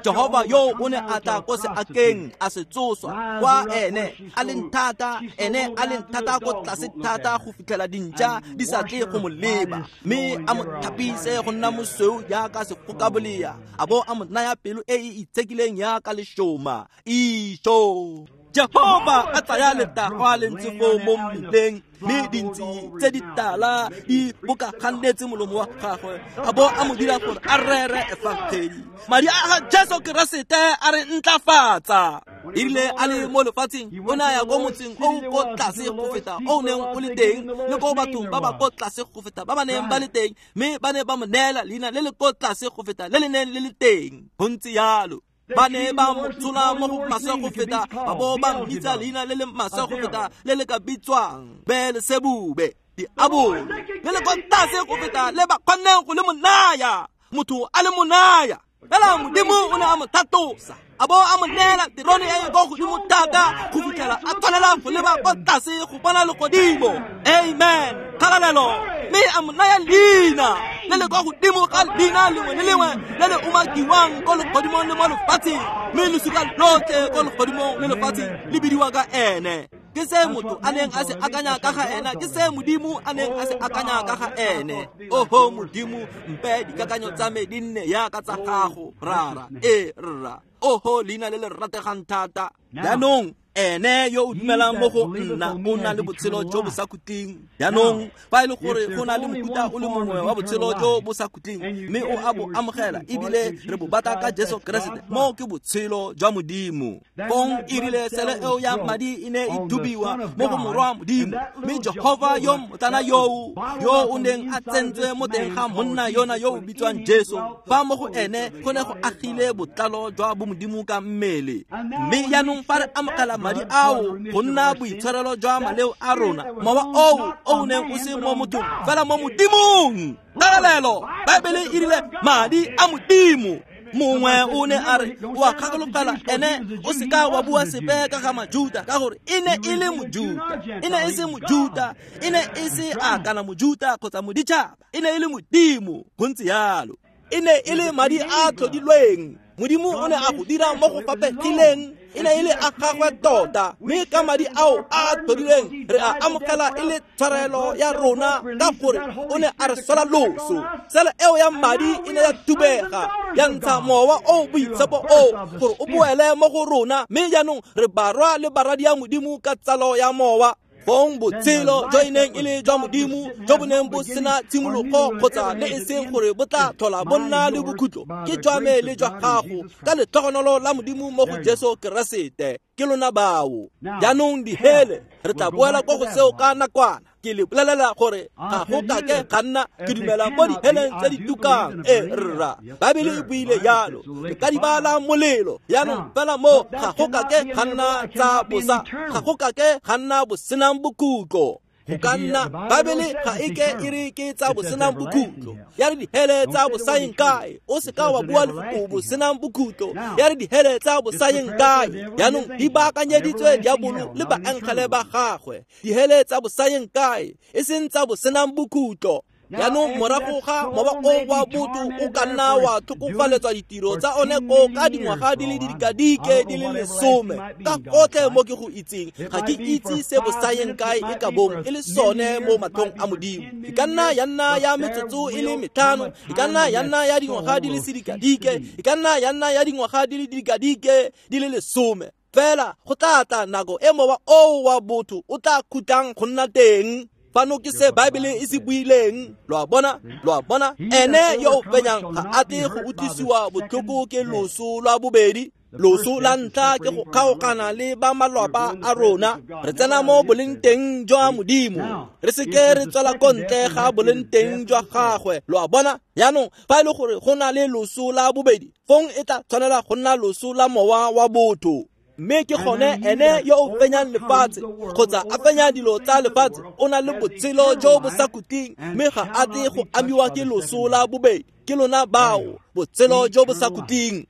Jehovah yo o ne a tla ko seakeng a se tsoswa kwa ene a leng thata, ene a leng thata ko tlase thata go fitlhela dintša di sa tle go mo leba, mme a mo thapise go nna mosweu jaaka sefokabolea, a bo a mo naya pelo e e itshekileng jaaka lešoma. Isho. Jehovah a tsaya letagwa le ntse foo mo mmileng, mme dintsi tse di tala di bokagannetse molomo wa gagwe, a bo a mo dira gore a rere efangedi. Madi a ga Jesu Keresete a re ntlafatsa. Erile a le mo lefatsheng, o ne a ya ko motseng o ko tlase go feta o neng o le teng, le ko bathong ba ba ko tlase go feta ba ba neng ba le teng, mme ba ne ba mo neela leina le le ko tlase go feta le le neng le le teng. Go ntse jalo. Ba ne ba mo tsola mo go maswe go feta, ba bo ba mmitsa leina le le maswe go feta le le ka bitswang Beelsebube, diabolo, le le ko tlase go feta le ba kgonneng go le mo naya, motho a le mo naya. Fela Modimo o ne a mo thatosa, a bo a mo neela terone e e ko godimo thata go fitlhela a tshwanela go leba ko tlase go bona legodimo. Amen. Kgalalelo. Mme a mo naya leina le le kwa godimo ga leina lengwe le lengwe le le umakiwang ko legodimong le mo lefatsheng, mme losika lotlhe ko legodimong le lefatsheng le bidiwa ka ene. Ke se motho a neng a se akanya ka ga ena, ke se Modimo a neng a se akanya ka ga ene. Oho Modimo, mpe dikakanyo tsa me di nne jaaka tsa gago, Rara. Ee, rra. Oho leina le le rategang thata. Jaanong ene yo o dumelang mo go nna o na le botshelo jo bo sa khutleng. Jaanong fa e le gore go na le mofuta o le mongwe wa botshelo jo bo sa khutleng, mme o a bo amogela ebile re bo batla ka Jesu Keresete, mo ke botshelo jwa Modimo. Fong erile sele eo ya madi e ne e thubiwa mo go morwa Modimo, mme Jehovah yo motlana yoo yo o neng a tsentswe mo teng ga monna yona yo o bitswang Jesu, fa mo go ene go ne go agile botlalo jwa bomodimo ka mmele. Mme jaanong fa re amogela madi ao go nna boitshwarelo jwa maleo a rona, mowa oo o neng o se mo mothong fela mo Modimong. Kgalalelo. Baebele e rile madi a Modimo. Mongwe o ne a re o a kgakologela ene o seka wa bua sepe ka ga Majuta, ka gore e ne e le Mojuta. E ne e se Mojuta, e ne e se a kana Mojuta kgotsa moditšhaba, e ne e le Modimo. Go ntse jalo. E ne e le madi a tlhodilweng. Modimo o ne a go dira mo go fapegileng, e ne e le a gagwe tota, mme ka madi ao a tlhodilweng re a amogela e le tshwarelo ya rona, ka gore o ne a re sola loso. Sele eo ya madi e ne ya thubega, ya ntsha mowa o boitshepo o gore o boele mo go rona, mme jaanong re barwa le baradi ya Modimo ka tsalo ya mowa. Fong botshelo jo e neng e le jwa Modimo jo bo neng bo sena tshimologo kgotsa le e seng gore bo tla tlhola bo nna le bokhutlo, ke jwa me le jwa gago ka letlhogonolo la Modimo mo go Jesu Keresete. Ke lona bao. Jaanong dihele re tla boela ko go seo ka nakwana. Ke le bolelela gore ga go kake ga nna ke dumela mo diheleng tse di tukang. Ee, rra. Baebele e buile jalo. Re ka di bala molelo. Jaanong fela mo ga go kake ga nna tsa bosa, ga go kake ga nna bosenang bokhutlo. Go ka nna Baebele ga e ke e re ke tsa bosenang bokhutlo. Ya re dihele tsa bosayeng kae. O seka wa bua lefoko bosenang bokhutlo. Ya re dihele tsa bosayeng kae. Jaanong di baakanyeditswe diabolo le baengele ba gagwe. Dihele tsa bosayeng kae, e seng tsa bosenang bokhutlo. Jaanong morago ga mowa o wa botho o ka nna wa tlhokofaletswa ditiro tsa one ko ka dingwaga di le didikadike di le 10, ka gotlhe mo ke go itseng ga ke itse se bosayeng kae e ka bong e le sone mo matlhong a Modimo. E ka nna ya nna ya metsotso e le 5, e ka nna ya nna ya dingwaga di le sedikadike, e ka nna ya nna ya dingwaga di le didikadike di le 10. Fela go tla tla nako e mowa oo wa botho o tla khutlang go nna teng. Fano ke se Baebele e se buileng. Lo a bona, lo a bona, ene yo o fenyang ga a tle go utlwisiwa botlhoko ke loso lwa bobedi. Loso la ntlha ke go kgaogana le ba malwapa a rona. Re tsena mo boleng teng jwa Modimo, re seke re tswela ko ntle ga boleng teng jwa gagwe. Lo a bona. Jaanong fa e le gore go na le loso la bobedi, fong e tla tshwanela go nna loso la mowa wa botho. Mme ke gone ene yo o fenyang lefatshe kgotsa a fenya dilo tsa lefatshe o na le botshelo jo bo sa khutleng, mme ga a tle go amiwa ke loso la bobedi. Ke lona bao botshelo jo bo sa khutleng.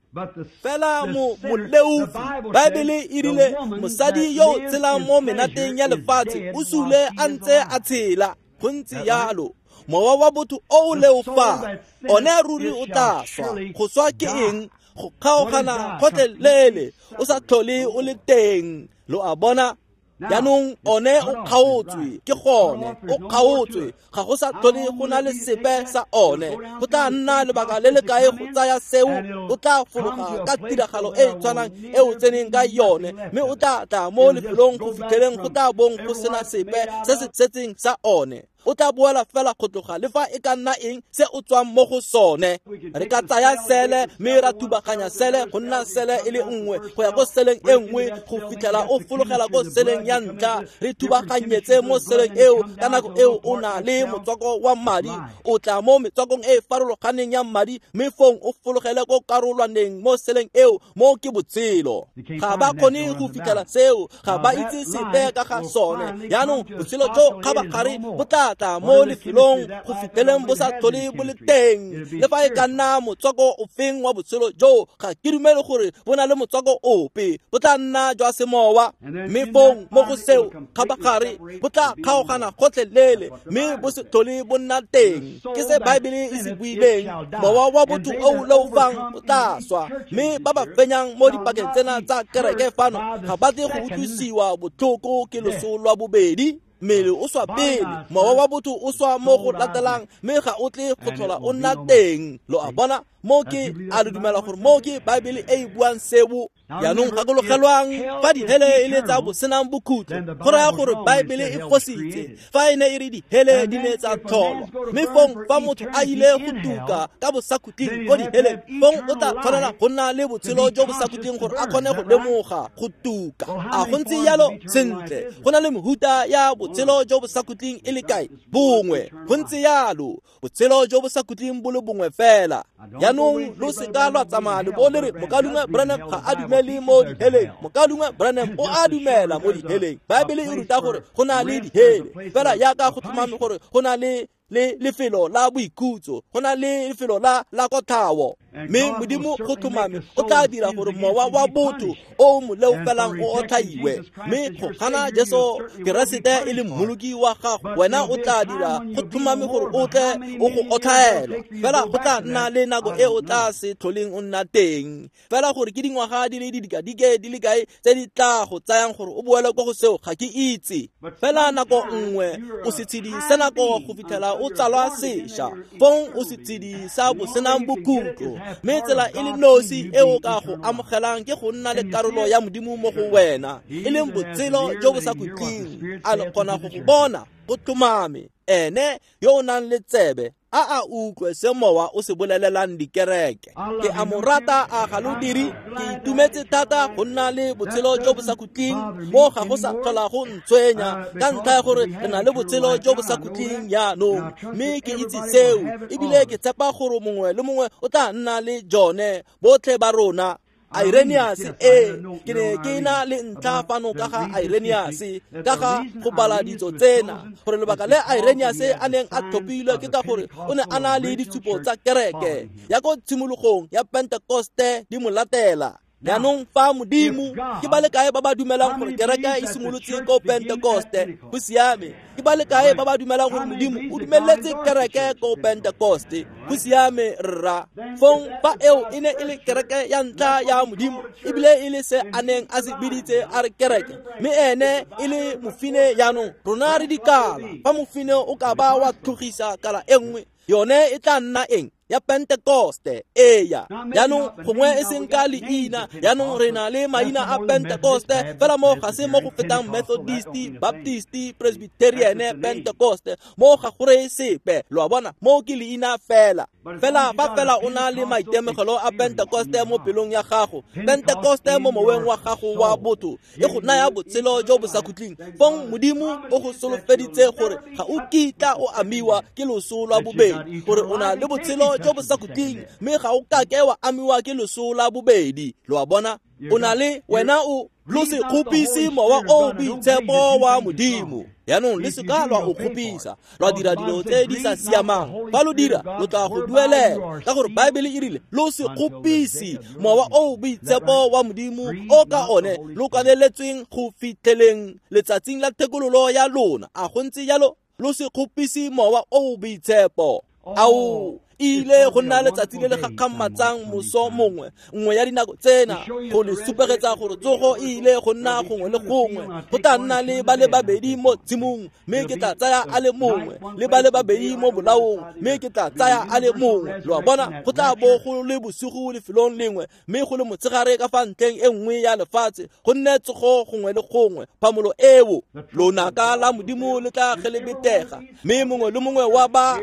Fela moleofi, Baebele e rile mosadi yo o tshelang mo menateng ya lefatshe o sule a ntse a tshela. Go ntse yalo. Mowa wa botho o o leofang one ruri o tla swa. Go swa ke eng? Go kgaogana gotlhelele, o sa tlhole o le teng. Lo a bona? Jaanong one o kgaotswe, ke gone o kgaotswe, ga go sa tlhole go na le sepe sa one. Go tla nna lebaka le le kae go tsaya seo? O tla fologa ka tiragalo e e tshwanang e o tseneng ka yone, mme o tla tla mo lefelong go fitlheleng go tla bong go sena sepe se se setseng sa one. O tla boela fela go tloga le fa e ka nna eng se o tswang mo go sone. Re ka tsaya sele mme ra thubaganya sele go nna sele e le nngwe go ya ko seleng e nngwe go fitlhela o fologela ko seleng ya ntlha. Re thubaganyetse mo seleng eo, ka nako eo o na le motswako wa madi. O tla mo metswakong e e farologaneng ya madi, mme fong o fologele ko karolwaneng mo seleng eo, mo ke botshelo. Ga ba kgone go fitlhela seo, ga ba itse sepe ka ga sone. Jaanong botshelo jo kgabagare bo tla tla mo lefelong go fitlheleng bo sa tlhole bo le teng. Le fa e ka nna motswako ofeng wa botshelo jo, ga ke dumele gore bo na le motswako ope, bo tla nna jwa semowa. Mme fong mo go seo kgabagare bo tla kgaogana gotlhelele, mme bo se tlhole bo nna teng. Ke se Baebele e se buileng, mowa wa botho o o leofang o tla swa. Mme ba ba fenyang mo dipakeng tsena tsa kereke fano ga ba tle go utlwisiwa botlhoko ke loso lwa bobedi. Mmele o swa pele, mowa wa botho o swa mo go latelang, mme ga o tle go tlhola o nna teng. Lo a bona? Mo ke a le dumela gore mo ke Baebele e e buang seo. Jaanong gakologelwang, fa dihele e le tsa bosenang bokhutlo, go raya gore Baebele e fositse fa e ne e re dihele di ne tsa tlholwa. Mme fong fa motho a ile go tuka ka bosakhutleng ko diheleng, fong o tla tshwanela go nna le botshelo jo bosakhutleng gore a kgone go lemoga go tuka. A go ntse yalo? Sentle, go na le mehuta ya botshelo jo bosakhutleng e le kae? Bongwe. Go ntse yalo, botshelo jo bosakhutleng bo le bongwe fela. Jaanong lo seka lwa tsamaya le bo le re Mokaulengwe Branham ga a dumele mo diheleng. Mokaulengwe Branham o a dumela mo diheleng. Baebele e ruta gore go na le dihele, fela jaaka go tlhomame gore go na le lefelo la boikhutso, go na le lefelo la kotlhao. Mme Modimo go tlhomame o tla dira gore mowa wa botho o mo leofelang o otlhaiwe. Mme go gana Jesu Keresete e le mmoloki wa gago, wena o tla dira go tlhomame gore o tle o go otlhaelwa. Fela go tla nna le nako e o tla se tlholeng o nna teng. Fela gore ke dingwaga di le didikadike di le kae tse di tla go tsayang gore o boele ko go seo, ga ke itse. Fela nako nngwe o setshedi sa nako go fitlhela o tsalwa sešwa, fong o setshedi sa bosenang bokhutlo. Mme tsela e le nosi e o ka go amogelang ke go nna le karolo ya Modimo mo go wena, e leng botshelo jo bo sa khutleng. A le kgona go go bona? Go tlhomame. Ene yo o nang le tsebe a a utlwe se mowa o se bolelelang dikereke. Ke a mo rata, a ga lo dire? Ke itumetse thata go nna le botshelo jo bo sa khutleng, mo ga go sa tlhola go ntshwenya ka ntlha ya gore re na le botshelo jo bo sa khutleng jaanong. Mme ke itse seo, ebile ke tshepa gore mongwe le mongwe o tla nna le jone, botlhe ba rona. Irenaeus, ke ne ke na le ntlha fano ka ga Irenaeus, ka ga go bala ditso tsena, gore lebaka le Irenaeus a neng a tlhophilwe ke ka gore o ne a na le ditshupo tsa kereke ya ko tshimologong ya Pentekoste di mo latela. Jaanong fa Modimo, ke ba le kae ba ba dumelang gore kereke e simolotse ko Pentekoste? Go siame. Ke ba le kae ba ba dumelang gore Modimo o dumeletse kereke ko Pentekoste? Go siame, rra. Fong fa eo e ne e le kereke ya ntlha ya Modimo, ebile e le se a neng a se biditse a re kereke, mme ene e le mofine. Jaanong rona re dikala. Fa mofine o ka ba wa tlhogisa kala e nngwe, yone e tla nna eng? Ya Pentekoste. Eya. Jaanong gongwe e seng ka leina, jaanong re na le maina a Pentekoste, fela mo ga se mo go fetang Methodist, Baptist, Presbyterian, Pentekoste, mo ga go reye sepe. Lo a bona? Mo ke leina fela. Fela fa fela o na le maitemogelo a Pentekoste mo pelong ya gago, Pentekoste mo moweng wa gago wa botho, e go naya botshelo jo bo sa khutleng. Fong Modimo o go solofeditse gore ga o kitla o amiwa ke loso lwa bobedi, gore o na le botshelo jo bo sa khutleng, mme ga o kake wa amiwa ke loso la bobedi. Lo a bona? O na le wena o lo se kgopise mowa o boitshepo wa Modimo. Jaanong le seka lwa o kgopisa, lwa dira dilo tse di sa siamang. Fa lo dira, lo tla go duelela, ka gore Baebele e rile lo se kgopise mowa o boitshepo wa Modimo o ka one lo kaneletsweng go fitlheleng letsatsing la thekololo ya lona. A go ntse jalo? Lo se kgopise mowa o boitshepo. Ao, ile go nna letsatsi le le gakgamatsang moso mongwe, nngwe ya dinako tsena, go le supegetsa gore tsogo e ile go nna gongwe le gongwe. Go tla nna le ba le babedi mo tshimong, mme ke tla tsaya a le mongwe, le ba le babedi mo bolaong, mme ke tla tsaya a le mongwe. Lo a bona, go tla bo go le bosigo lefelong lengwe, mme go le motshegare ka fa ntlheng e nngwe ya lefatshe, go nne tsogo gongwe le gongwe. Phamolo eo, lonaka la Modimo le tla gelebetega, mme mongwe le mongwe wa ba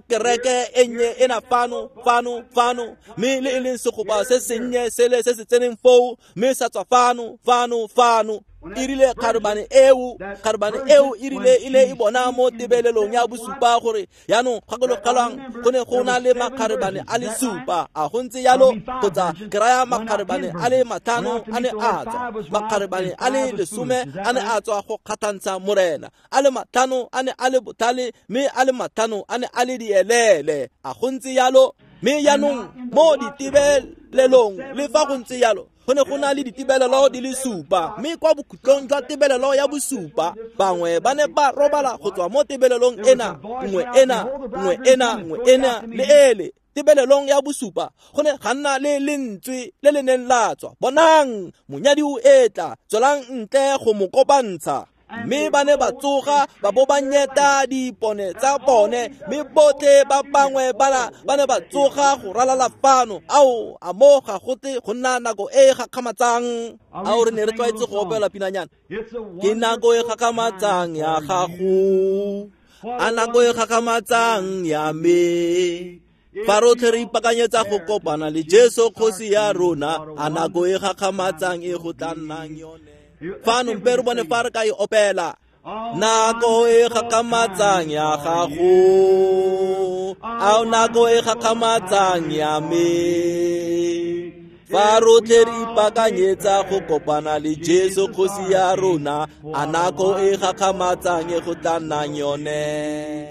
kereke e nnye ena fano, fano, fano, mme le e leng segopa se sennye sele se se tseneng foo, mme sa tswa fano, fano, fano. E rile kgarebane eo e rile e ne e bona mo tebelelong ya bosupa gore jaanong gakologelwang go ne go na le makgarebane a le supa. A go ntse jalo? Kgotsa ke raya makgarebane a le 5 a ne a tswa, makgarebane a le 10 a ne a tswa go kgathantsha Morena, a le 5 a ne a le botlhale, mme a le 5 a ne a le dielele. A go ntse jalo? Mme jaanong mo ditebelelong, le fa go ntse jalo, go ne go na le ditebelelo di le 7, mme kwa bokhutlong jwa tebelelo ya bosupa, bangwe ba ne ba robala go tswa mo tebelelong ena, nngwe ena, nngwe ena, nngwe ena le ele. Tebelelong ya bosupa go ne ga nna le lentswe le le neng la tswa, bonang, monyadi o etla, tswelang ntle go mo kopantsha. Mme ba ne ba tsoga, ba bo ba nyeta dipone tsa bone, mme botlhe ba bangwe ba ne ba tsoga go ralala fano. Ao, a mo ga go tle go nna nako e e gakgamatsang. Ao, re ne re tlwaetse go opela pinanyana. Ke nako e gakgamatsang ya gago, a nako e gakgamatsang ya me. Fa rotlhe re ipakanyetsa go kopana le Jesu kgosi ya rona, a nako e gakgamatsang e go tla nnang yone. Fano mpe re bone fa re ka e opela. Nako e gakgamatsang ya gago, ao nako e gakgamatsang ya me. Fa rotlhe re ipakanyetsa go kopana le Jesu kgosi ya rona, a nako e gakgamatsang e go tla nnang yone.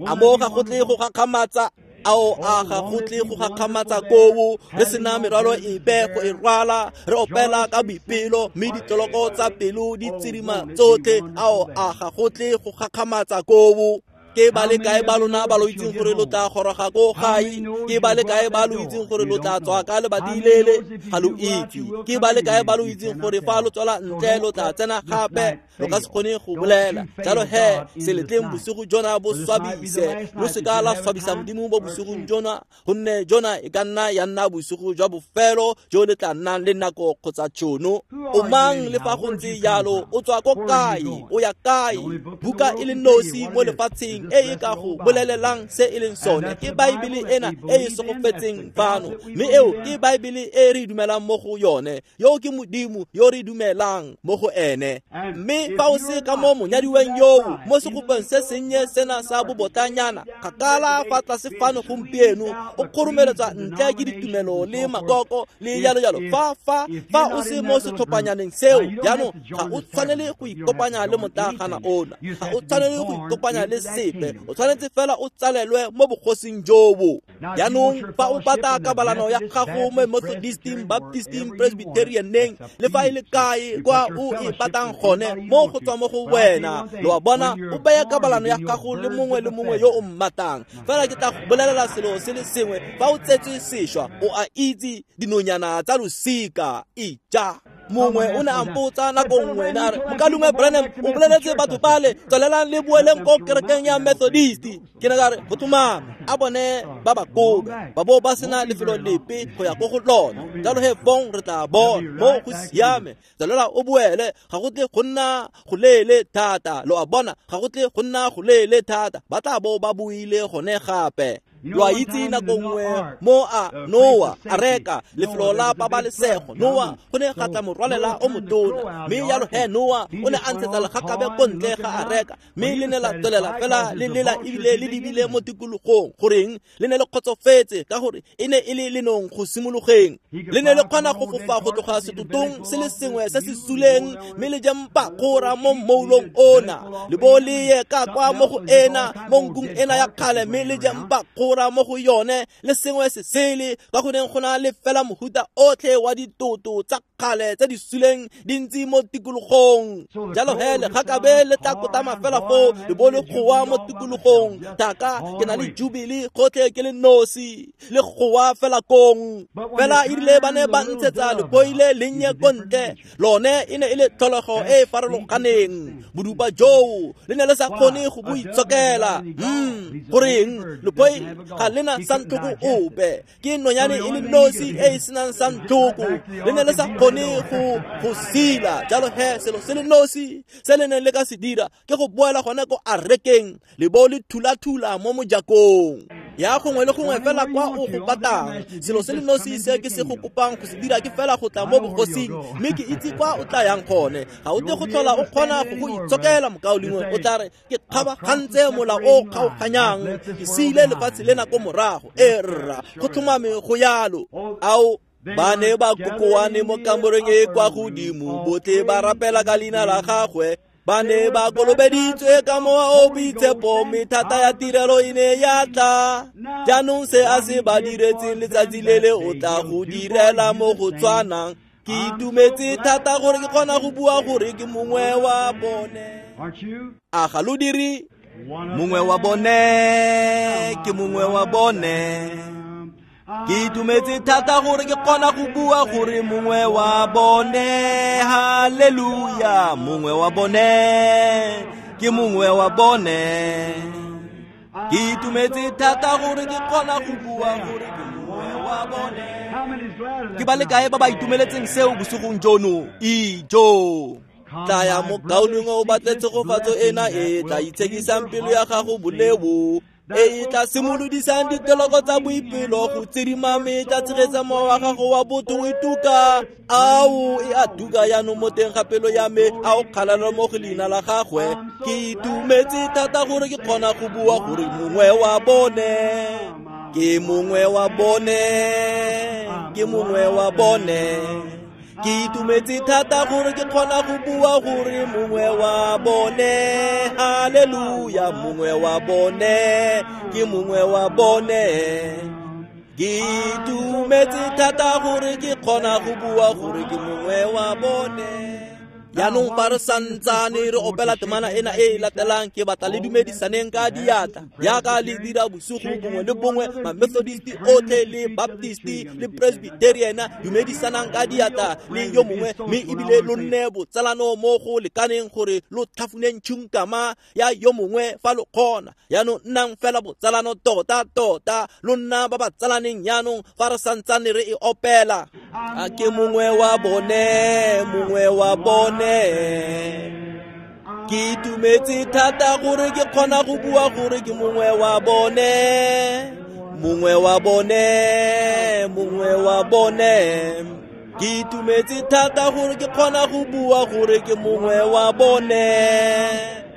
A mo ga go tle go gakgamatsa? Ao, a ga go tle go gakgamatsa koo, re sena merwalo epe go e rwala, re opela ka boipelo, mme ditloloko tsa pelo di tsirima tsotlhe. Ao, a ga go tle go gakgamatsa koo. Ke ba le kae ba lona ba lo itseng gore lo tla goroga ko gae? Ke ba le kae ba lo itseng gore lo tla tswa ka lebati lele? Ga lo itse. Ke ba le kae ba lo itseng gore fa lo tswela ntle lo tla tsena gape? Lo ka se kgone go bolela. Jalo he, se letleng bosigo jona bo swabise. Lo seka la swabisa Modimo mo bosigong jona, gonne jona e ka nna ya nna bosigo jwa bofelo jo le tla nnang le nako kgotsa tšhono. O mang le fa go ntse jalo? O tswa ko kae? O ya kae? Buka e le nosi mo lefatsheng e e ka go bolelelang se e leng sone ke Baebele ena e e segofetseng fano, mme eo ke Baebele e re dumelang mo go yone. Yo ke Modimo yo re dumelang mo go ene. Mme fa o se ka mo monyadiweng yoo, mo segopeng se sennye sena sa bobotlanyana, kgakala fa tlase fano gompieno, o kgoromeletswa ntle ke ditumelo le makoko le jalo jalo. Fa o se mo setlhophanyaneng seo, jaanong ga o tshwanele go ikopanya le motlagana ona, ga o tshwanele go ikopanya le sepe, o tshwanetse fela o tsalelwe mo bogosing jobo. Jaanong fa o batla kabalano ya gago mo Methodisting, Baptisting, Presbyterianeng, le fa e le kae kwa o e batlang gone, mo go tswa mo go wena. Lo a bona, o baya kabalano ya gago le mongwe le mongwe yo o mmatang. Fela ke tla go bolelela selo se le sengwe, fa o tsetswe sešwa, o a itse dinonyana tsa losika. Ija. Mongwe o ne a mpotsa nako nngwe, ne a re, Mokaulengwe Branham, o boleletse batho bale, tswelelang le boeleng ko kerekeng ya Methodist. Ke ne ka re, go tlhomame, a bone ba ba kobe, ba bo ba sena lefelo lepe go ya ko go lona. Jalo he fong re tla bona, mo go siame, tswelela o boele, ga go tle go nna go leele thata. Lo a bona, ga go tle go nna go leele thata, ba tla bo ba buile gone gape. Lo a itse nako nngwe mo a Noa a reka lefelo la pabalesego, Noa go ne ga tla morwalela o motona, mme jalo he Noa o ne a ntshetsa legakabe ko ntle ga a reka, mme le ne la tswelela fela le lela ebile le lebile mo tikologong. Goreng le ne le kgotsofetse? Ka gore e ne e le lenong go simologeng. Le ne le kgona go fofa go tloga setotong se le sengwe se se suleng, mme le je mpakgora mo mmoulong ona, le bo le ye ka kwa mo go ena mo nkung ena ya kgale, mme le je mpakgora mo go yone le sengwe se sele, ka go neng go na le fela mohuta otlhe wa ditoto tsa kgale tse di suleng di ntse mo tikologong. Jalo he legakabe le tla kotama fela foo le bo le goa mo tikologong, thaka ke na le jubile gotlhe ke le nosi, le goa fela kong. Fela erile ba ne ba ntshetsa lephoi le lennye ko ntle, lone e ne e le tlholego e e farologaneng. Bodupa joo le ne le sa kgone go bo itshokela. Goreng lephoi ga lena santlhoko ope, ke nonyane e le nosi e e senang santlhoko, le ne le sa kgone go sila. Jalo he selo se le nosi se le neng le ka se dira ke go boela gone ko arekeng le bo le thula-thula mo mojakong ya gongwe le gongwe fela kwa o go batlang. Selo se le nosi se ke se go kopang go se dira ke fela go tla mo bogosing, mme ke itse kwa o tla yang gone. Ga o tle go tlhola o kgona go go itshokela mokaulengwe, o tla re ke kgabagantse mola o kgaoganyang, ke siile lefatshe lena ko morago. E rra, go tlhomame go yalo. Ao ba ne ba kokoane mo kamoreng e kwa godimo, botlhe ba rapela ka leina la gagwe, ba ne ba kolobeditswe ka mowa o boitshepo, mme thata ya tirelo e ne ya tla. Jaanong se a se ba diretseng letsatsi le le o tla go direla mo go tshwanang. Ke itumetse thata gore ke kgona go bua gore ke mongwe wa bone. A ga lo dire? Mongwe wa bone, ke mongwe wa bone. Ke itumetse thata gore ke kgona go bua gore mongwe wa bone. Haleluya, mongwe wa bone, ke mongwe wa bone. Ke itumetse thata gore ke kgona go bua gore ke mongwe wa bone. Ke ba le kae ba ba itumeletseng seo bosigong jono? Ijo. Tlaya mokaulengwe o batle tshegofatso ena e tla itshekisang pelo ya gago boleo, e tla simolodisang ditoloko tsa boipelo go tsidima, mme e tla tshegetsa mowa wa gago wa botho o ituka. Ao e a tuka jaanong mo teng ga pelo ya me, a o kgalelo mo go leina la gagwe. Ke itumetse thata gore ke kgona go bua gore mongwe wa bone, ke mongwe wa bone, ke mongwe wa bone. Ke itumetse thata gore ke kgona go bua gore mongwe wa bone. Haleluya, mongwe wa bone, ke mongwe wa bone. Ke itumetse thata gore ke kgona go bua gore ke mongwe wa bone. Jaanong fa re santsane re opela temana ena e e latelang, ke batla le dumedisaneng ka diatla jaaka le dira bosigo bongwe le bongwe, ma-Methodist otlhe le Baptist le Presbyterian, dumedisanang ka diatla le yo mongwe, mme ebile lo nne botsalano mo go lekaneng gore lo tlhafuneng tšhunkama ya yo mongwe fa lo kgona. Jaanong nnang fela botsalano tota-tota, lo nna ba ba tsalaneng jaanong fa re santsane re e opela. A ke mongwe wa bone, mongwe wa bone. Ke itumetse thata gore ke kgona go bua gore ke mongwe wa bone, mongwe wa bone, mongwe wa bone. Ke itumetse thata gore ke kgona go bua gore ke mongwe wa bone.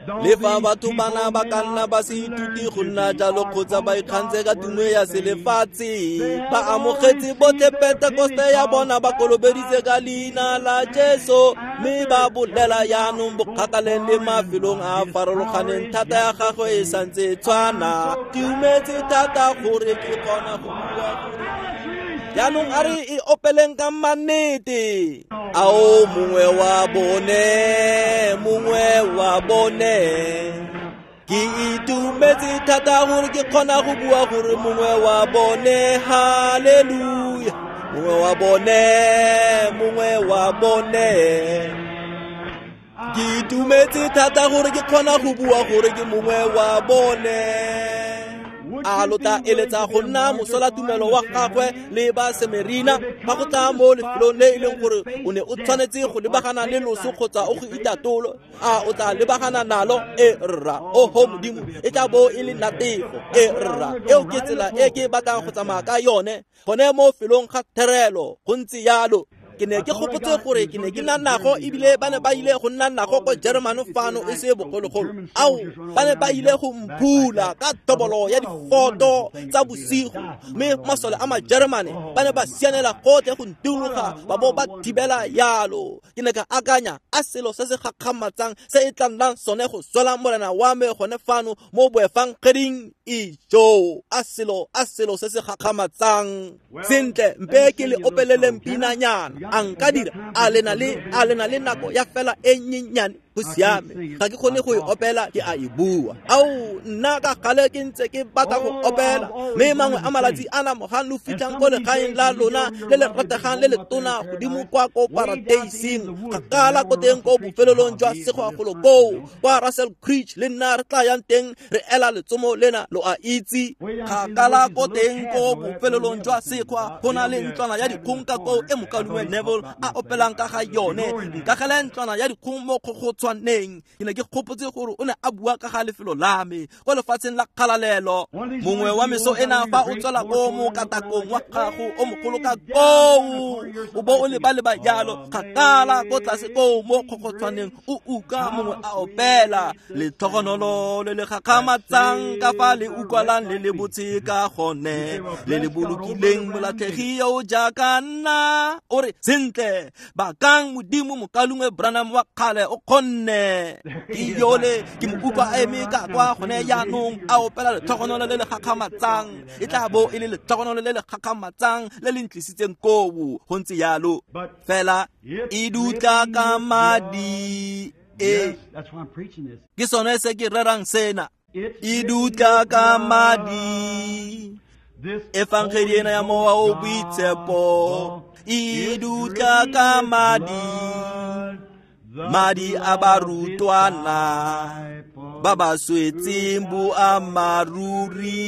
Le fa batho bana ba ka nna ba se ithute go nna jalo kgotsa ba ikgantse ka tumo ya selefatshe, ba amogetse botlhe Pentekoste ya bona, ba kolobeditse ka leina la Jesu, mme ba bolela jaanong bokgakaleng le mafelong a a farologaneng, thata ya gagwe e santse e tshwana. Ke itumetse thata gore ke kgona go bua gore jaanong a re e opeleng ka mannete. Ao mongwe wa bone, mongwe wa bone. Ke itumetse thata gore ke kgona go bua gore mongwe wa bone. Haleluya, mongwe wa bone, mongwe wa bone. Ke itumetse thata gore ke kgona go bua gore ke mongwe wa bone. A lo tla eletsa go nna mosolatumelo wa gagwe le ba Semerina ba go tla mo lefelong le e leng gore o ne o tshwanetse go lebagana le loso kgotsa o go itatolo? A o tla lebagana nalo? E rra, oho Modimo, e tla bo e le natefo. E rra, eo ke tsela e ke batlang go tsamaya ka yone, gone mo felong ga therelo. Go ntse yalo. Ke ne ke gopotse gore ke ne ke nna nago, ebile ba ne ba ile go nna nago ko Jeremane fano e se bogologolo. Ao, ba ne ba ile go mphula ka tobolo ya difoto tsa bosigo, mme masole a Majeremane ba ne ba sianela gotlhe go ntuloga ba bo ba thibela yalo. Ke ne ka akanya, a selo se se gakgamatsang se e tla nnang sone go swela morena wa me gone fano mo boefangeding. Ijo, a selo se se gakgamatsang. Sentle, mpe ke le opeleleng pinanyana. A nka dira? A lena le nako ya fela e nyenyane? Go siame, ga ke kgone go e opela, ke a e bua. Ao, nna ka gale ke ntse ke batla go opela, mme mangwe a malatsi a na mogang lo fitlhang ko legaeng la lona le le rategang le le tona godimo kwa ko paradeising, kgakala ko teng ko bofelelong jwa segwagolo koo kwa Russell Creek le nna re tla yang teng re ela letsomo lena, lo a itse. Kgakala ko teng ko bofelelong jwa sekgwa go na le ntlwana ya dikgong ka koo e mokaulengwe Neville a opelang ka ga yone. Nkagele ntlwana ya dikgong mo kgogotshwaneng. Ke ne ke gopotse gore o ne a bua ka ga lefelo la me kwa lefatsheng la kgalalelo. Mongwe wa meso ena fa o tswela ko mokatakong wa gago o mogolo ka koo, o bo o leba-leba jalo kgakala ko tlase koo mo kgogotshwaneng, o utlwa mongwe a opela letlhogonolo le le gakgamatsang ka fa le utlwalang le le botse ka gone, le le bolokileng molatlhegi yo o jaaka nna. O re, sentle, bakang Modimo, mokaulengwe Branham wa kgale o kgonne. Ke yole ke mo utlwa a eme ka kwa gone jaanong a opela letlhogonolo le le gakgamatsang. E tla bo e le letlhogonolo le le gakgamatsang le le ntlisitseng koo. Go ntse yalo fela e dutla ka madi. E ke sone se ke rerang sena, e dutla ka madi. Efangedi ena ya Mowa o Boitshepo e dutla ka madi, madi a barutwana ba ba swetseng boammaaruri.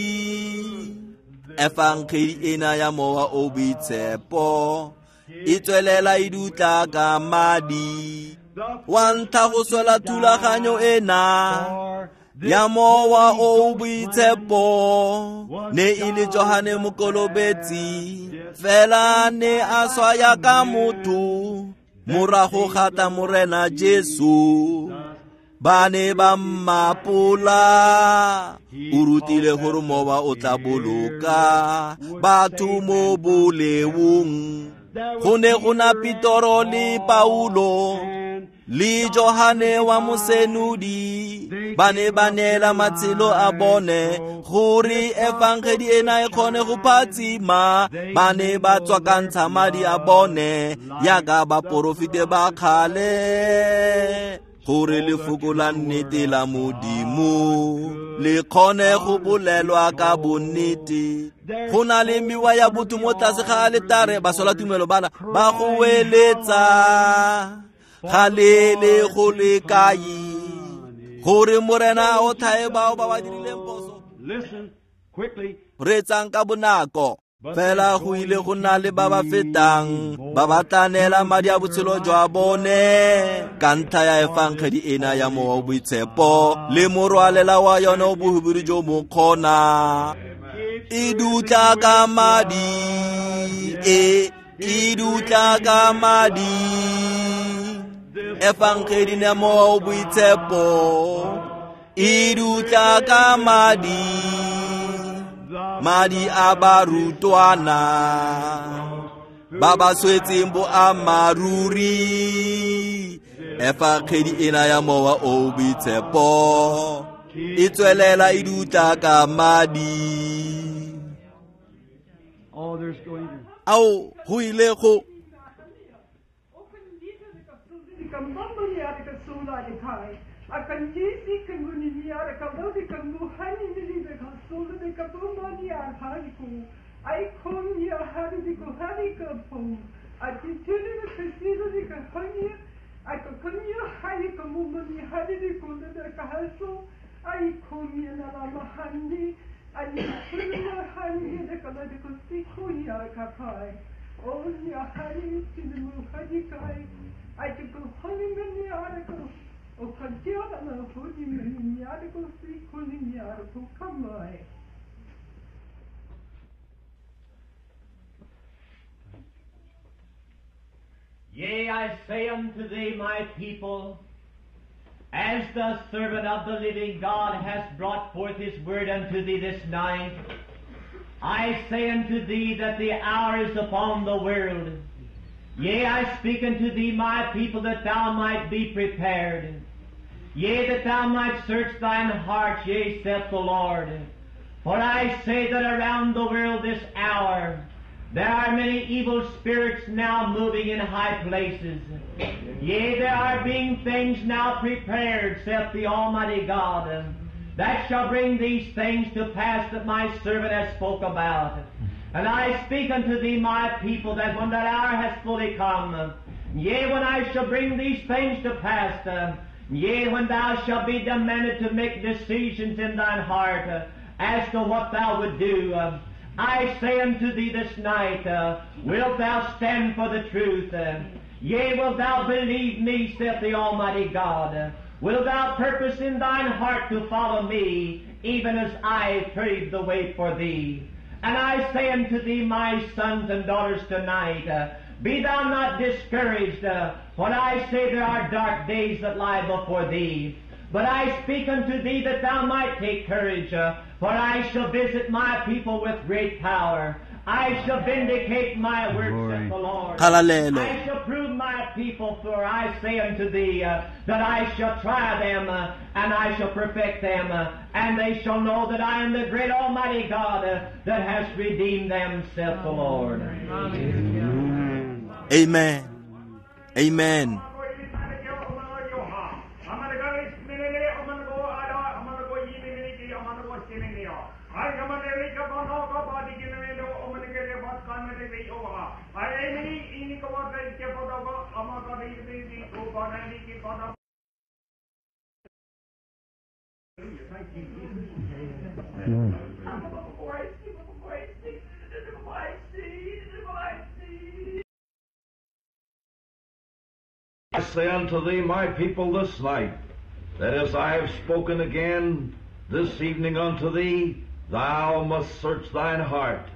Efangedi ena ya Mowa o Boitshepo e tswelela e dutla ka madi. Wa ntlha go swela thulaganyo ena ya Mowa o Boitshepo ne e le Johane Mokolobetsi, fela ne a swaya ka motho. Morago ga tla Morena Jesu, ba ne ba mmapola. O rutile gore Mowa o tla boloka batho mo boleong. Go ne go na Petoro le Paulo le Johane wa Mosenodi, ba ne ba neela matshelo a bone gore efangedi ena e kgone go phatsima. Ba ne ba tswakantsha madi a bone yaka baporofete ba kgale, gore lefoko la nnete la Modimo le kgone go bolelwa ka bonnete. Go na le mewa ya botho mo tlase ga aletare, baswelatumelo bana ba go weletsa ga le le go le kae, gore Morena o tlhae bao ba ba dirileng phoso. Reetsang ka bonako. Fela go ile go nna le ba ba fetang ba ba tla neela madi a botshelo jwa bone ka ntlha ya efangedi ena ya Mowa o Boitshepo le morwalela wa yone o bohubiri jo mo kgona. E dutla ka madi, e dutla ka madi. Efangedi ya Mowa o Boitshepo e dutla ka madi, madi a barutwana ba ba swetseng boammaaruri. Efangedi ena ya Mowa o Boitshepo e tswelela e dutla ka madi. Ao, go ile go
Yea, I say unto thee, my people, as the servant of the living God has brought forth his word unto thee this night, I say unto thee that the hour is upon the world. Yea, I speak unto thee, my people, that thou might be prepared. Yea, that thou might search thine heart, yea, saith the Lord. For I say that around the world this hour, there are many evil spirits now moving in high places. Yea, there are being things now prepared, saith the Almighty God, that shall bring these things to pass that my servant has spoke about. And I speak unto thee, my people, that when that hour has fully come, yea, when I shall bring these things to pass, yea, when thou shalt be demanded to make decisions in thine heart as to what thou would do, I say unto thee this night, wilt thou stand for the truth? Yea, wilt thou believe me, saith the Almighty God? Wilt thou purpose in thine heart to follow me, even as I paved the way for thee? And I say unto thee, my sons and daughters, tonight, be thou not discouraged, for I say there are dark days that lie before thee. But I speak unto thee that thou might take courage, for I shall visit my people with great power. I shall vindicate my works, saith the Lord.
Hallelujah.
I shall prove my people, for I say unto thee that I shall try them, and I shall perfect them, and they shall know that I am the great Almighty God that has redeemed them, saith the Lord.
Amen.
Amen. Amen.
I say unto thee, my people, this night, that as I have spoken again this evening unto thee, thou must search thine heart.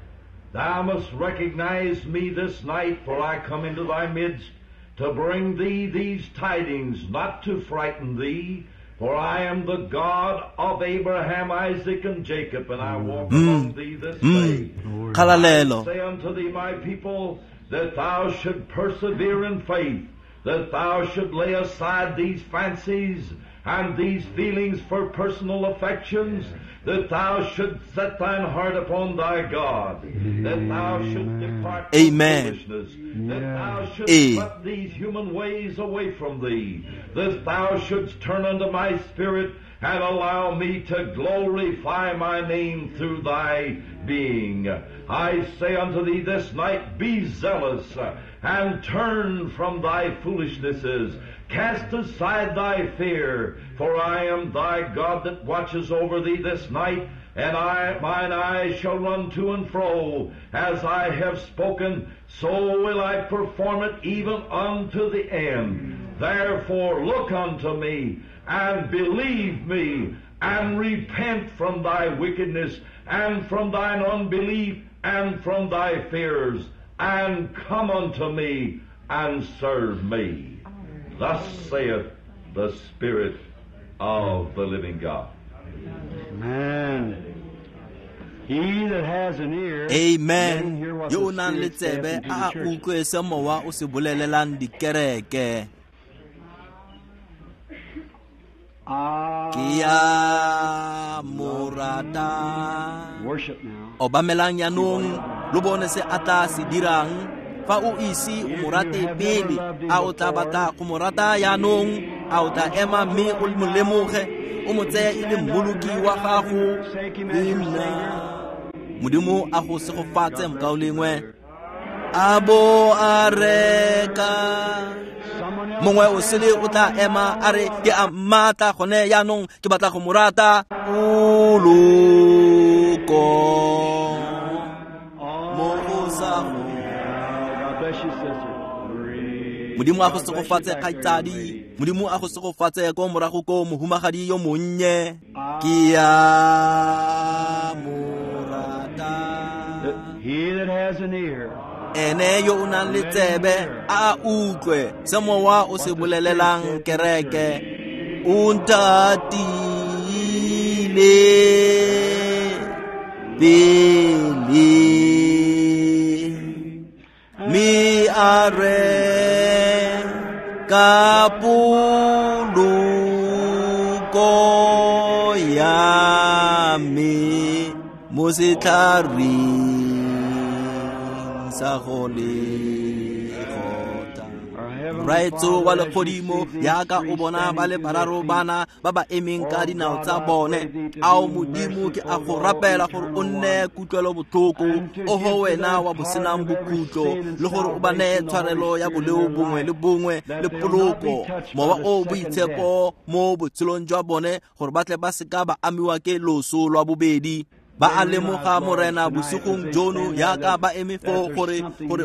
Thou must recognize me this night, for I come into thy midst to bring thee these tidings, not to frighten thee, for I am the God of Abraham, Isaac, and Jacob, and I walk among thee this day.
Hallelujah.
I say unto thee, my people, that thou should persevere in faith, that thou should lay aside these fancies and these feelings for personal affections, that thou shouldst set thine heart upon thy God, that thou shouldst depart from foolishness, that thou shouldst put these human ways away from thee, that thou shouldst turn unto my spirit and allow me to glorify my name through thy being. I say unto thee this night, be zealous and turn from thy foolishnesses. Cast aside thy fear, for I am thy God that watches over thee this night, and mine eyes shall run to and fro. As I have spoken, so will I perform it even unto the end. Therefore look unto me, and believe me, and repent from thy wickedness, and from thine unbelief, and from thy fears, and come unto me, and serve me. Thus saith the Spirit of the living God.
Amen. He that has an ear,
Amen.
hear what
Yo
the
nang le
Spirit saith
tsebe
unto the
a
churches.
utlwe se mowa o se bolelelang dikereke. Ke ya morata.
Worship now.
Obamelang yanong lo bone se a tla se dirang. Fa o ise o mo rate pele, a o tla batla go mo rata yanong, a o tla ema mme o mo lemoge, o mo tseye e le mmoloki wa gago le nna. Modimo a go segofatse mokaulengwe. A bo a reka. Mongwe o sele o tla ema a re ke a mmatla gone yanong, ke batla go mo rata. Poloko mo go sa go.
bless you, sister.
Modimo a go segofatse kgaitsadi, Modimo a go segofatse ko morago ko mohumagadi yo monnye. Ke a mo rata.
He that has an ear,
Ene yo o nang le tsebe a utlwe se mowa o se bolelelang kereke. O ntatile pele mme a re ka poloko ya me mo setlhareng sa go Golgotha. Raetso wa legodimo yaka o bona ba le bararo bana ba ba emeng ka dinao tsa bone. Ao Modimo ke a go rapela gore o nne kutlwelo botlhoko, oho wena wa bosenang bokhutlo, le gore o ba neye tshwarelo ya boleo bongwe le bongwe le poloko, mowa o boitshepo mo botshelong jwa bone, gore ba tle ba seka ba amiwa ke loso lwa bobedi. Ba a lemoga Morena bosigong jono yaka ba eme foo gore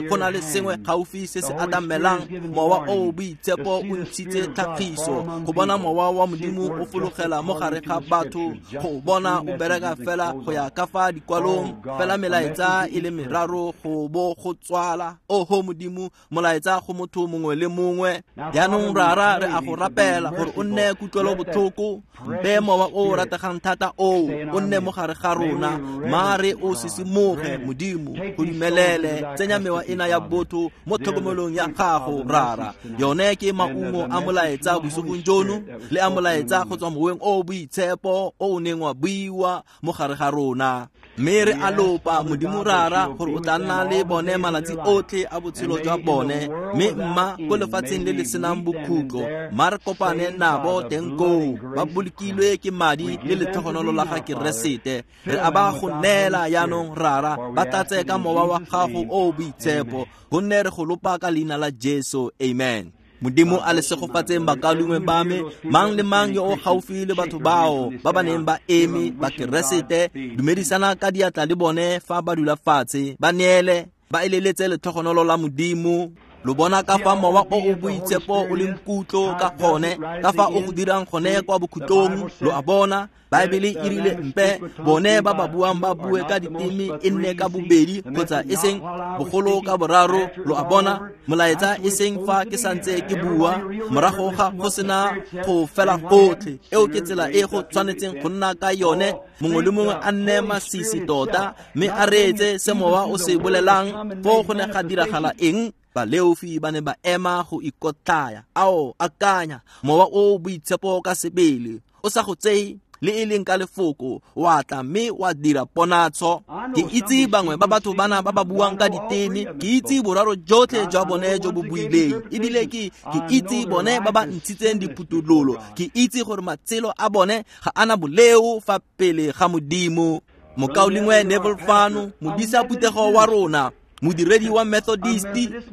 go na le sengwe gaufi se se atamelang. Mowa o boitshepo o ntshitse tlhagiso go bona mowa wa Modimo o fologela mo gare ga batho, go bona o bereka fela go ya ka fa dikwalong, fela melaetsa e le meraro go bo go tswala. Oho Modimo, molaetsa go motho mongwe le mongwe. Jaanong Rara, re a go rapela gore o nne kutlwelo botlhoko, mpe mowa o rategang thata o nne mo gare ga rona. Mare o sisimoge Modimo, go dumelele tsenya mewa ena ya botho mo tlhokomelong ya gago Rara. Yone ke maungo a molaetsa bosigong jono le a molaetsa go tswa moweng o boitshepo o o neng wa buiwa mo gare ga rona. Mme re a lopa Modimo Rara gore o tla nna le bone malatsi otlhe a botshelo jwa bone, mme mma ko lefatsheng le le senang bokhutlo, mma re kopane nabo teng koo ba bolokilwe ke madi le letlhogonolo la ga Keresete. Re a ba go neela jaanong Rara, ba tlatse ka mowa wa gago o boitshepo, gonne re go lopa ka leina la Jesu, amen. Modimo a le segofatseng bakaulengwe ba me, mang le mang yo o gaufi le batho bao ba ba neng ba eme ba Keresete, dumedisana ka diatla le bone fa ba dula fatshe, ba neele, ba eleletse letlhogonolo la Modimo. Lo bona ka fa mowa o o boitshepo o leng kutlo ka gone, ka fa o go dirang gone kwa bokhutlong. Lo a bona, Baebele e rile mpe bone ba ba buang ba bue ka diteme e nne ka bobedi kgotsa e seng bogolo ka boraro. Lo a bona, molaetsa e seng fa ke santse ke bua, morago ga go sena go fela gotlhe. Eo ke tsela e go tshwanetseng go nna ka yone. Mongwe le mongwe a nne masisi tota mme a reetse se mowa o se bolelang. Foo go ne ga diragala eng? Baleofi ba ne ba ema go ikotlaya. Ao, akanya, mowa o boitshepo ka sebele o sa go tseye le e leng ka lefoko, wa tla mme wa dira ponatsho. Ke itse bangwe ba batho bana ba ba buang ka diteme, ke itse boraro jotlhe jwa bone jo bo buileng, ebile ke itse bone ba ba ntshitseng diphuthololo. Ke itse gore matshelo a bone ga ana boleo fa pele ga Modimo. Mokaulengwe Neville fano, modisa phuthego wa rona, modiredi wa Methodist,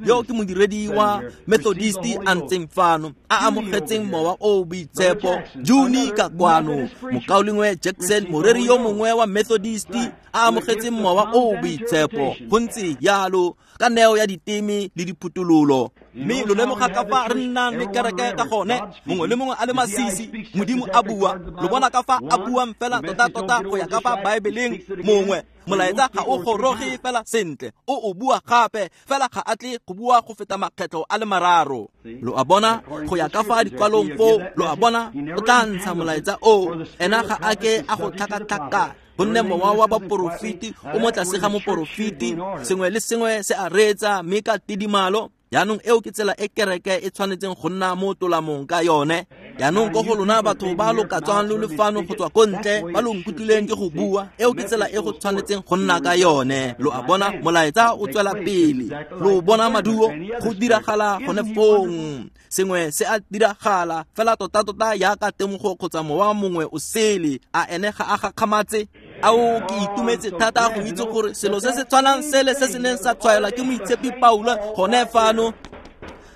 yo ke modiredi wa Methodist a ntseng fano, a amogetseng mowa o boitshepo. Juni ka kwano, mokaulengwe Jackson, moreri yo mongwe wa Methodist, a amogetseng mowa o boitshepo. Go ntse jalo ka neo ya diteme le diphuthololo. Mme lo lemoga ka fa re nnang le kereke ka gone, mongwe le mongwe a le masisi, Modimo a bua. Lo bona ka fa a buang fela tota-tota go ya ka fa Baebeleng. Mongwe molaetsa ga o goroge fela sentle, o bua gape fela ga a tle go bua go feta makgetlho a le mararo. Lo a bona, go ya ka fa dikwalong foo, lo a bona, o tla ntsha molaetsa o. Ena ga a ke a go tlhakatlhakana, gonne mowa wa baporofeti o mo tlase ga moporofeti. Sengwe le sengwe se a reetsa mme ka tidimalo. Jaanong eo ke tsela e kereke e tshwanetseng go nna mo tolamong ka yone. Jaanong ko go lona batho ba lo ka tswang lo le fano go tswa ko ntle, ba lo nkutlwileng ke go bua, eo ke tsela e go tshwanetseng go nna ka yone. Lo a bona, molaetsa o tswela pele. Lo bona maduo go diragala gone fong. Sengwe se a diragala fela tota-tota yaka temogo kgotsa mowa mongwe o sele. A ene ga a gakgamatse? Ao, ke itumetse thata go itse gore selo se se tshwanang sele se se neng sa tshwaelwa ke moitshepi Paulo gone fano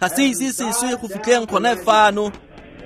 ga se ise se swe go fitlheng gone fano.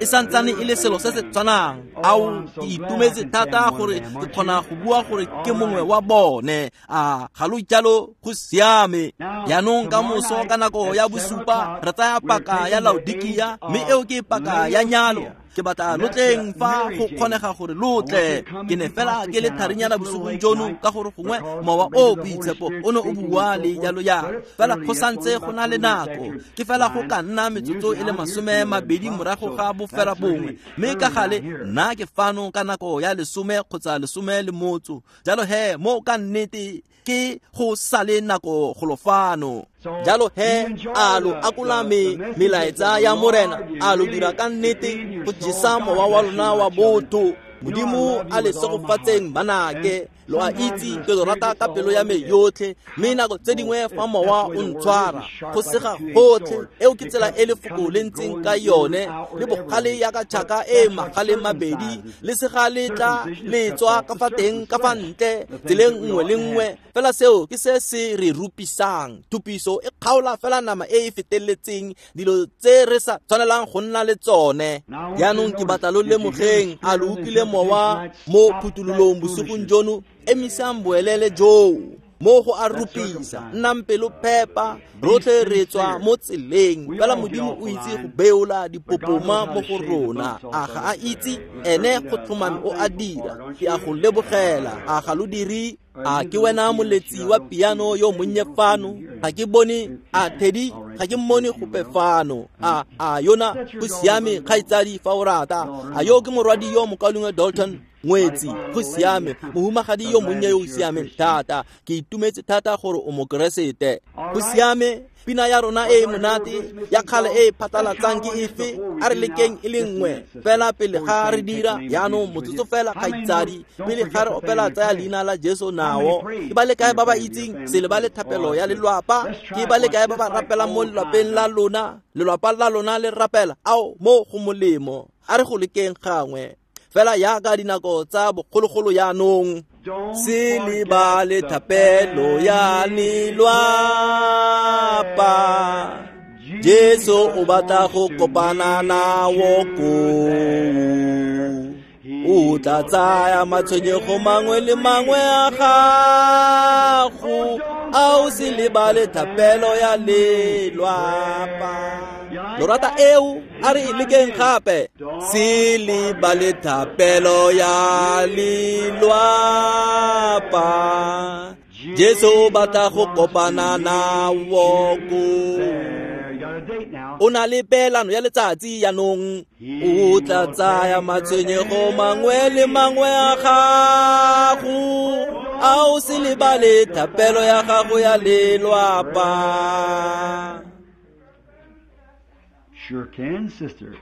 E santsane e le selo se se tshwanang. Ao, ke itumetse thata gore ke kgona go bua gore ke mongwe wa bone. A ga lo jalo, go siame. Jaanong ka moso ka nako ya 7 re tsaya paka ya Laodikia, mme eo ke paka ya nyalo. Ke batla lo tleng fa go kgonega gore lo tle. Ke ne fela ke le tharinyana bosigong jono ka gore gongwe mowa o boitshepo o ne o bua le jalo jalo. Fela go santse go na le nako. Ke fela go ka nna metsotso e le 20 morago ga bofela bongwe. Mme ka gale nna ke fano ka nako ya 10 kgotsa 10. Jalo he mo ka nnete ke go sale nako golo fano. Jalo he a lo akola melaetsa ya Morena, a lo dira ka nnete go jesa mowa wa lona wa botho. Modimo a le segofatseng banake. Lo a itse ke lo rata ka pelo ya me yotlhe, mme nako tse dingwe fa mowa o ntshwara go sega gotlhe. Eo ke tsela e lefoko le ntseng ka yone, le bogale yaka tšhaka e magale mabedi, le sega le tla le tswa ka fa teng ka fa ntle tseleng nngwe le nngwe. Fela seo ke se se re rupisang. Thupiso e kgaola fela nama e e feteletseng, dilo tse re sa tshwanelang go nna le tsone. Jaanong ke batla lo lemogeng, a lo utlwile mowa mo phuthololong bosigong jono? Emisang boelele joo mo go a rupisa. Nnang pelo phepa, rotlhe re tswa mo tseleng. Fela Modimo o itse go beola dipopoma mo go rona. A ga a itse? Ene go tlhomame o a dira. Ke a go lebogela. A ga lo dire? A ke wena moletsi wa piano yo monnye fano? Ga ke bone a Teddy, ga ke mmone gope fano. A yona go siame kgaitsadi fa o rata. A yo ke morwadi yo mokaulengwe Dalton Ngwetsi, go siame. Mohumagadi yo monnye yo o siameng thata. Ke itumetse thata gore o mokeresete. Go siame. Pina ya rona e monate ya kgale e phatlalatsang ke efe? A re lekeng e le nngwe fela pele ga re dira. Jaanong motsotso fela kgaitsadi, pele ga re opela tsaya leina la Jesu nao. Ke ba le kae ba ba itseng se lebale thapelo ya lelwapa? Ke ba le kae ba ba rapelang mo lelwapeng la lona? Lelwapa la lona le rapela ao mo go molemo. A re go lekeng gangwe fela yaka dinako tsa bogologolo jaanong. Se lebale thapelo ya lelwapa, Jesu o batla go kopana nao koo. O tla tsaya matshwenyego mangwe le mangwe a gago, a o se lebale thapelo ya lelwapa. Lo rata eo? A re e lekeng gape. Se lebale thapelo ya lelwapa, Jesu o batla go kopana nao koo. O na le peelano ya letsatsi jaanong. O tla tsaya matshwenyego mangwe le mangwe a gago, a o se lebale thapelo ya gago ya lelwapa.
Sure can, sister.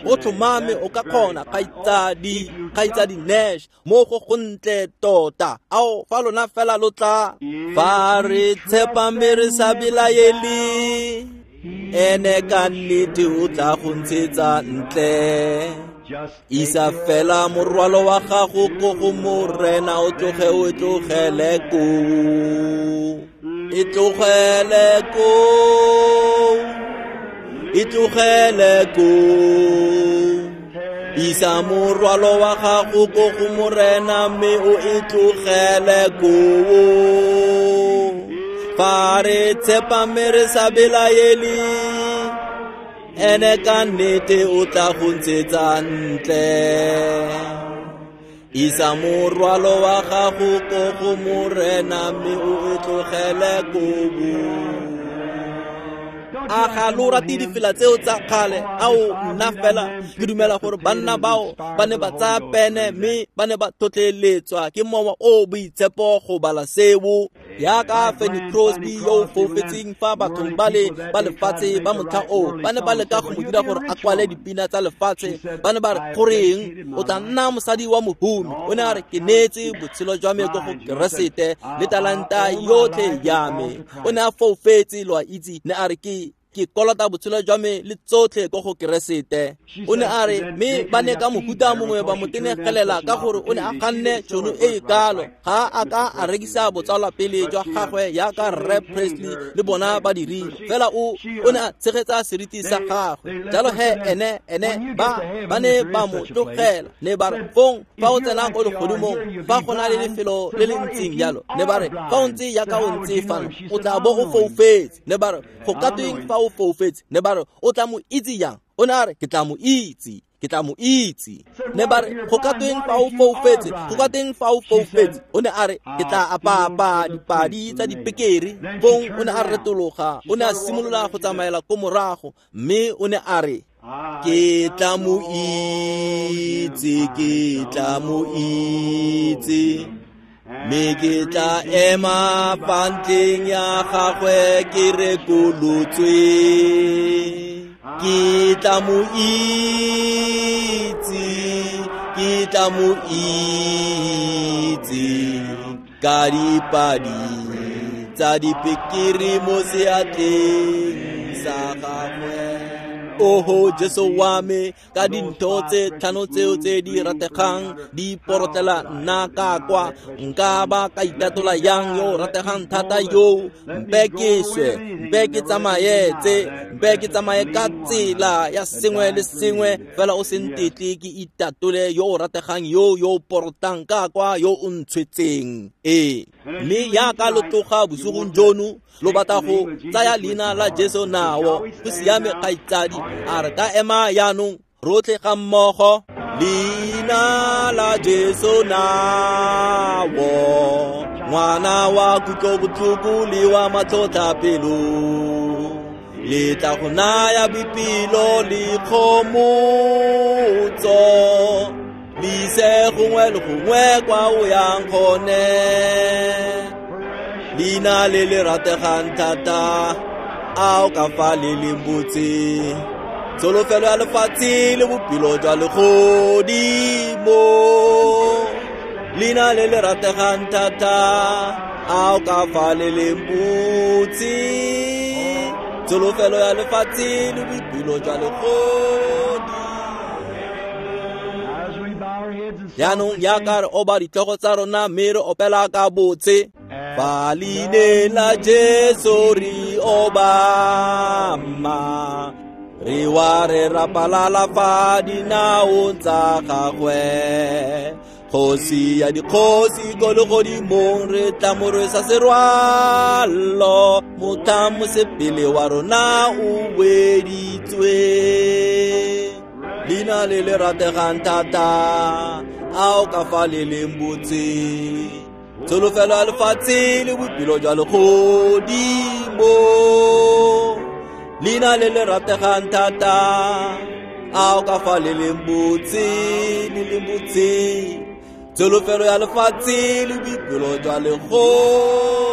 O tlhomame o ka kgona, kgaitsadi Nash, mo go gontle tota. Ao fa lona fela lo tla. Fa re tshepa mme re sa belaele, ene ka nnete o tla go ntshetsa ntle. Isa fela morwalo wa gago ko go Morena, o tloge o e tlogele koo. E tlogele koo. E tlogele koo. Isa morwalo wa gago ko go Morena mme o e tlogele koo. Fa re tshepa mme re sa belaele, ene ka nnete o tla go ntshetsa ntle. Isa morwalo wa gago ko go Morena mme o e tlogele koo. A ga lo rate difela tseo tsa kgale? Ao nna fela ke dumela gore banna bao ba ne ba tsaya pene mme ba ne ba tlhotlheletswa ke mowa o boitshepo go bala seo. Yaka Fanny Crosby yo o foufetseng fa bathong ba le ba lefatshe ba motlha oo ba ne ba leka go mo dira gore a kwale dipina tsa lefatshe. Ba ne ba re, goreng o tla nna mosadi wa mohumi? O ne a re, ke neetse botshelo jwa me ko go Keresete le talanta yotlhe ya me. O ne a foufetse, lo a itse, ne a re, ke Ke kolota botshelo jwa me le tsotlhe ko go Keresete. O ne a re mme ba ne ka mohuta mongwe ba mo tenegelela ka gore o ne a ganne tšhono e e kalo. Ga a ka a rekisa botsalwapele jwa gagwe jaaka Rre Presley le bona ba dirile. Fela o ne a tshegetsa seriti sa gagwe. Jalo he ene ba ne ba mo tlogela. Ne ba re fong fa o tsena ko legodimong fa go na le lefelo le le ntseng jalo. Ne ba re fa o ntse jaaka o ntse fano o tla bo o foufetse. Ne ba re go ka tweng fa o foufetse? Ne ba re o tla mo itse jang? O ne a re ke tla mo itse. Ke tla mo itse. Ne ba re go ka tweng fa o foufetse? Go ka tweng fa o foufetse? O ne a re ke tla apapa dipadi tsa dipekere. Fong o ne a retologa, o ne a simolola go tsamaela ko morago, mme o ne a re ke tla mo itse, ke tla mo itse. Mme ke tla ema fa ntleng ya gagwe ke rekolotswe. Ke tla mo itse, ke tla mo itse. Ka dipadi tsa dipekere mo seatleng sa gagwe. Oho Jesu wa me, ka dintho tse tlhano tseo tse di rategang di porotlela nna ka kwa. Nka ba ka itatola yang yo rategang thata yo. Mpe ke swe, mpe ke tsamaye tse, mpe ke tsamaye ka tsela ya sengwe le sengwe, fela o se ntetle ke itatole yo o rategang yo yo porotang ka kwa yo o ntshwetseng. Ee, mme yaka lo tloga bosigong jono lo batla go tsaya leina la Jesu nao, go siame kgaitsadi. A re ka ema jaanong rotlhe ga mmogo. Leina la Jesu nao, ngwana wa kutlobotlhoko le wa matlhotlhapelo, le tla go naya boipelo le kgomotso, le ise gongwe le gongwe kwa o yang gone. Leina le le rategang thata, a o ka fa le leng botse, tsholofelo ya lefatshe le bophelo jwa legodimo. Leina le le rategang thata, a o ka fa le leng botse, tsholofelo ya lefatshe le bophelo jwa legodimo. Jaanong jaaka re oba ditlhogo tsa rona mme re opela ka botse. Fa leineng la Jesu re obama, re wa re rapalala fa dinaong tsa gagwe. Kgosi ya dikgosi ko legodimong re tla mo rwesa serwalo, motlha mosepele wa rona o weditswe. Leina le le rategang thata, a o ka fa le leng botse, tsholofelo ya lefatshe le bophelo jwa legodimo. Leina le le rategang thata, a o ka fa le leng botse, le leng botse, tsholofelo ya lefatshe le bophelo jwa legodimo.